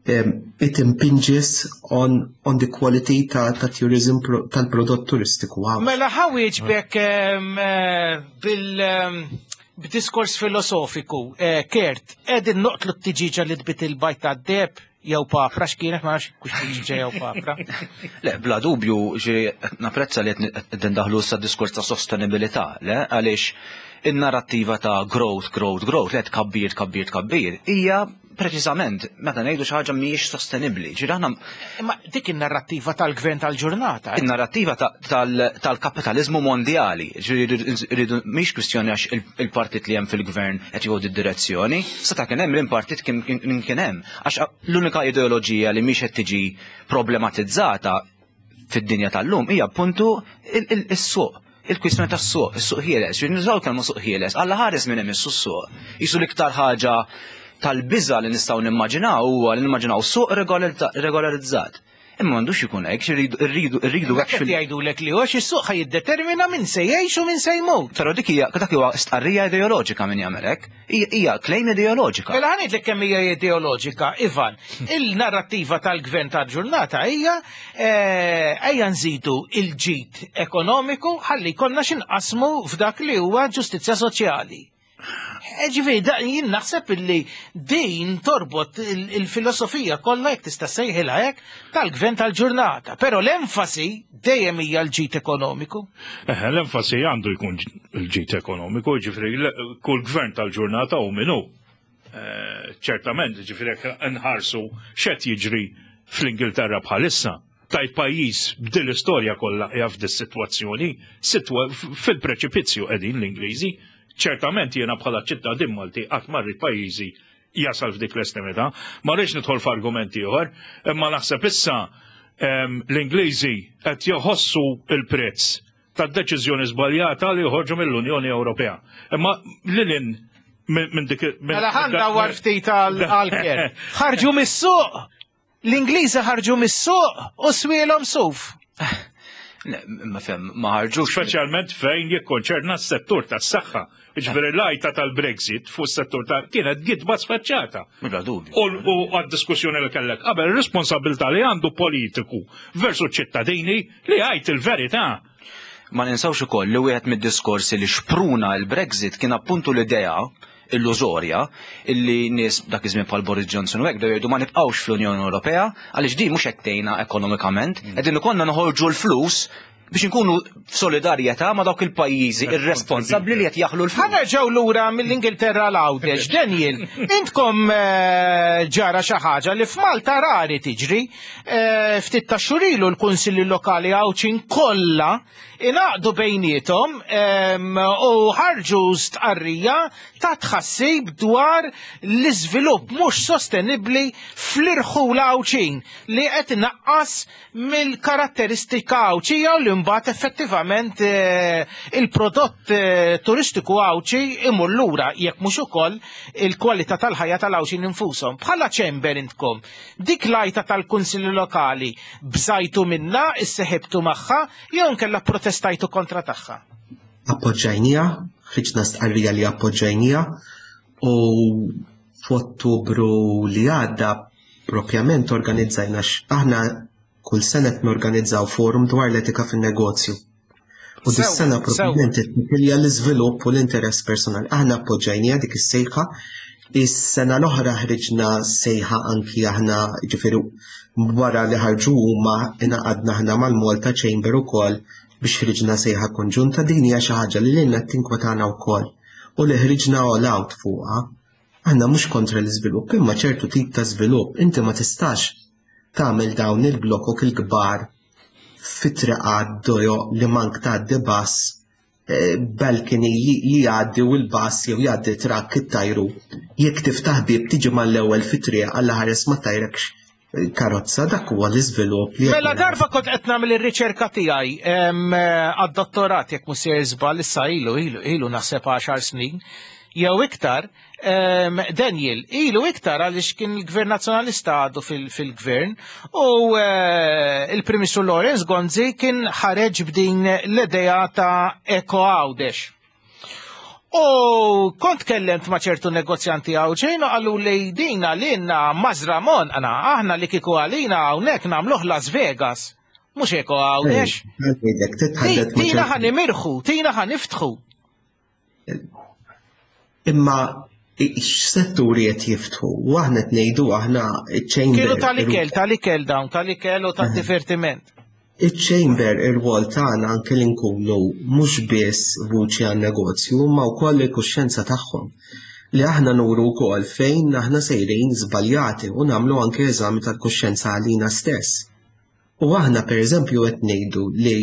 um, it impinges on, on the quality ta', ta tourism tal-prodott turistiku. Mela ħawieġbek um, eh, bil um, b'diskors filosofiku, eh, Kert, edin noqtlu t-tiġiġa li tbit il-bajt tad-deb jew papra x'kienet ma nafx kux tiġiġa jew papra. Le, bla dubju, ġi napprezza li qed indaħlu issa diskors ta' sostenibilità, le, għaliex in-narrattiva ta' growth, growth, growth, le tkabbir, tkabbir, tkabbir, hija preċiżament meta ngħidu xi ħaġa mhijiex sostenibbli. Ġifieri aħna Imma dik in-narrattiva tal-gvern tal-ġurnata. Eh? In-narrattiva tal-kapitaliżmu mondjali. Ġifieri rridu mhix kwistjoni għax il-partit li hemm fil-gvern qed jieħu d-direzzjoni, seta' kien hemm l-partit kien kien hemm. Għax l-unika ideoloġija li mhix qed tiġi problematizzata fid-dinja tal-lum hija appuntu is-suq. Il-kwistjoni tas-suq, is-suq ħieles, ġifieri nużaw kelma suq ħieles, alla ħares minn hemm is-suq. Jisu l-iktar ħaġa tal-biża li nistgħu nimmaġinaw huwa li nimmaġinaw suq regolarizzat. Imma m'għandux ikun hekk, irridu irridu irridu actually. Jgħidulek li għax is-suq ħa jiddetermina min se jgħix u min se jmut. Però dik hija dak huwa stqarrija ideoloġika min jagħmel hekk. Hija claim ideoloġika. Mela ħa ngħidlek kemm hija ideoloġika, Ivan. Il-narrattiva tal-gvern tal-ġurnata hija eh, ejja nżidu il-ġid ekonomiku ħalli jkollna x'inqasmu f'dak li huwa ġustizzja soċjali. Eh, ġifieri, jien naħseb illi din torbot il-filosofija kollha jekk tista' sejħilha hekk tal-gvern tal-ġurnata, però l-enfasi dejjem hija l-ġid ekonomiku. Eh, l-enfasi għandu jkun l-ġid ekonomiku, ġifieri kull gvern tal-ġurnata u minnu. Eh, ċertament, ġifieri jekk nħarsu x'qed jiġri fl-Ingilterra bħalissa tajt pajjiż b'dil istorja kollha qiegħ f'dis-sitwazzjoni, fil-preċipizzju qegħdin l-Ingliżi. Ċertament jiena bħala ċittadin Malti qatt ma rrid pajjiżi jasal f'dik l-estremità. Ma rridx nidħol f'argument ieħor, imma naħseb issa ehm, l-Ingliżi qed joħossu il-prezz tad-deċiżjoni żbaljata li joħorġu mill-Unjoni Ewropea. Imma lilin minn dik. Mela ħanda war ftit għal-ker. Ħarġu mis-suq! L-Ingliżi ħarġu mis-suq u swielhom suf. Ma fem, ma ħarġux. Speċjalment fejn jikkonċerna s-settur tas-saħħa. Ġifieri l-għajta tal-Brexit fuq s-settur ta' kienet gidba sfaċċata. Bla dubju. U għad-diskussjoni li kellek qabel responsabilità li għandu politiku versu ċittadini li għajt il-verità. Ma ninsawx ukoll li wieħed mid-diskorsi li xpruna l-Brexit kien appuntu l-idea illużorja illi nies dak iż-żmien bħal Boris Johnson u hekk bdew jgħidu ma nibqgħux fl-Unjoni Ewropea għaliex din mhux qed tgħinna ekonomikament, mm. qegħdin ikollna noħorġu l-flus biex inkunu f'solidarjetà ma' dawk il-pajjiżi irresponsabbli li qed jaħlu l-flus. Ħanerġgħu lura mill-Ingilterra l-Għawdex. Daniel, intkom eh, ġara xi ħaġa li f'Malta rari tiġri. Eh, ftit ta' xurilu l-Kunsilli Lokali Għawdxin kollha ingħaqdu bejniethom u ħarġu stqarrija ta' tħassib dwar l-iżvilupp mhux sostenibbli fl-irħula Għawdxin li qed inaqqas mill-karatteristika Għawdxija u li mbagħad effettivament eh, il-prodott eh, turistiku Għawdxi imur lura jekk mhux ukoll il-kwalità tal-ħajja tal-Għawdxin infushom. Bħala ċember intkom, dik l-għajta tal-Kunsilli Lokali bżajtu minnha, isseħibtu magħha jew inkella protestajtu kontra tagħha? Appoġġajniha, ħriġna stqarrija li appoġġajniha u f'Ottubru li għadda propjament organizzajna aħna kull sena qed norganizzaw forum dwar l-etika fin-negozju. U dis-sena propjament qed l-iżvilupp u l-interess personali. Aħna appoġġajniha dik is-sejħa. Is-sena l-oħra ħriġna sejħa anki aħna ġifieri wara li ħarġu huma ingħaqadna aħna mal-Malta Chamber ukoll biex ħriġna sejħa konġunta din hija xi ħaġa li lilna tinkwetana wkoll u li ħriġna all out fuqha. Aħna mhux kontra l-iżvilupp, imma ċertu tip ta' żvilupp inti ma tistax tagħmel dawn il-blokok il-kbar fit-triqat dojoq li mank tgħaddi bass eh, balcony li jgħaddi u l-bass jew jgħaddi trakk it-tajru. Jekk tiftaħ bib tiġi mal-ewwel fit-triq għal ħares ma tajrekx eh, karozza dak huwa l-iżvilupp li Mela darba kont qed nagħmel ir-riċerka tiegħi għad-dottorat jekk mhux se żball issa ilu ilu ilu naħseb 10 snin jew iktar Daniel, ilu iktar għaliex kien il-Gvern Nazzjonalista għadu fil-gvern u eh, il-Prim Ministru Lawrence Gonzi kien ħareġ b'din l-idea ta' Eko Għawdex. U kont kellemt ma' ċertu negozjanti għawġin u għallu li din għalina mażramon għana aħna li kiku għalina hawnhekk nagħmluh Las Vegas. Mhux Eko Għawdex. Tina ħan imirħu, tina ħan iftħu. Imma x'setturi qed jiftħu? U aħna qed ngħidu aħna iċ-chamber. Kienu tal-ikel, tal-ikel dawn, tal-ikel u tad-divertiment. Iċ-chamber ir-rwol tagħna anke li nkunu mhux biss vuċi għan-negozju imma wkoll il-kuxjenza tagħhom. Li aħna nuru wkoll fejn aħna sejrin żbaljati u nagħmlu anke eżami tal-kuxjenza għalina stess. U aħna pereżempju qed ngħidu li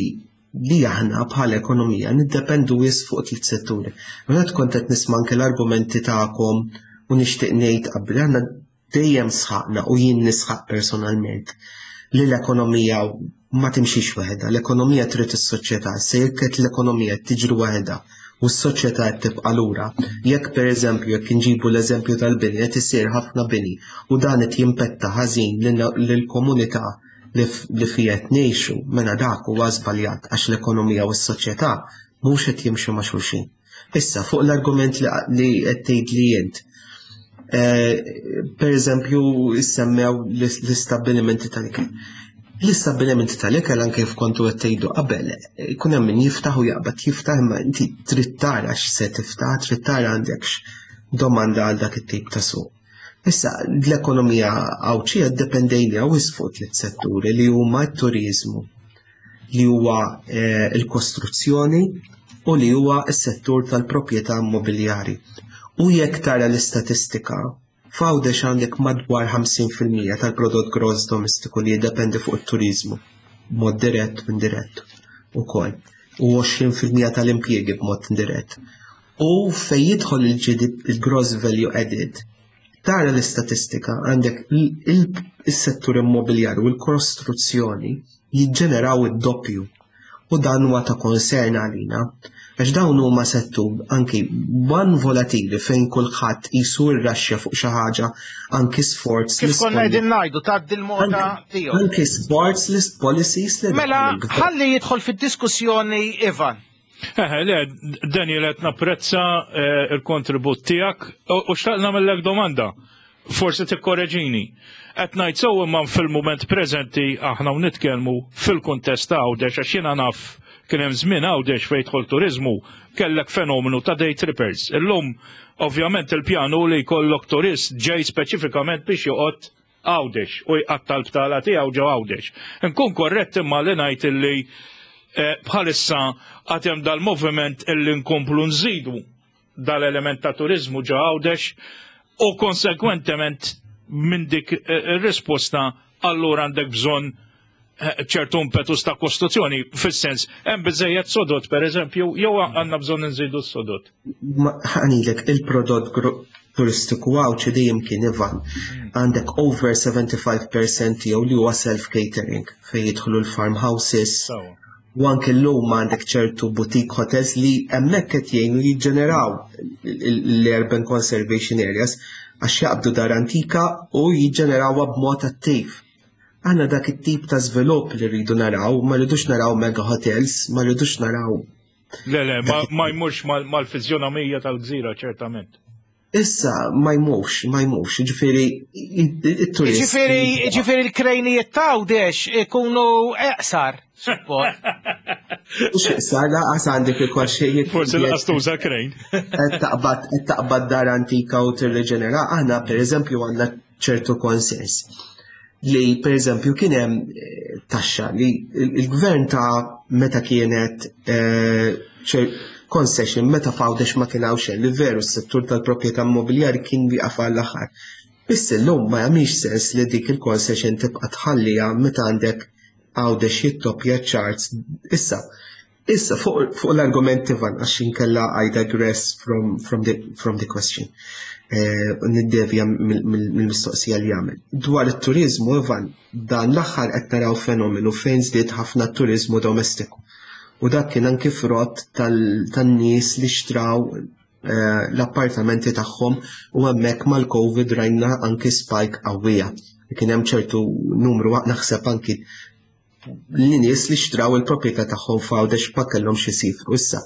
li aħna bħala ekonomija niddependu wisq fuq tliet setturi. Meta kont qed nisma' anke l-argumenti tagħkom u nixtieq ngħid qabel aħna dejjem sħaqna u jien nisħaq personalment li l-ekonomija ma timxix waħedha, l-ekonomija trid is-soċjetà, se jekk qed l-ekonomija tiġri waħedha u s-soċjetà qed tibqa' lura. Jekk pereżempju jekk inġibu l-eżempju tal-bini qed isir ħafna bini u dan qed jimpetta ħażin lill-komunità li fija qed ngħixu, mela dak huwa żbaljat għax l-ekonomija u s-soċjetà mhux qed jimxu ma' xulxin. Issa fuq l-argument li qed tgħid li int, eh, per eżempju semmew l-istabbilimenti tal-ikel. L-istabbilimenti tal-ikel anke kif kontu qed tgħidu qabel, ikun hemm min jiftaħ u jaqbad jiftaħ imma inti trid tara x'se tiftaħ, trid tara għandekx domanda għal dak it-tip ta' suq. Issa, l-ekonomija Għawdxija ddependejna wisq fuq tliet setturi li huma t-turiżmu, li huwa eh, l-kostruzzjoni u li huwa s-settur tal-proprjetà immobiljari. U jekk tara l-istatistika, f'Għawdex għandek madwar 50% tal-prodott gross domestiku li jiddependi fuq it-turiżmu b'mod dirett u indirett ukoll u 20% tal-impjiegi b'mod indirett. U fejn jidħol il-gross value added, tara l-istatistika għandek il-settur immobiljari u l-kostruzzjoni jiġġeneraw id-doppju. U dan huwa ta' concern għalina. Għax dawn huma settur anki one volatili fejn kulħadd qisu rraxxja fuq xi ħaġa anki sforz. Kif konna qegħdin ngħidu tgħaddi l-moda tiegħu. Anki sforz list policies li Mela ħalli jidħol fid-diskussjoni Ivan. Eh, le, Daniel, qed napprezza eh, il-kontribut tiegħek u xtaqt nagħmellek domanda. Forsi tikkoreġini. Qed ngħid sew imma fil-mument preżenti aħna u nitkellmu fil-kuntest ta' Għawdex għax jiena naf kien hemm żmien Għawdex fejn jidħol turiżmu kellek fenomenu ta' day trippers. Illum ovvjament il-pjan hu li jkollok turist ġej speċifikament biex joqgħod Għawdex u jqatta' l-btala tiegħu ġo Għawdex. Inkun korrett imma li ngħid illi eh, bħalissa għad hemm dal-moviment illi nkomplu nżidu dal-element ta' turiżmu ġo Għawdex u konsekwentement minn dik eh, ir-risposta allura għandek bżonn eh, ċertu impetus ta' kostruzzjoni, fis-sens, hemm biżejjed sodot pereżempju, jew għandna bżonn nżidu s-sodot. Ħanilek il-prodott turistiku għawċi dejjem kien Ivan. Għandek over 75% tiegħu li huwa self-catering fejn jidħlu l-farmhouses. U anke llum għandek ċertu boutique hotels li hemmhekk qed jgħinu jiġġeneraw l-urban conservation areas għax jaqbdu dar antika u jiġġenerawha b'mod attiv. Aħna dak it-tip ta' żvilupp li rridu naraw, ma rridux naraw mega hotels, ma rridux naraw. Le, le, ma jmurx mal-fizjonomija tal-gżira, ċertament. Issa, ma jmurx, ma jmurx, ġifiri, il-turist. Ġifiri, ġifiri l-krejnijiet ta' dex ikunu eqsar, support. Mux eqsar, laqas għandek il-kol xejn. Forsi laqas tuża krejn. Taqbad, taqbad dar antika u tirreġenera, aħna per eżempju għandna ċertu konsens li per eżempju kien hemm eh, taxxa li il-gvern ta' meta kienet eh, concession meta fawdex ma kien hawn xejn li veru s-settur tal-proprjetà immobiljari kien wieqaf għall-aħħar. Biss illum ma jagħmilx sens li dik il-concession tibqa' tħalliha meta għandek għawdex jittoppja charts. Issa, Issa, fuq fu l-argument Ivan, għax inkella I digress from, from, the, from the question. Eh, niddevja mill-mistoqsija li għamel. Dwar it-turizmu, Ivan, dan l-aħħar qed naraw fenomenu fejn żdied ħafna turizmu domestiku. U dak kien anki frott tan-nies li xtraw eh, l-appartamenti tagħhom u hemmhekk mal-COVID rajna anki spike qawwija. Kien hemm ċertu numru naħseb anki li nies li xtraw il-proprjetà tagħhom f'Għawdex ma kellhomx isifru issa.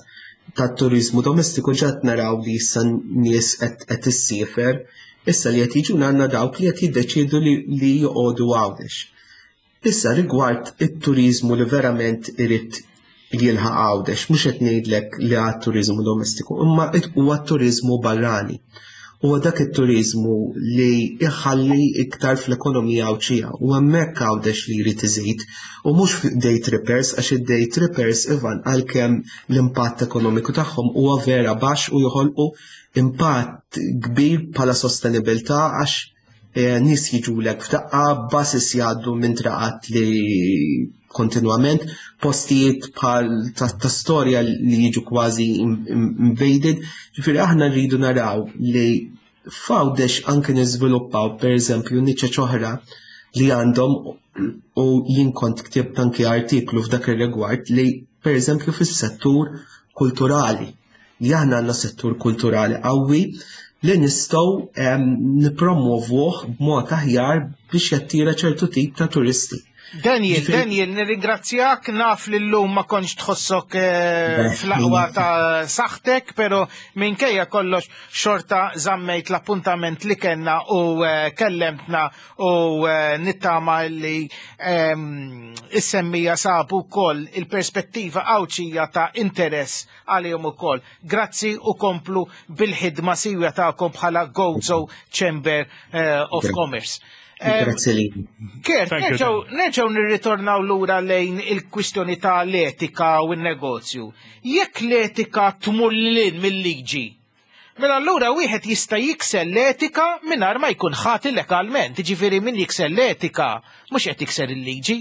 Tat-turiżmu domestiku ġat naraw li issa nies qed issiefer, issa li qed jiġuna għandna dawk li qed jiddeċiedu li joqogħdu Għawdex. Issa rigward it-turiżmu li verament irid jilħaq Għawdex, mhux qed ngħidlek li għad turiżmu domestiku, imma huwa t-turiżmu barrani. Huwa dak it-turiżmu li jħalli iktar fl-ekonomija Għawdxija u hemmhekk Għawdex li jrid iżid u mhux day trippers għax id-day trippers Ivan għalkemm l-impatt ekonomiku tagħhom huwa vera baxx u joħolqu impatt kbir bħala sostenibilità għax Eh, nies jiġulek f'daqqa, buses jgħaddu minn traqat li kontinwament, postijiet bħal ta' storja li jiġu kważi invaded. Ġifieri aħna rridu naraw li f'Għawdex anke niżviluppaw pereżempju niċeċ oħra li għandhom u jien kont ktibt anke artiklu f'dak ir-rigward li pereżempju fis-settur kulturali li aħna għandna settur kulturali qawwi li nistgħu ehm, nippromovuh b'mod aħjar biex jattira ċertu tip ta' turisti. Daniel, Daniel, nirringrazzjak, naf li llum ma kontx tħossok eh, fl-aqwa ta' saħtek, pero minkejja kollox xorta żammejt l-appuntament li kellna u eh, kellemtna u eh, nittama li ehm, is-semmija sabu wkoll il-perspettiva Għawdxija ta' interess għalihom ukoll. Grazzi u komplu bil-ħidma siwja tagħkom bħala Gozo Chamber of Commerce. Grazzi li. Kert, nerġgħu nirritornaw lura lejn il-kwistjoni ta' l-etika u n-negozju. Jekk l-etika tmur lil mill-liġi, mela allura wieħed jista' jikser l-etika mingħajr ma jkun ħati legalment, jiġifieri min jikser l-etika mhux qed jikser il-liġi.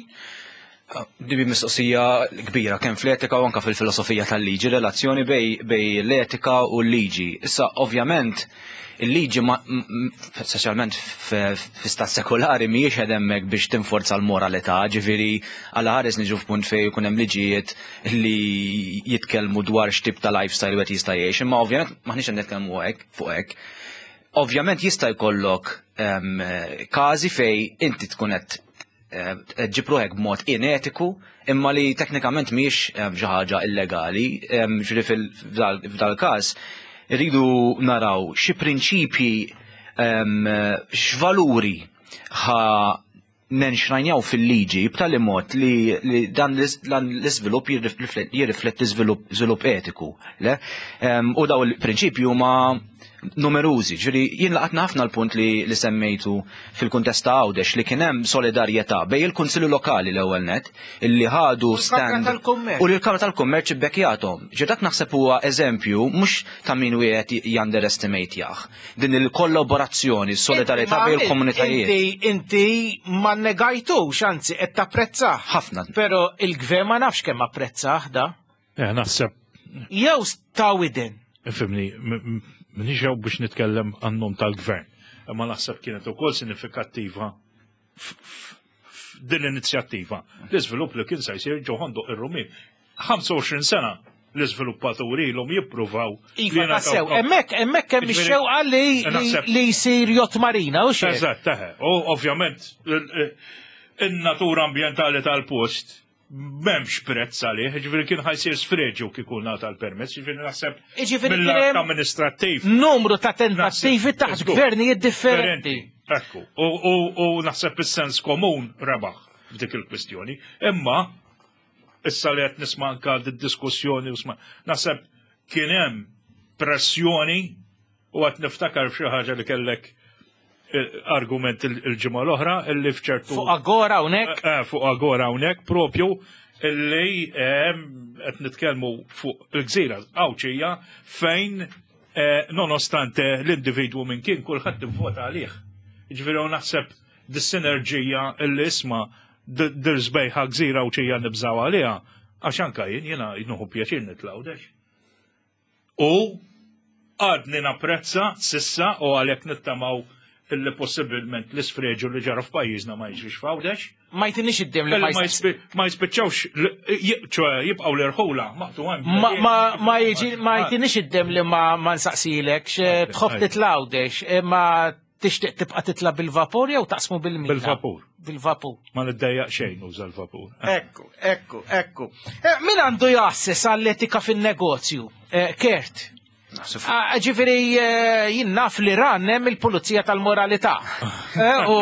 Dibi mistoqsija kbira kemm fl-etika u anka fil-filosofija tal-liġi, relazzjoni bej l-etika u l-liġi. Issa ovvjament il-liġi speċjalment fi stat sekolari mhijiex qed hemmhekk biex tinforza l-moralità, ġifieri għal ħares niġu f'punt fejn jkun hemm liġijiet li jitkellmu dwar x'tip ta' lifestyle wieħed jista' jgħix, imma ovvjament maħniex qed nitkellmu hekk fuq hekk. Ovvjament jista' jkollok każi fej inti tkun qed ġġib ruħek b'mod inetiku imma li teknikament mhijiex xi ħaġa illegali, ġifieri f'dal każ irridu naraw xi prinċipji x'valuri ħa nenxrajnjaw fil-liġi b'tali mod li dan l-iżvilupp jirrifletti żvilupp etiku. Le? U daw il-prinċipji huma numerużi. Ġifieri jien laqatna ħafna l-punt li semmejtu fil-kuntest ta' Għawdex li kien hemm solidarjetà bej il-Kunsilli Lokali l-ewwel net illi ħadu stand u li l-Kamra tal-Kummerċ ibbekkjathom. Ġi dak naħseb huwa eżempju mhux ta' min wieħed junderestimate jah. Din il-kollaborazzjoni, solidarjetà bej il-komunitajiet. Inti ma negajtux, anzi qed tapprezzah. Ħafna. Però il-gvern ma nafx kemm apprezzah da. Eh, naħseb. Jew ta' widen. Ifhimni, m'iniex hawn biex nitkellem għan-nom tal-gvern, imma naħseb kienet ukoll sinifikattiva din l-inizjattiva. L-iżvilupp li kien se jsir ġo Ħondoq ir-Rummien. 25 sena l-iżviluppaturi ilhom jippruvaw. Iva, tassew, hemmhekk hemm ix-xewqa li jsir yacht marina, u xejn. Eżatt, teħe. U ovvjament in-natura ambjentali tal-post m'hemmx prezz għalih, ġifieri kien ħa jsir sfreġju kieku ngħata l-permess, ġifieri naħseb mill-att amministrattiv. Numru ta' tentattivi taħt gvernijiet differenti. Ekku, u naħseb is-sens komun rebaħ f'dik il-kwistjoni. Imma issa li qed nisma' anka diskussjoni u sma' naħseb kien hemm pressjoni u qed niftakar f'xi ħaġa li kellek argument il-ġimgħa l-oħra illi f'ċertu. Fuq Agora hawnhekk? Eh, eh, fuq Agora hawnhekk propju illi qed nitkellmu fuq il-gżira Għawdxija fejn nonostante l-individwu minn kien kulħadd ivvota għalih. Ġifieri naħseb dis-sinerġija illi isma' dir-sbejħa gżira Għawdxija nibżaw għaliha, għax anka jien jiena nieħu pjaċir nitla' Għawdex. U għadni napprezza s'issa u għalhekk nittamaw illi possibilment l-isfreġu li ġara f'pajjiżna ma jiġrix f'Għawdex. Ma jtinix id-dem li ma jispiċċawx, ċoè jibqgħu l-irħula maqtugħin. Ma jiġi ma jtinix id-dem li ma nsaqsilek tħobb titla' Għawdex, imma tixtieq tibqa' titla' bil-vapur jew taqsmu bil-mina? Bil-vapur. Bil-vapur. Ma niddejjaq xejn nuża l-vapur. Ekku, ekku, ekku. Eh, min għandu jgħasses għall-etika fin-negozju? Eh, Kert. Ah, ġifieri eh, jien naf li ran hemm il-pulizija tal-moralità. U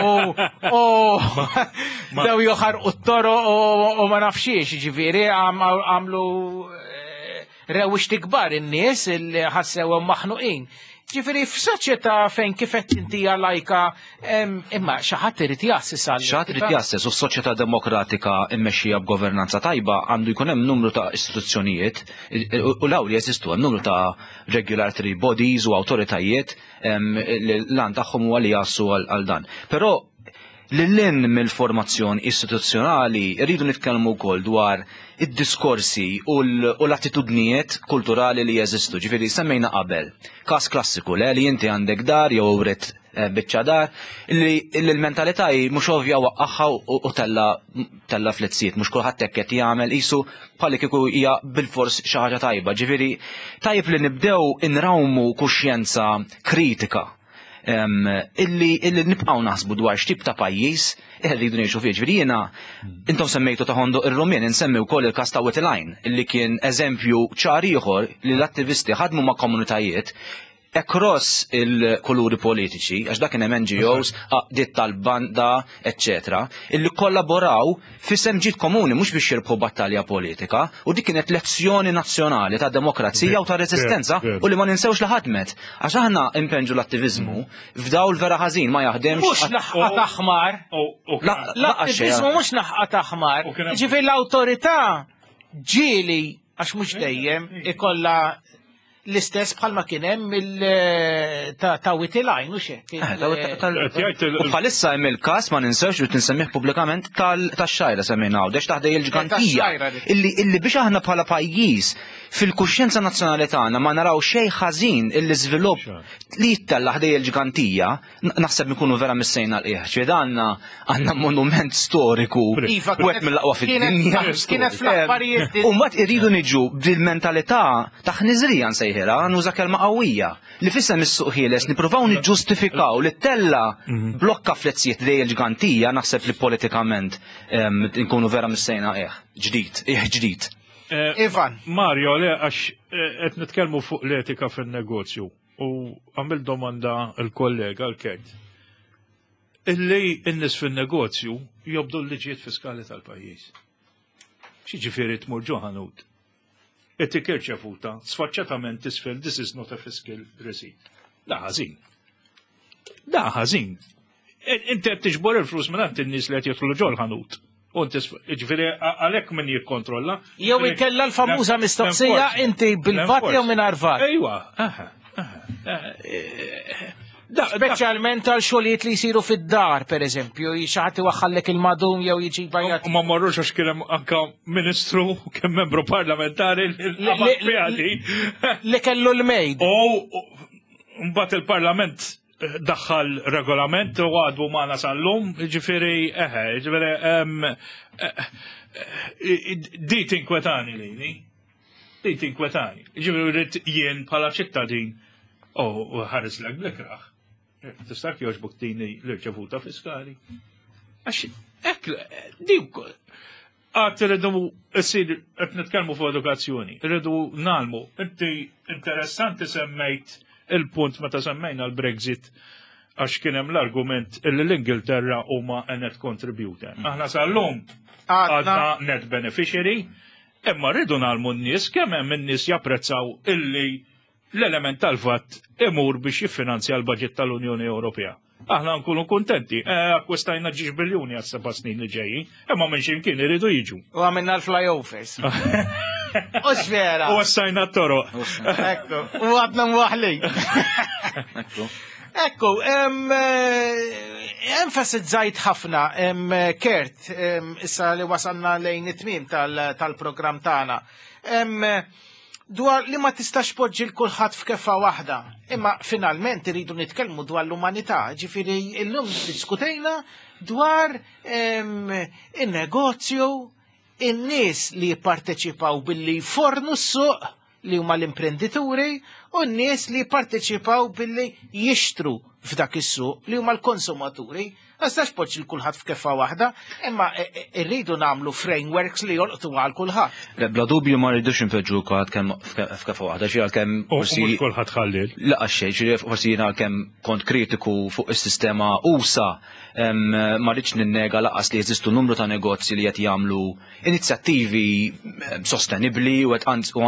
dew joħarqu t-toro u ma nafxiex, ġifieri għamlu rewwixti kbar in-nies li ħassewhom maħnuqin. Ġifieri f'soċjetà fejn kif qed inti lajka imma xi ħadd irid jgħasses għal. Xi ħadd irid jgħasses u f'soċjetà demokratika mmexxija b'governanza tajba għandu jkun hemm numru ta' istituzzjonijiet u law li jeżistu hemm numru ta' regulatory bodies u awtoritajiet li l-għan tagħhom huwa li jgħassu għal dan. Però lil mill-formazzjoni istituzzjonali rridu nitkellmu wkoll dwar id-diskorsi u l-attitudnijiet kulturali li jeżistu. Ġifieri semmejna qabel, każ klassiku le li inti għandek dar jew writ biċċa dar li l-mentalità hi mhux ovvja waqqaħħa u tella flitzijiet, mhux kulħadd hekk qed jagħmel qisu bħalli kieku hija bilfors xi ħaġa tajba. Ġifieri tajjeb li nibdew inrawmu kuxjenza kritika. illi illi nibqgħu naħsbu dwar x'tip ta' pajjiż irridu ngħixu fih. Ġifieri jiena intom semmejtu ta' Ħondoq ir-Rumien, insemmi wkoll il-każ ta' Wied il-Għajn illi kien eżempju ċar ieħor li l-attivisti ħadmu ma' komunitajiet across il-kuluri politiċi, għax dak kien hemm NGOs, għaqdiet tal-banda, eccetera, illi kollaboraw f'isem ġid komuni mhux biex jirbħu battalja politika, u dik kienet lezzjoni nazzjonali ta' demokrazija u ta' reżistenza u li ma ninsewx li ħadmet. Għax aħna impenġu l-attiviżmu f'dawl vera ħażin ma jaħdemx. Mhux naħqa ta' ħmar. L-attiviżmu mhux naħqa ta' ħmar. Ġifieri l-awtorità ġieli għax mhux dejjem ikollha l-istess bħalma kien hemm il ta' Witilajn u xek. Eh, u bħalissa hemm il-każ ma ninsewx li tinsemmih pubblikament tax-xajra semmejna għawdex taħdej il-ġgantija. Illi illi biex aħna bħala pajjiż fil-kuxjenza nazzjonali tagħna ma naraw xejn ħażin illi żvilupp li jittella' ħdej il-ġgantija naħseb nkunu vera missejna l-qiegħ. Ċieda għandna għandna monument storiku iva, wieħed mill-aqwa fid-dinja. Kienet fl-affarijiet. U mbagħad iridu niġu bil-mentalità ta' ħniżrija nsejħilha, nuża kelma qawwija, li fissem is-suq ħieles nippruvaw niġġustifikaw li tella mhm. blokka flezzijiet li l-ġgantija naħseb li politikament nkunu vera missejna qiegħ ġdid, qiegħ ġdid. Eh, Ivan. Mario, le għax eh, qed nitkellmu fuq l-etika fin-negozju. U għamil domanda l-kollega l-Kert. Illi n-nis fin-negozju jobdu l-liġijiet fiskali tal-pajjiż. X'jiġifieri tmur ġo ħanut? Itik irċevuta, sfaċċatament tisfel this is not a fiscal receipt. Da ħażin. Da ħażin. Inti qed tiġbor il-flus minn in-nies li qed jidħlu ġol ħanut. U ġifieri għalhekk min jikkontrolla. Jew ikella l-famuża mistoqsija inti bil-vat jew mingħajr vat. Ejwa, Speċjalment għal xogħlijiet li jsiru fid-dar, per eżempju, xi ħadd iwaħħallek il-madum jew jiġi bajat. Ma marrux għax kien hemm anka ministru kien membru parlamentari li li kellu l-mejd. U mbagħad il-Parlament daħħal regolament u għadu maħna sal-lum, ġifiri, eħe, ġifiri, eh, eh, di tinkwetani li, li, di tinkwetani. Ġifiri, rrit jien bħala ċittadin, u ħares l blikraħ, tista' joġbuk tini l-irċevuta fiskali. Għax, ek, di Għad irridu issir qed nitkellmu fuq edukazzjoni, irridu nagħlmu. Inti interessanti semmejt il-punt meta semmejna l-Brexit għax kien hemm l-argument illi l-Ingilterra huma a net contributor. Mm. Aħna sal-lum għadna net beneficiary, imma rridu nagħlmu n-nies kemm hemm in-nies japprezzaw illi l-element tal-VAT imur biex jiffinanzja l-budget tal-Unjoni Ewropea. Aħna nkunu kuntenti, eh, akkwistajna ġiex biljuni għas seba' snin li ġejjin, imma minn ximkien iridu jiġu. U għamilna l-flyovers. U vera. U għassajna t-toroq. Ekku, u għadna mwaħli. Ekku. Ekku, eh, enfasizzajt ħafna, Kert, issa li wasalna lejn it-tmim tal-programm tagħna. Dwar li ma tistax poġġi l kulħadd f'keffa waħda. Imma finalment iridu nitkellmu dwar l-umanità, ġifieri illum diskutejna dwar in-negozju, in-nies li jipparteċipaw billi jfornu s-suq li huma l-imprendituri u n-nies li jipparteċipaw billi jixtru f'dak is-suq li huma l-konsumaturi. Ma nistax poġġi l kulħadd f'keffa waħda, imma e, e, irridu nagħmlu frameworks li jolqtu għal kulħadd. Le bla dubju ma rridux inpoġġu kulħadd kemm f'keffa waħda, xi għalkemm forsi. Kulħadd ħallil. Laqas xejn, xi forsi jiena għalkemm kont kritiku fuq is-sistema usa ma rridx ninnega laqas li jeżistu numru ta' negozji li qed jagħmlu inizjattivi sostenibbli u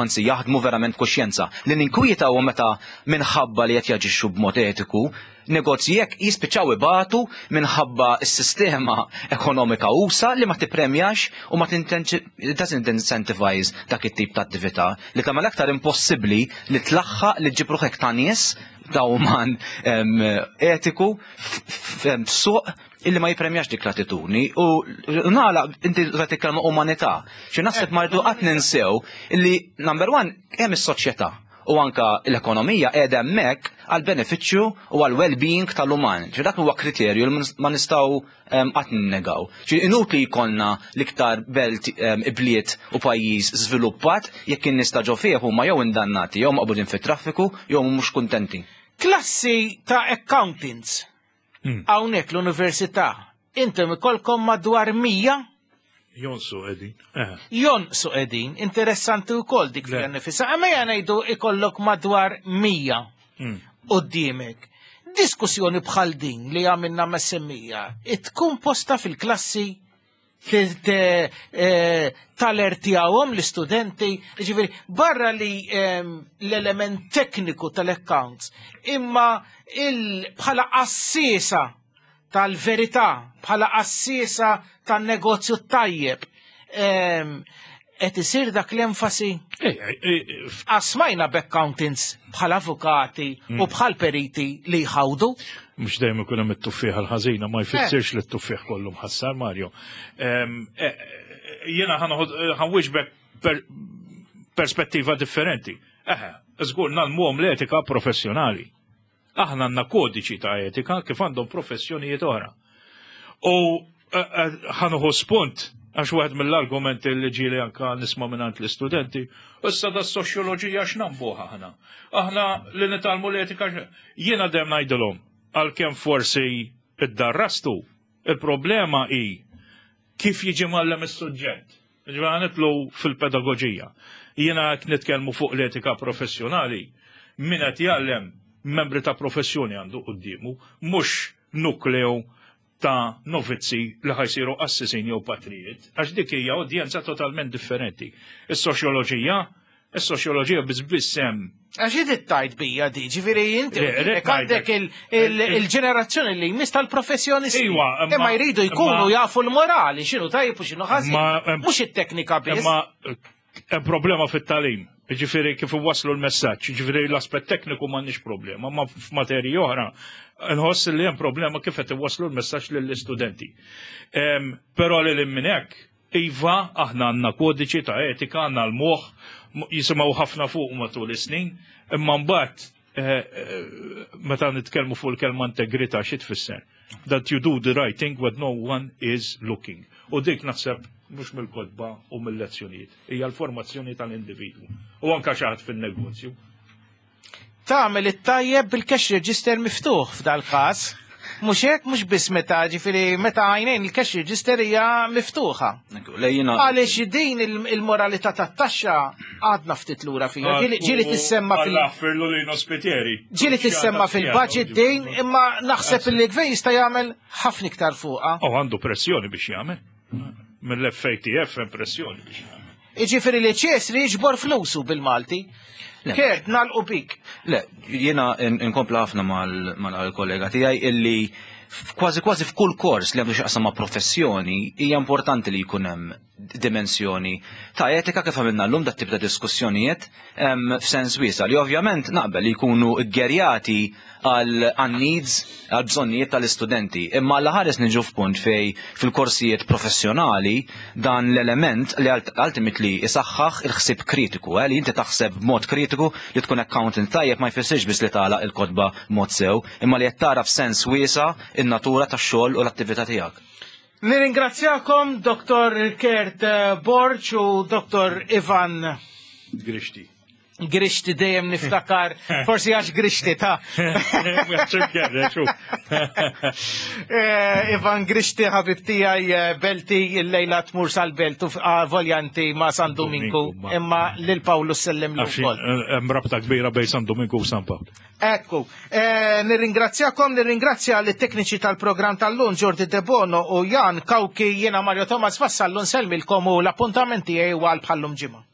anzi jaħdmu verament b'kuxjenza. Li ninkwieta huwa meta minħabba li qed jaġixxu b'mod etiku, negozji hekk jispiċċaw ibatu minħabba s-sistema ekonomika usa li ma tippremjax u ma doesn't incentivize dak it-tip ta' attività li tagħmel aktar impossibbli li tlaħħaq li ġġib ruħek ta' nies ta' uman etiku f'suq illi ma jipremjax dik l-attitudni u nagħlaq inti użajt il-kelma umanità. Xi naħseb ma rridu qatt ninsew illi number one hemm is-soċjetà u anka l-ekonomija qiegħda hemmhekk għal benefiċċju u għal well-being tal-uman. Ġi dak huwa kriterju li ma nistgħu ehm, qatt ninnegaw. Ġi inutli jkollna l-iktar belt ehm, ibliet u pajjiż żviluppat jekk in-nies ta' ġo fih huma jew indannati jew maqbudin fit-traffiku jew mhux kuntenti. Klassi ta' accountants hawnhekk l-università intom ikolkom madwar 100 Jonsu qegħdin. Jonqsu qegħdin, interessanti wkoll dik fiha nifisha. Imma ejja ngħidu ikollok madwar 100 quddiemek. Diskussjoni bħal din li għamilna mas-semmija, tkun posta fil-klassi talertjawhom l-istudenti, ġifieri barra li l-element tekniku tal-accounts, imma bħala assisa tal-verità, bħala assisa tan-negozju tajjeb, qed isir dak l-enfasi? Asmajna b'accountants bħal avukati u bħal periti li jħawdu. Mhux dejjem ikun hemm it-tuffieħ l-ħażina, ma jfissirx li t-tuffieħ kollu mħassar, Mario. Jiena ħanwiġbek perspettiva differenti. Eħe, żgur nagħlmuhom l-etika professjonali. Aħna għandna kodiċi ta' etika kif għandhom professjonijiet oħra. U ħanuħu spunt għax wieħed mill-argumenti li ġieli anka nisma' mingħand l-istudenti, issa da soċjoloġija x'nambuha aħna. Aħna li nitgħallmu l-etika jiena dejjem ngħidilhom għalkemm forsi iddarrastu, il-problema hi kif jiġi mgħallem is-suġġett. Ġifieri nitlu fil-pedagoġija. Jiena qed nitkellmu fuq l-etika professjonali, min qed jgħallem membri ta' professjoni għandu quddiemu, mhux nukleu ta' novizzi li ħa jsiru qassisin jew patrijiet, għax dik hija udjenza totalment differenti. Is-soċjoloġija, is-soċjoloġija biss biss hemm. Għax id tajt bija di, ġifieri inti għandek il-ġenerazzjoni li jmiss tal-professjonisti. Iwa, imma jridu jkunu jafu l-morali, x'inhu tajjeb u x'inhu ħażin. Mhux it-teknika biss. Imma hemm problema fit-tagħlim. Ġifieri kif iwasslu l-messaġġ, ġifieri l-aspett tekniku m'għandniex problema, ma f'materji oħra nħoss li hemm problema kif qed iwasslu l-messaġġ lill-istudenti. Però lil minn hekk, iva, aħna għandna kodiċi ta' etika, għandna l-moħħ, jisimgħu ħafna fuq matul is-snin, imma mbagħad meta nitkellmu fuq il-kelma integrità xi tfisser? That you do the right thing when no one is looking. U dik naħseb mhux mill-kotba u mill-lezzjonijiet, hija l-formazzjoni tal-individwu. U anka xi ħadd fin-negozju. Tagħmel it-tajjeb bil-cash register miftuħ f'dal-każ. Mhux hekk, mhux biss meta, ġifieri meta għajnejn il-cash register hija miftuħa. Lejjina. Għaliex din il-moralità tat-taxxa għadna ftit lura fiha. Ġieli tissemma fil- Alla ħfirlu li nospitieri. Ġieli tissemma fil-budget din, imma naħseb li l-gvern jista' jagħmel ħafna iktar fuqha. U għandu pressjoni biex jagħmel. Mill-FATF hemm pressjoni biex jagħmel. Iġifieri li ċes li jiġbor flusu bil-Malti. Kert, nagħlqu bik. Le, jiena inkompla ħafna mal-kollega tiegħi illi kważi kważi f'kull kors li għandu x'jaqsam ma' professjoni hija importanti li jkun hemm dimensjoni ta' etika kif għamilna llum dat tip ta' diskussjonijiet f'sens wiesa' li ovvjament naqbel li jkunu ggerjati għal needs, għal bżonnijiet tal-istudenti. Imma għal ħares niġu f'punt fej fil-korsijiet professjonali dan l-element li ultimately isaħħaħ il-ħsieb kritiku, li inti taħseb b'mod kritiku li tkun accountant tajjeb ma jfissirx biss li tagħlaq il-kotba b'mod sew, imma li qed tara f'sens wiesa' in-natura tax-xogħol u l-attività tiegħek. Nirringrazzjakom Dr. Kurt Borg u Dr. Ivan Grixti. Grixti dejjem niftakar, forsi għax Grixti ta' Ivan Grixti ħabib tiegħi Belti il-lejla tmur sal-Belt u voljanti ma' San Dominku, imma lil Pawlu sellem l ukoll. Hemm rabta kbira bejn San Dominku u San Pawl. Ekku, nirringrazzjakom, nirringrazzja l-tekniċi tal-programm tal-lum Jordi Debono u Jan Kawki, jiena Mario Thomas Vassallu nsellmilkom u l-appuntament tiegħi għal bħallum ġimgħa.